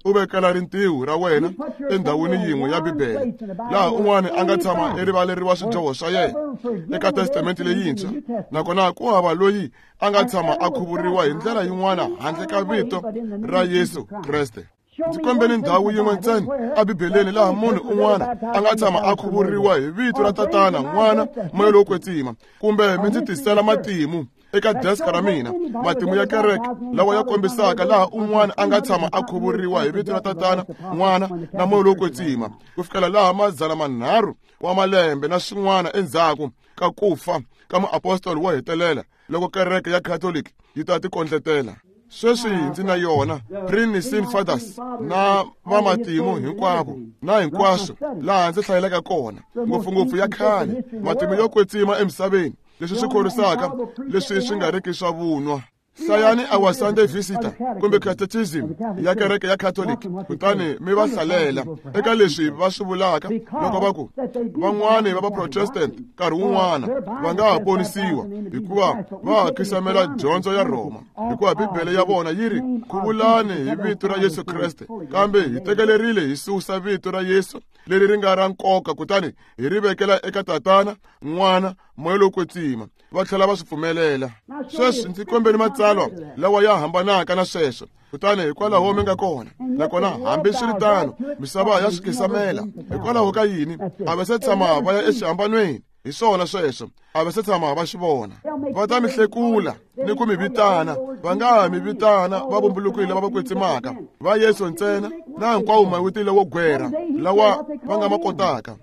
U vekela rintiho ra wena endhawini yin'we ya Bibele laha un'wana a nga tshama erivaleriwa swidyoho swa yena eka Testamente leyintshwa, nakona ku hava loyi a nga tshama a khuvuriwa hi ndlela yin'wana handle ka vito ra Yesu Kreste. Ndzi kombeni ndhawu yin'we ntsena eBibeleni laha munhu un'wana a nga tshama a khuvuriwa hi vito ra Tatana, N'wana, Moya lowo Kwetsima, kumbe mi ndzi tisela matimu eka desk ra mina, matimu ya kereke lawa ya kombisaka laha un'wana a nga tshama a khuvuriwa hi vito ra Tatana, N'wana na Moya lowo Kwetsima, ku fikela laha madzana manharhu wa malembe na swin'wana endzhaku ka ku fa ka muapostoli wo hetelela, loko kereke ya Catholic yi ta tikondletela. Sweswi ndzi na yona Pre-Nicene Fathers na vamatimu hinkwavo na hinkwaswo laha ndzi hlayelaka kona, ngopfungopfu ya khale, matimu yo kwetsima emisaveni, leswi swi khorwisaka leswi swi nga riki swa vunwa. Hlayani Our Sunday Visitor kumbe Catechism ya kereke ya Catholic, kutani mi va hlalela eka leswi va swi vulaka loko va ku van'wani va va-Protestant nkarhi wun'wana va nga ha ponisiwa hikuva va ha khisamela dyondzo ya Rhoma, hikuva Bibele ya vona yi ri khuvulani hi vito ra Yesu Kreste, kambe hi tekelerile hi susa vito ra Yesu leri ri nga ra nkoka kutani hi ri vekela eka Tatana, N'wana, Moya lowo Kwetsima. Va tlhela va swi pfumelela. Sweswi ndzi kombeni matsalwa lawa ya hambanaka na sweswo, kutani hikwalaho mi nga kona. Nakona hambiswiritano misava ya swi khisamela. Hikwalaho ka yini? A va se tshama va ya exihambanweni. Hi swona sweswo, a va se tshama va xi vona. Va ta mi hlekula ni ku mi vitana, va nga ha mi vitana va vumbulukile lava va kwetsimaka va Yesu ntsena na hinkwawo mavito lawo gwera lawa va nga ma kotaka.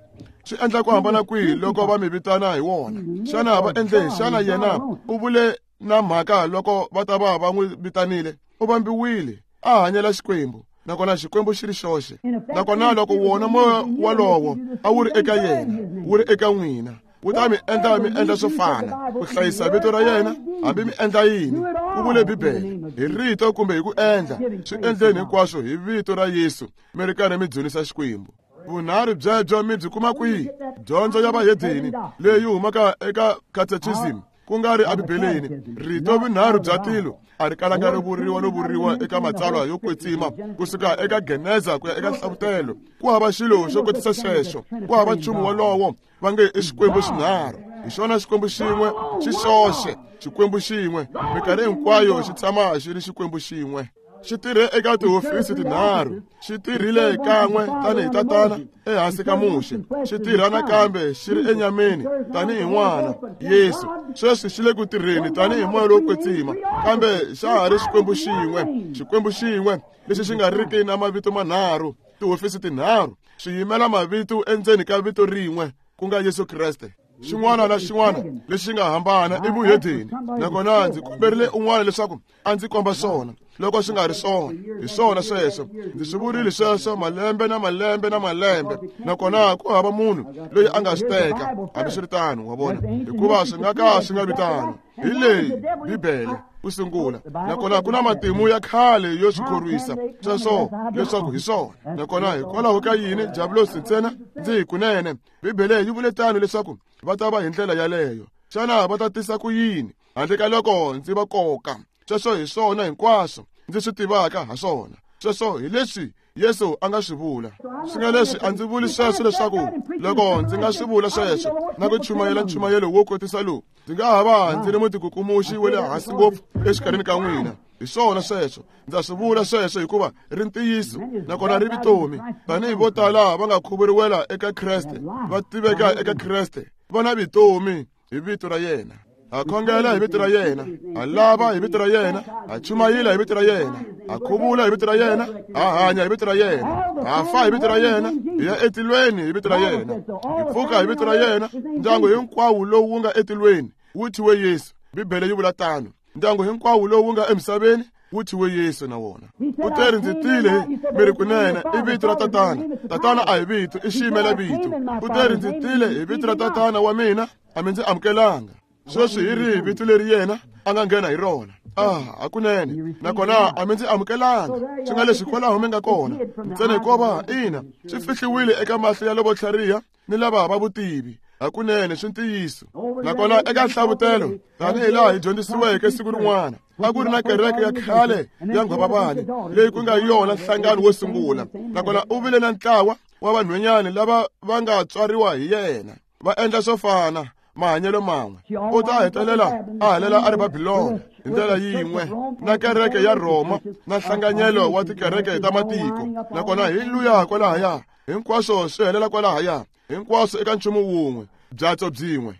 Swi endla ku hambana kwihi loko va mi vitana hi wona? Xana va endle? Xana yena u vule na mhaka loko va ta va va n'wi vitanile? U vambiwile a hanyela Xikwembu, nakona Xikwembu xi ri xoxe. Nakona loko wona moya walowo a wu ri eka yena, wu ri eka n'wina, Wu ta mi endla mi endla swo fana ku hlayisa vito ra yena hambi mi endla yini ku vule Bibele hi rito kumbe hi ku endla swi endleni hinkwaswo hi vito ra Yesu mi ri karhi mi dzunisa Xikwembu. Vunharhu byebyo mi byi kuma kwihi? Dyondzo ya vahedeni leyi humaka eka catechism ku nga ri eBibeleni. Rito vunharhu bya tilo a ri kalanga ri vuriwa no vuriwa eka matsalwa yo kwetsima kusuka eka Geneza ku ya eka Nhlavutelo. Ku hava xilo xo kotisa xexo, ku hava nchumu wolowo va nge i Xikwembu xinharhu. Hi xona Xikwembu xin'we xi xoxe, Xikwembu xin'we minkarhi hinkwayo xi tshama xi ri Xikwembu xin'we. Xi tirhe eka tihofisi tinharhu, xi tirhile kan'we tanihi tatana ehansi ka Muxe, xi tirha nakambe xi ri enyameni tanihi n'wana Yesu. Sweswi xi le ku tirheni tanihi moya lowo kwetsima, kambe xa ha ri Xikwembu xin'we, Xikwembu xin'we lexi xi nga riki na mavito manharhu, tihofisi tinharhu swi yimela mavito endzeni ka vito rin'we ku nga Yesu Kreste. Xin'wana na xin'wana lexi nga hambana i vuhedeni, nakona ndzi komberile un'wana leswaku a ndzi komba swona loko swi nga ri swona. Hi swona sweswo, ndzi swi vurile sweswo malembe na malembe na malembe, nakona ku hava munhu loyi a nga swi teka hambiswiritano, wa vona, hikuva swi nga ka swi nga vi tano. Hi leyi Bibele ku sungula, nakona ku na matimu ya khale yo swi khorwisa sweswo leswaku hi swona. Nakona hikwalaho ka yini Diablosi ntsena ndzi hi kunene Bibele yi vule tano leswaku va ta va hi ndlela yaleyo. Xana va ta tisa ku yini handle ka loko ndzi va koka? Sweswo hi swona hinkwaswo ndzi swi tivaka ha swona. Sweswo hi leswi Yesu a nga swi vula. Swi nga leswi a ndzi vuli sweswo leswaku loko ndzi nga swi vula sweswo na ku chumayela nchumayelo wo kotisa lowu, ndzi nga ha va ndzi ri mutikukumuxi wa le hansi ngopfu exikarhini ka n'wina. Hi swona sweswo, ndza swi vula sweswo hikuva ri ntiyiso nakona ri vutomi. Tanihi vo tala va nga khuvuriwela eka Kreste, va tiveka eka Kreste, va na vutomi hi vito ra yena. Ha khongela hi vito ra yena, ha lava hi vito ra yena, ha chumayela hi vito ra yena, ha khuvula hi vito ra yena, ha hanya hi vito ra yena, ha fa hi vito ra yena, hi ya etilweni hi vito ra yena, hi pfuka hi vito ra yena. Ndyangu hinkwawo lowu wu nga etilweni wu thyiwe Yesu. Bibele yi vula tano. Ndyangu hinkwawo lowu wu nga emisaveni wu thyiwe Yesu na wona. U teri ndzi tile mi ri kunene i vito ra tatana. Tatana a hi vito, i xiyimela vito. U teri ndzi tile hi vito ra tatana wa mina, a mi ndzi amukelanga. Sweswi hi rihi vito leri yena a nga nghena hi rona? Ah, hakunene nakona a mi ndzi amukelanga. Swi nga leswi kwalaho mi nga kona ntsena hikuva ina swi fihliwile eka mahlo ya lavo tlhariha ni lava va vutivi. Hakunene swi ntiyiso. Nakona eka Nhlavutelo tanihi laha hi dyondzisiweke siku rin'wana, a ku ri na kereke ya khale ya nghwavavani leyi ku nga yona nhlangano wo sungula, nakona u vile na ntlawa wa vanhwanyana lava va nga tswariwa hi yena va endla swo fana mahanyelo man'we. U ta hetelela a helela a ri Babilona hi ndlela yin'we na kereke ya Rhoma na nhlanganyelo wa tikereke ta matiko. Nakona hi luya kwalahaya, hinkwaswo swi helela kwalahaya, hinkwaswo eka nchumu wun'we, byatso byin'we.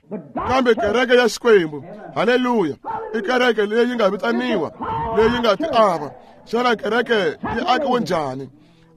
Kambe kereke ya Xikwembu, haleluya, i kereke leyi nga vitaniwa, leyi nga tiava. Xana kereke yi akiwe njhani?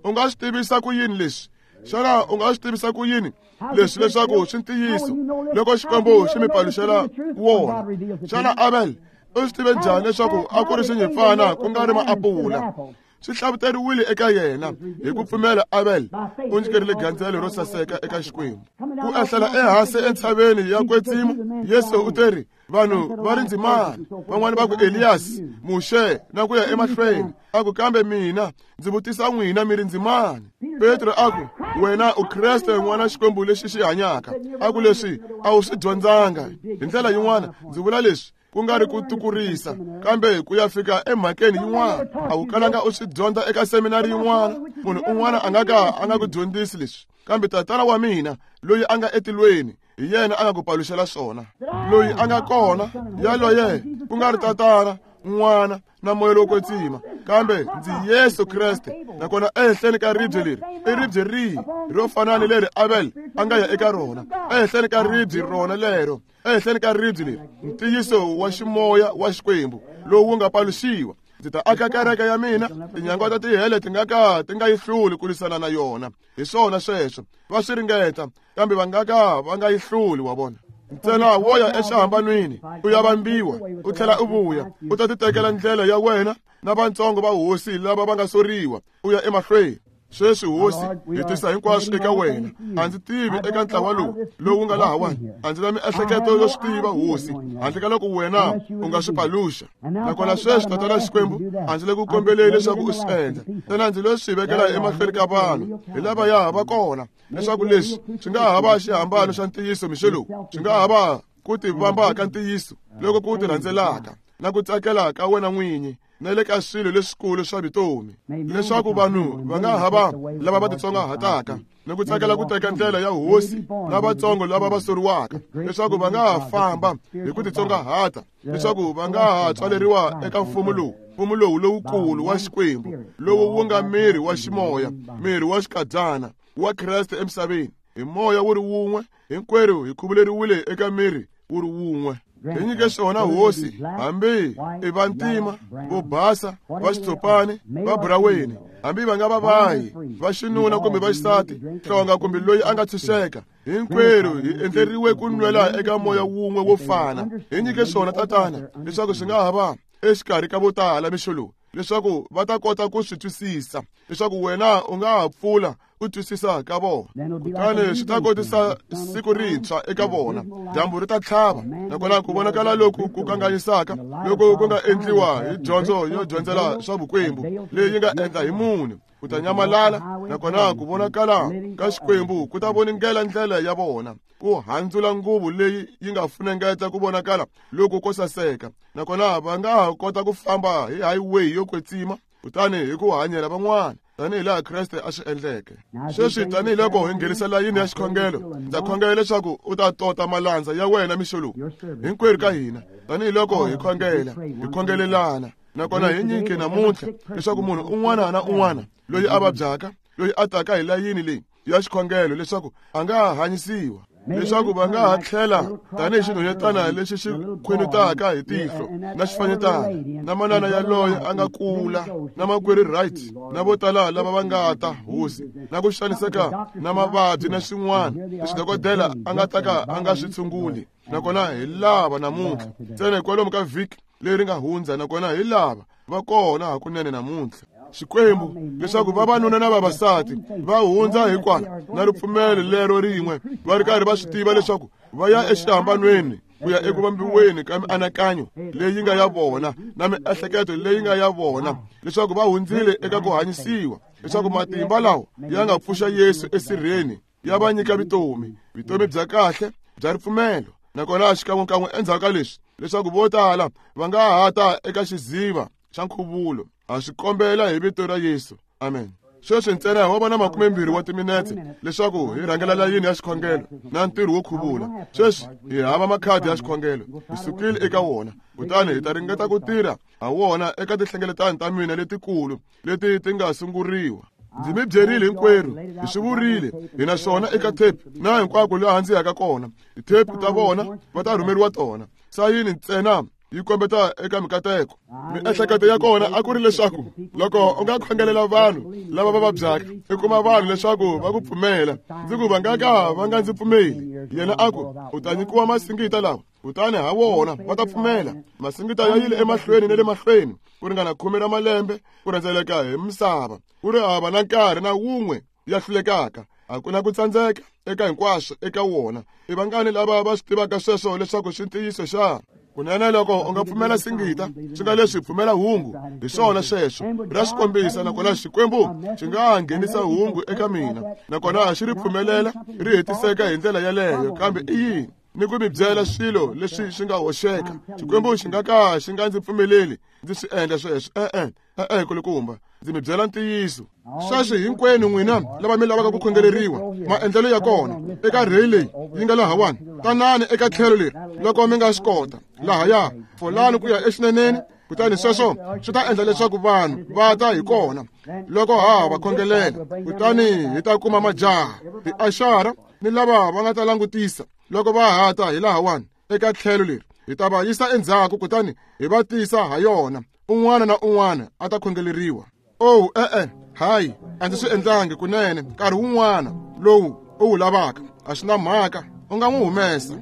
U nga swi tivisa ku yini leswi? Xana u nga swi tivisa ku yini leswi leswaku swi ntiyiso loko Xikwembu xi mi paluxela wona? Xana Abel u swi tive njhani leswaku a ku ri xinyimpfana ku nga ri maapula? Swi hlavuteriwile eka yena. Hi ku pfumela Abel u nyikerile gandzelo ro saseka eka Xikwembu. Ku ehlela ehansi entshaveni ya kwetsima, Yesu u teri vanhu va ri ndzimani, van'wani va ku Elias, Muxe na ku ya emahlweni. A ku kambe mina ndzi vutisa n'wina mi ri ndzimani? Petro a ku wena u Kreste n'wana Xikwembu lexi xi hanyaka. A ku leswi a wu swi dyondzanga. Hi ndlela yin'wana ndzi vula leswi ku nga ri ku tikurisa, kambe ku ya fika emhakeni yin'wana a wu kalanga u swi dyondza eka seminari yin'wana. Munhu un'wana a nga ka a nga ku dyondzisi leswi, kambe tatana wa mina loyi a nga etilweni hi yena a nga ku paluxela swona. Loyi a nga kona yaloye ku nga ri tatana, n'wana na moya lowo kwetsima, kambe ndzi Yesu Kreste. Nakona ehenhleni ka ribye leri, i ribye rihi ro fana ni leri Abel a nga ya eka rona? Ehenhleni ka ribye rona lero, ehenhleni ka ribye leri, ntiyiso wa ximoya wa Xikwembu lowu wu nga paluxiwa, ndzi ta aka kereke ya mina, tinyangwa ta tihele ti nga ka ti nga yi hluli ku lwisana na yona. Hi swona sweswo, va swi ringeta kambe va nga ka va nga yi hluli, wa vona. Ntsena wo ya exihambanweni u ya vambiwa u tlhela u vuya, u ta titekela ndlela ya wena na vantsongo va hosi lava va nga soriwa, u ya emahlweni. Sweswi hosi, hi tisa hinkwaswo eka wena. A ndzi tivi eka ntlawa lowu lowu nga lahawani, a ndzi na miehleketo yo swi tiva hosi, handle ka loko wena u nga swi paluxa. Nakona sweswi Tatana Xikwembu, a ndzi le ku kombeleni leswaku u swi endla, ntsena ndzi lo swi vekela emahlweni ka vanhu hi lava ya va kona, leswaku leswi swi nga ha va xihambano xa ntiyiso mixo lowu, swi nga ha va ku tivamba ka ntiyiso loko ku ti rhandzelaka na ku tsakela ka wena n'winyi na le ka swilo leswikulu swa vutomi, leswaku vanhu va nga ha va lava va titsongahataka ni ku tsakela ku teka ndlela ya hosi na vatsongo lava va soriwaka, leswaku va nga ha famba hi ku titsongahata, leswaku va nga ha tswaleriwa eka mfumo lowu, mfumo lowu lowukulu wa Xikwembu, lowu wu nga miri wa ximoya, miri wa xikadyana wa Kreste emisaveni. Hi moya wu ri wun'we, hinkwerhu hi khuvuleriwile eka miri wu ri wun'we. Hi nyike swona hosi, hambi i vantima, vo basa, va xitshopani, va buraweni, hambi va nga va vahi, va xinuna kumbe va xisati, hlonga kumbe loyi a nga tshunxeka, hinkwerhu hi endleriwe ku nwela eka moya wun'we wo fana. Hi nyike swona Tatana, leswaku swi nga ha va exikarhi ka vo tala mixo lowu, leswaku va ta kota ku swi twisisa, leswaku wena u nga ha pfula ku twisisa ka vona. Kutani swi ta kotisa siku rintshwa eka vona, dyambu ri ta tlhava, nakona ku vonakala loku ku kanganyisaka loko ku nga endliwa hi dyondzo yo dyondzela swa vukwembu leyi nga endla hi munhu, ku ta nyamalala, nakona ku vonakala ka Xikwembu ku ta voningela ndlela ya vona, ku handzula nguvu leyi yi nga funengeta ku vonakala loko ko saseka, nakona va nga ha kota ku famba hi highway yo kwetsima, kutani hi ku hanyela van'wana tanihi laha Kreste a swi endleke. Sweswi tanihiloko hi nghenisa layini ya xikhongelo, ndza khongela leswaku u ta tota malandza ya wena mixo lowu, hinkwerhu ka hina, tanihiloko hi khongela, hi khongelelana, nakona hi nyike namuntlha leswaku munhu un'wana na un'wana loyi a vabyaka, loyi a taka hi layini leyi ya xikhongelo, leswaku a nga hanyisiwa, leswaku va nga ha tlhela tanihi xinhwanyetana lexi xi khwenutaka hi tihlo na xifanyetana, na manana yaloye a nga kula, na makwerhu Wright, na vo tala lava va nga ta hosi, na ku xaniseka na mavabyi na swin'wana leswi dokodela a nga ta ka a nga swi tshunguli. Nakona hi lava namuntlha ntsena hikwalomu ka vhiki leri nga hundza, nakona hi lava va kona hakunene namuntlha. Xikwembu, leswaku vavanuna na vavasati va hundza hikwala na ripfumelo lero rin'we, va ri karhi va swi tiva leswaku va ya exihambanweni ku ya eku vambiweni ka mianakanyo leyi nga ya vona na miehleketo leyi nga ya vona, leswaku va hundzile eka ku hanyisiwa, leswaku matimba lawa ya nga pfuxa Yesu esirheni ya va nyika vutomi, vutomi bya kahle bya ripfumelo. Nakona xikan'wekan'we endzhaku ka leswi, leswaku vo tala va nga ha ta eka xiziva xa nkhuvulo. Ha swi kombela hi vito ra Yesu, amen. Sweswi ntsena ho vona makumembirhi wa timinetse leswaku hi rhangela layini ya xikhongelo na ntirho wo khuvula. Sweswi hi hava makhadi ya xikhongelo, hi sukile eka wona, kutani hi ta ringeta ku tirha ha wona eka tinhlengeletano ta mina letikulu leti ti nga sunguriwa. Ndzi mi byerile hinkwerhu, hi swi vurile, hi na swona eka tape na hinkwako laha ndzi yaka kona. Ti-tape ta vona va ta rhumeriwa tona. Sayini ntsena yi kombeta eka mikateko. Miehleketo ya kona a ku ri leswaku loko u nga khongelela vanhu lava va vabyaka, i kuma vanhu leswaku va ku pfumela. Ndzi ku va nga ka va nga ndzi pfumeli. Yena a ku, u ta nyikiwa masingita lawa, kutani ha wona va ta pfumela. Masingita ya yile emahlweni na le mahlweni ku ringana khume ra malembe ku rhendzeleka hi misava, ku ri hava na nkarhi na wun'we ya hlulekaka. A ku na ku tsandzeka eka hinkwaswo eka wona. I vangani lava va swi tivaka sweswo leswaku swi ntiyiso xa? Kunene loko u nga pfumela singita, swi nga leswi pfumela hungu, hi swona sweswo. Ra swi kombisa, nakona Xikwembu xi nga nghenisa hungu eka mina, nakona xi ri pfumelela ri hetiseka hi ndlela yaleyo. Kambe i yini? Ni ku mi byela swilo leswi swi nga hoxeka. Xikwembu xi nga ka xi nga ndzi pfumeleli ndzi swi endla sweswo. E-e, e-e kulukumba, ndzi mi byela ntiyiso. Sweswi hinkwenu n'wina lava mi lavaka ku khongeleriwa, maendlelo ya kona eka rheyi leyi yi nga lahawani, tanani eka tlhelo leri loko mi nga swi kota, lahaya folani ku ya exineneni, kutani sweswo swi ta endla leswaku vanhu va ta hi kona loko ha va khongelela. Kutani hi ta kuma majaha, tiaxara ni lava va nga ta langutisa loko va ha ta hi lahawani eka tlhelo leri, hi ta va yisa endzhaku kutani hi va tisa ha yona. Un'wana na un'wana a ta khongeleriwa. Oh, e-e, hayi, a ndzi swi endlangi kunene. Nkarhi wun'wana lowu u wu lavaka, a swi na mhaka, u nga n'wi humesa.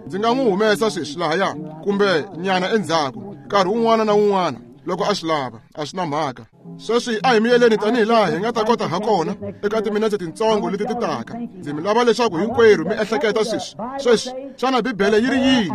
Ndzi nga n'wi humesa sweswi lahaya kumbe nyana endzhaku, nkarhi wun'wana na wun'wana loko a swi lava, a swi na mhaka. Sweswi a hi miyeleni tanihi laha hi nga ta kota ha kona eka timinetse tintsongo leti ti taka. Ndzi mi lava leswaku hinkwerhu mi ehleketa sweswi. Sweswi, xana Bibele yi ri yini?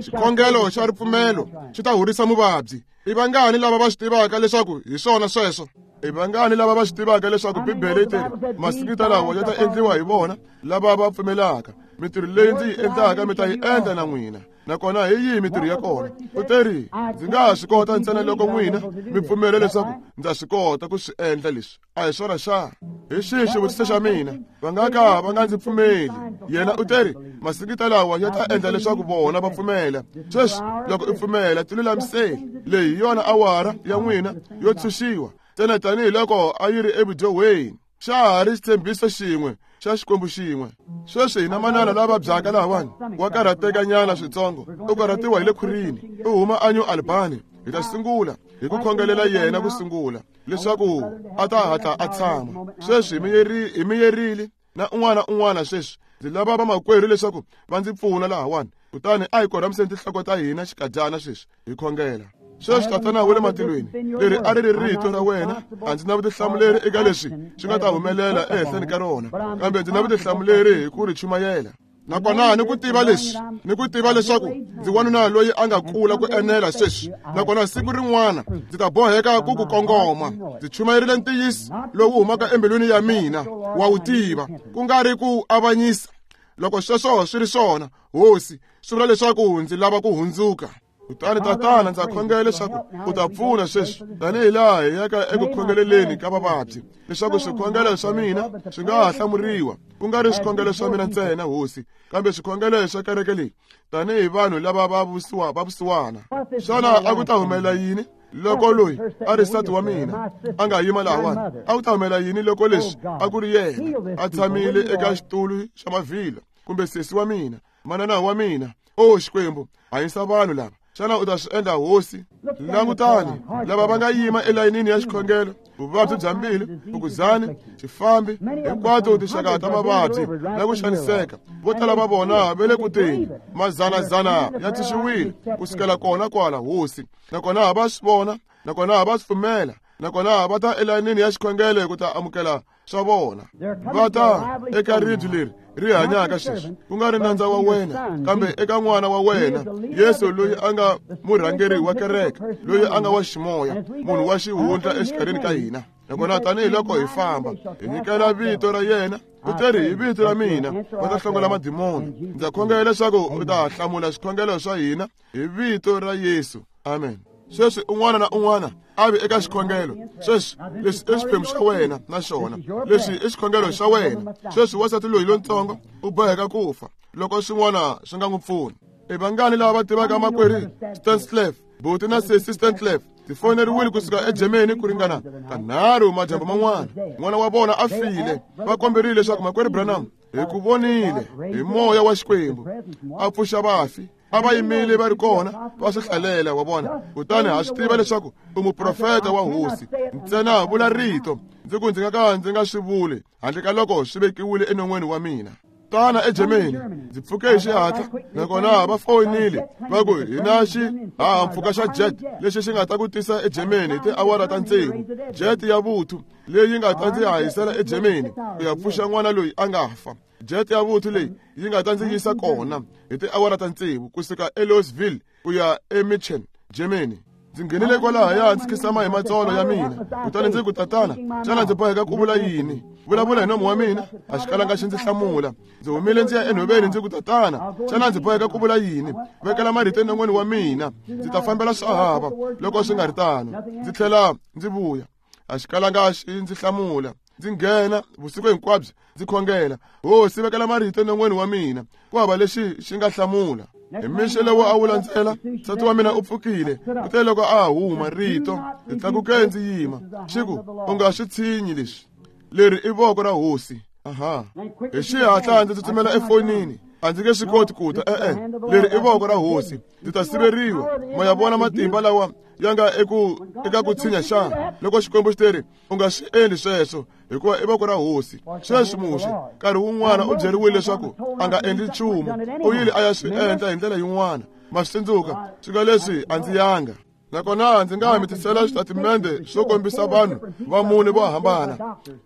Xikhongelo xa ripfumelo xi ta horisa muvabyi. I vangani lava va swi tivaka leswaku hi swona sweswo? I vangani lava va swi tivaka leswaku Bibele yi teri masingita lawa ya ta endliwa hi vona lava va pfumelaka? Mintirho leyi ndzi yi endlaka mi ta yi endla na n'wina. Nakona hi yihi mintirho ya kona? U teri ndzi nga ha swi kota ntsena loko n'wina mi pfumela leswaku ndza swi kota ku swi endla leswi. A hi swona xana? Hi xihi xivutiso xa mina? Va nga ka va nga ndzi pfumeli. Yena u teri masingita lawa ya ta endla leswaku vona va pfumela. Sweswi loko u pfumela tilulamiseli. Leyi hi yona awara ya n'wina yo tshunxiwa ntsena tanihiloko a yi ri evudyohweni. Xa ha ri xitshembiso xin'we xa Xikwembu xin'we. Sweswi hina manana lava vabyaka lahawani wa karhatekanyana switsongo, u karhatiwa hi le khwirini, u huma a New Albany. Hi ta sungula hi ku khongelela yena ku sungula leswaku a ta hatla a tshama. Sweswi hi miyerile na un'wana un'wana. Sweswi ndzi lava vamakwerhu leswaku va ndzi pfuna lahawani. Kutani a hi korhamiseni tinhloko ta hina xikadyana sweswi hi khongela. Sweswi Tatana wa le matilweni, leri a ri ri rito ra wena. A ndzi na vutihlamuleri eka leswi swi nga ta humelela ehenhleni ka rona, kambe ndzi na vutihlamuleri hi ku ri chumayela. Nakona ni ku tiva leswi, ni ku tiva leswaku ndzi wanuna loyi a nga kula ku enela sweswi. Nakona siku rin'wana ndzi ta boheka ku ku kongoma. Ndzi chumayerile ntiyiso lowu humaka embilwini ya mina, wa wu tiva, ku nga ri ku avanyisa. Loko sweswo swi ri swona, Hosi, swi vula leswaku ndzi lava ku hundzuka. Kutani Tatana, ndza khongela leswaku u ta pfuna sweswi tanihi laha hi yaka eku khongeleleni ka vavabyi, leswaku swikhongelo swa mina swi nga ha hlamuriwa, ku nga ri swikhongelo swa mina ntsena, Hosi, kambe swikhongelo swa kereke leyi tanihi vanhu lava va vusiwa va vusiwana. Xana a ku ta humelela yini loko loyi a ri nsati wa mina a nga yima lahawani? A ku ta humelela yini loko leswi a ku ri yena a tshamile eka xitulu xa mavhilwa, kumbe sesi wa mina, manana wa mina? O Xikwembu, hanyisa vanhu lava. Xana u ta swi endla, Hosi? Langutani lava va nga yima elayinini ya xikhongelo, vuvabyi bya mbilu, vukuzani, xifambi, hinkwato tinxaka ta mavabyi na ku xaniseka. Vo tala va vona va le ku teni, mazanazana ya tshunxiwile ku sukela kona kwala, Hosi. Nakona va swi vona, nakona va swi pfumela, nakona va ta elayinini ya xikhongelo ku ta amukela swa vona. Va ta eka ribye leri ri hanyaka sweswi, ku nga ri nandza wa wena, kambe eka n'wana wa wena Yesu, loyi a nga murhangeri wa kereke, loyi a nga wa ximoya, munhu wa xihundla exikarhini ka hina. Nakona tanihiloko hi famba hi nyikela vito ra yena, u teri hi vito ra mina va ta hlongola madimoni. Ndza khongela leswaku u ta hlamula swikhongelo swa hina hi vito ra Yesu. Amen. Sweswi un'wana na un'wana a vi eka xikhongelo. Sweswi leswi i xiphemu xa wena na xona, leswi i xikhongelo xa wena. Sweswi wansati loyi lontsongo u boheka ku fa loko swin'wana swi nga n'wi pfuni. I vangani lava va tivaka makwerhu Stanslev, buti na sesi Stanslev? Ti foneriwile kusuka eGermany ku ringana kanharhu madyambu man'wana. N'wana wa vona a file. Va komberile leswaku makwerhu Branham hi ku vonile hi moya wa Xikwembu a pfuxa vafi. A va yimile va ri kona va swi hlalela, wa vona. Kutani ha swi tiva leswaku u muprofeta wa Hosi. Ntsena vula rito. Ndzi ku ndzi nga ka ndzi nga swi vuli handle ka loko swi vekiwile enon'weni wa mina. Tana eGermany, ndzi pfuke hi xihatla, nakona va foyinile va ku hi na xihahampfhuka xa jet lexi xi nga ta ku tisa eGermany hi tiawara ta tsevu. Jet ya vuthu leyi nga ta ndzi hahisela eGermany ku ya pfuxa n'wana loyi a nga fa. Jet ya vuthu leyi yi nga ta ndzi yisa kona hi tiawara ta tsevu kusuka eLouisville ku ya eMünchen, Germany. Ndzi nghenile kwalahaya ndzi khisama hi matsolo ya mina. Kutani ndzi ku, Tatana, xana ndzi boheka ku vula yini? Vulavula hi nomu wa mina. A xi kalanga xi ndzi hlamula. Ndzi humile ndzi ya enhoveni ndzi ku, Tatana, xana ndzi boheka ku vula yini? Vekela marito enon'weni wa mina. Ndzi ta fambela swa hava loko swi nga ri tano. Ndzi tlhela ndzi vuya. A xi kalanga xi ndzi hlamula. Ndzi nghena vusiku hinkwabyo ndzi khongela, Hosi, vekela marito enon'weni wa mina. Ku hava lexi xi nga hlamula. Hi mixo lowu a wu landzela, nsati wa mina u pfukile. Kute loko a huma rito, ndzi tlakuke ndzi yima. Xi ku, u nga swi tshinyi leswi. Leri i voko ra Hosi. Aha. Hi xihatla ndzi tsutsumela efonini. A ndzi nge swi koti ku ta. E-e, leri i voko ra Hosi. Ndzi ta siveriwa. Ma ya vona matimba lawa ya nga eku eka ku tshinya xana? Loko Xikwembu xi teri u nga swi endli sweswo, hikuva i voko ra Hosi. Sweswi Muxe nkarhi wun'wana u byeriwile leswaku a nga endli nchumu, u yile a ya swi endla hi ndlela yin'wana. Ma swi tsundzuka? Swi nga leswi a ndzi yanga. Nakona ndzi nga mi tisela switatimende swo kombisa vanhu va mune vo hambana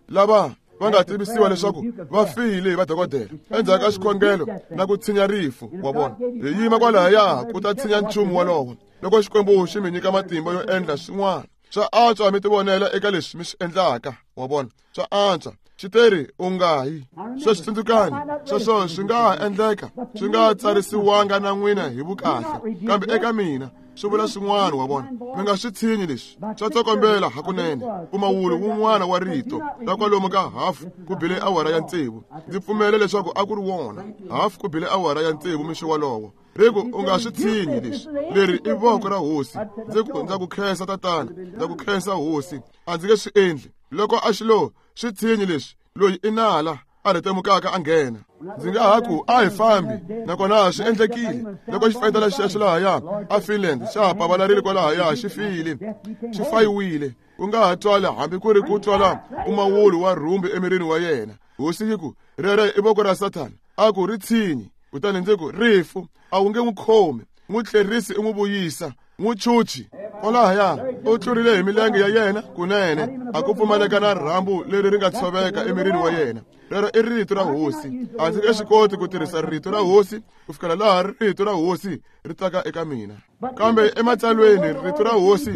lava va nga tivisiwa leswaku va file hi vadokodela endzhaku ka xikhongelo na ku tshinya rifu. Wa vona, hi yima kwalahaya ku ta tshinya nchumu wolowo. Loko Xikwembu xi mi nyika matimba yo endla swin'wana, swa antswa mi tivonela eka leswi mi swi endlaka. Wa vona, swa antswa. Xiteri u nga yi. Sweswi tsundzukani, sweswo swi nga ha endleka swi nga tsarisiwanga na n'wina hi vukahle, kambe eka mina swi vula swin'wana. Wa vona, mi nga swi tshinyi leswi swa tsokombela hakunene. Mpfumawulo wun'wana wa rito ra kwalomu ka hafu ku bile awara ya tsevu. Ndzi pfumele leswaku a ku ri wona hafu ku bile awara ya tsevu mixo wolowo. Ri ku u nga swi tshinyi leswi, leri i voko ra hosi. Ndzi ku ndza ku khensa tatana, ndza ku khensa hosi, a ndzi nge swi endli. Loko a xi lo swi tshinyi leswi, loyi i nala a rhetemukaka a nghena. Ndzi nga ha ku a hi fambi, nakona swi endlekile. Loko xifayetela xexo lahaya a Finland xa ha pavalarile kwalahaya, xi file, xi fayiwile. Ku nga ha twala hambi ku ri ku twala mpfumawulo wa rhumbi emirini wa yena. Hosi yi ku rero i voko ra Sathana. A ku ri tshinyi. Kutani ndzi ku rifu a wu nge n'wi khomi, n'wi tlherisi i n'wi vuyisa, n'wi chuchi. Kwalahaya u tlurile hi milenge ya yena kunene, a ku pfumaleka na rhambu leri ri nga tshoveka emirini wa yena. Rero i rito ra hosi. A ndzi nge swi koti ku tirhisa rito ra hosi ku fikela laha rito ra hosi ri taka eka mina. Kambe ematsalweni rito ra hosi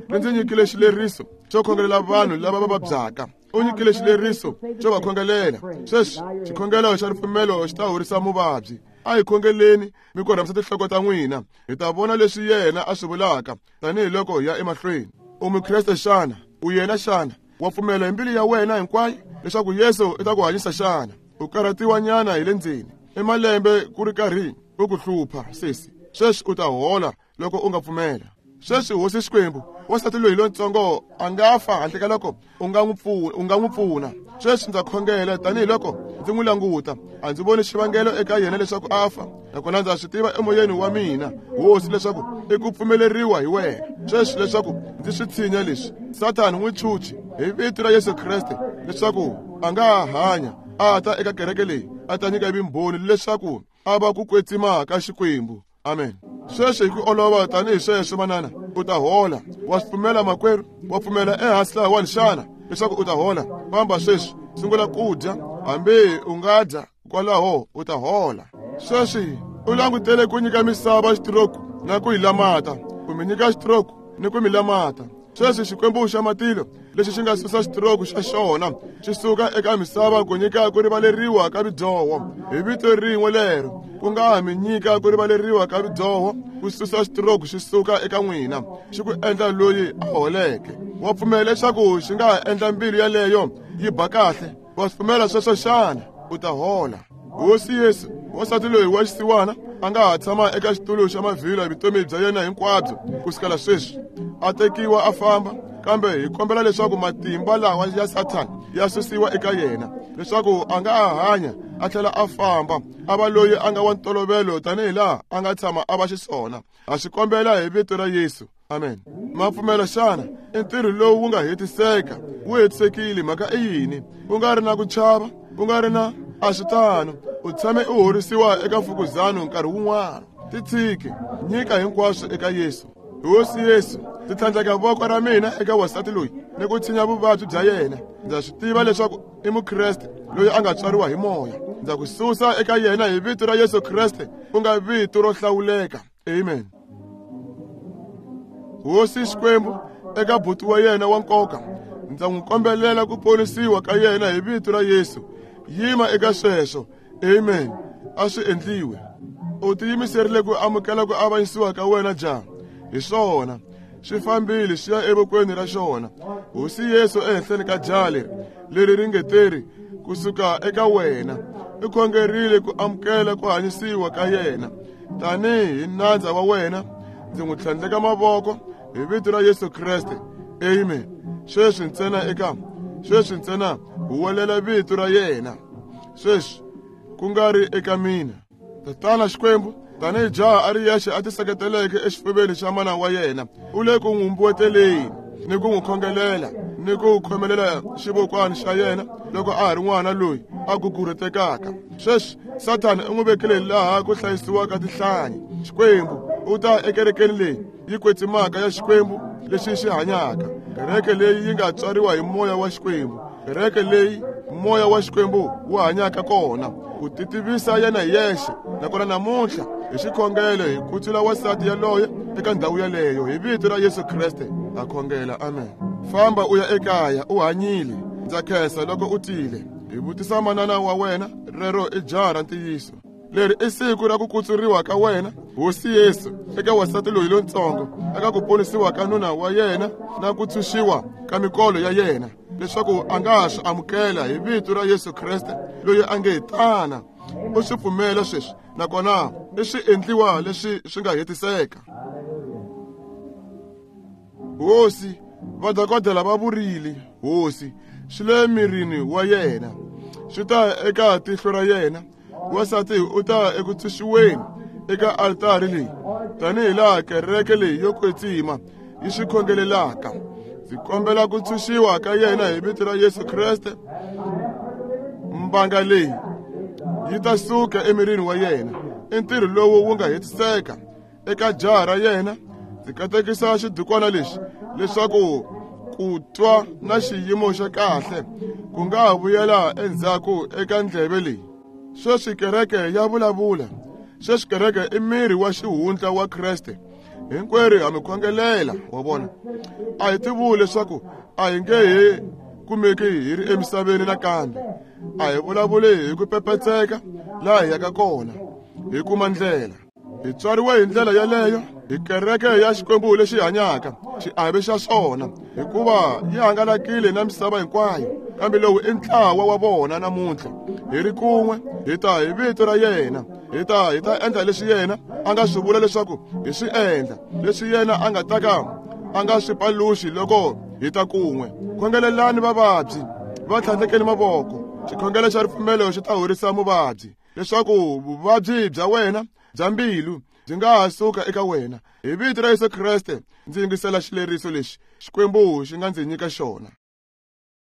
ri ndzi nyikile xileriso xo khongelela vanhu lava va vabyaka. U nyikile xileriso xo va khongelela. Sweswi xikhongelo xa ripfumelo xi ta horisa muvabyi. A hi khongeleni mi korhamisa tinhloko ta n'wina, hi ta vona leswi yena a swi vulaka tanihiloko hi ya emahlweni. U mukreste xana? U yena xana? Wa pfumela hi mbilu ya wena hinkwayo leswaku Yesu i ta ku hanyisa xana? U karhatiwa nyana hi le ndzeni i malembe ku ri karhi u ku hlupha sesi. Sweswi u ta hola loko u nga pfumela. Sweswi hosi Xikwembu, wansati loyi lontsongo a nga fa handle ka loko u nga n'wi pfuna, u nga n'wi pfuna. Sweswi ndza khongela tanihiloko ndzi n'wi languta, a ndzi voni xivangelo eka yena leswaku a fa, nakona ndza swi tiva emoyeni wa mina hosi leswaku i ku pfumeleriwa hi wena. Sweswi leswaku ndzi swi tshinya leswi, Sathani n'wi chuchi hi vito ra Yesu Kreste leswaku a nga ha hanya a ta eka kereke leyi a ta nyika vumbhoni leswaku a va ku kwetsima ka Xikwembu. Amen. Sweswi hi ku olova tanihi sweswo manana, u ta hola. Wa swi pfumela makwerhu? Wa pfumela ehansi lahawani xana leswaku u ta hola? Famba sweswi, sungula ku dya, hambi u nga dya kwalaho u ta hola. Sweswi u langutele ku nyika misava xitiroku na ku yi lamata, ku mi nyika xitiroku ni ku mi lamata. Sweswi Xikwembu xa matilo lexi xi nga susa xitiroku xa xona xi suka eka misava ku nyika ku rivaleriwa ka vidyoho hi vito rin'we lero, ku nga ha mi nyika ku rivaleriwa ka vidyoho, ku susa xitiroku xi suka eka n'wina, xi ku endla loyi a holeke. Wa pfumela leswaku xi nga ha endla mbilu yaleyo yi ba kahle? Wa swi pfumela sweswo xana? U ta hola. Hosi Yesu, wansati loyi wa xisiwana a nga ha tshama eka xitulu xa mavhilwa vutomi bya yena hinkwabyo ku sukela sweswi, a tekiwa a famba, kambe hi kombela leswaku matimba lawa ya Sathana ya susiwa eka yena, leswaku a nga ha hanya a tlhela a famba, a va loyi a nga wa ntolovelo tanihi laha a nga tshama a va xiswona. Ha swi kombela hi vito ra Yesu. Amen. Ma pfumela xana? I ntirho lowu wu nga hetiseka, wu hetisekile. Mhaka i yini? U nga ri na ku chava, u nga ri na a swi tano. U tshame u horisiwa eka mfukuzano nkarhi wun'wana. Titshiki, nyika hinkwaswo eka Yesu. Hosi Yesu, ndzi tlhandleka voko ra mina eka wansati loyi ni ku tshinya vuvabyi bya yena. Ndza swi tiva leswaku i mukreste loyi a nga tswariwa hi moya. Ndza ku susa eka yena hi vito ra Yesu Kreste, ku nga vito ro hlawuleka. Amen. Hosi Xikwembu, eka buti wa yena wa nkoka, ndza n'wi kombelela ku ponisiwa ka yena hi vito ra Yesu. Yima eka sweswo. Amen. A swi endliwe. U tiyimiserile ku amukela ku avanyisiwa ka wena jaha? Hi swona, swi fambile swi ya evokweni ra xona. Hosi Yesu ehenhleni ka jaha leri leri ringeteri kusuka eka wena, i khongerile ku amukela ku hanyisiwa ka yena. Tanihi nandza wa wena, ndzi n'wi tlhandleka mavoko hi vito ra Yesu Kreste. Amen. Sweswi ntsena eka sweswi ntsena huwelela vito ra yena. Sweswi ku nga ri eka mina. Tatana Xikwembu, tanihi jaha a ri yexe a tiseketeleke exifuveni xa mana wa yena, u le ku n'wi mbuweteleni ni ku n'wi khongelela ni ku khomelela xivokwani xa yena loko a ha ri n'wana loyi a gugurhutekaka. Sweswi Sathana u n'wi vekile laha ku hlayisiwaka tihlanyi. Xikwembu, u ta ekerekeni leyi yi kwetsimaka ya Xikwembu lexi xi hanyaka, kereke leyi yi nga tswariwa hi moya wa Xikwembu, kereke leyi moya wa Xikwembu wu hanyaka kona, ku titivisa yena hi yexe. Nakona namuntlha hi xikhongelo hi kutsula wansati yaloye eka ndhawu yaleyo hi vito ra Yesu Kreste ha khongela, amen. Famba u ya ekaya u hanyile. Ndza khensa loko u tile. Hi vutisa manana wa wena, rero i jaha ra ntiyiso. Leri i siku ra ku kutsuriwa ka wena, Hosi Yesu, eka wansati loyi lontsongo, eka ku ponisiwa ka nuna wa yena na ku tshunxiwa ka mikolo ya yena, leswaku a nga ha swi amukela hi vito ra Yesu Kreste loyi a nge tana. U swi pfumela sweswi, nakona i swi endliwa leswi swi nga hetiseka. Hosi, vadokodela va vurile, Hosi, swi le mirini wa yena, swi ta eka tihlo ra yena. Wansati u ta eku tshunxiweni eka altari leyi, tanihi laha kereke leyi yo kwetsima yi swi khongelelaka. Ndzi kombela ku tshunxiwa ka yena hi vito ra Yesu Kreste. Mbanga leyi yi ta suka emirini wa yena. I ntirho lowu wu nga hetiseka eka jaha ra yena. Ndzi katekisa xidukwana lexi leswaku ku twa na xiyimo xa kahle ku nga ha vuyela endzhaku eka ndleve leyi. Sweswi kereke ya vulavula. Sweswi kereke i miri wa xihundla wa Kreste. Hinkwerhu ha mi khongelela, wa vona. A hi tivuli leswaku a hi nge he kumeki hi ri emisaveni nakambe. A hi vulavuli hi ku pepetseka laha hi yaka kona, hi kuma ndlela. Hi tswariwe hi ndlela yaleyo, hi kereke ya Xikwembu lexi hanyaka, xiave xa swona, hikuva yi hangalakile na misava hinkwayo. Kambe lowu i ntlawa wa vona namuntlha. Hi ri kun'we, hi ta hi vito ra yena, hi ta hi ta endla leswi yena a nga swi vula leswaku hi swi endla, leswi yena a nga ta ka a nga swi paluxi loko hi ta kun'we. Khongelelani vavabyi, va tlhandlekeni mavoko. Xikhongelo xa ripfumelo xi ta horisa muvabyi, leswaku vuvabyi bya wena bya mbilu byi nga ha suka eka wena. Hi vito ra Yesu Kreste ndzi yingisela xileriso lexi Xikwembu xi nga ndzi nyika xona.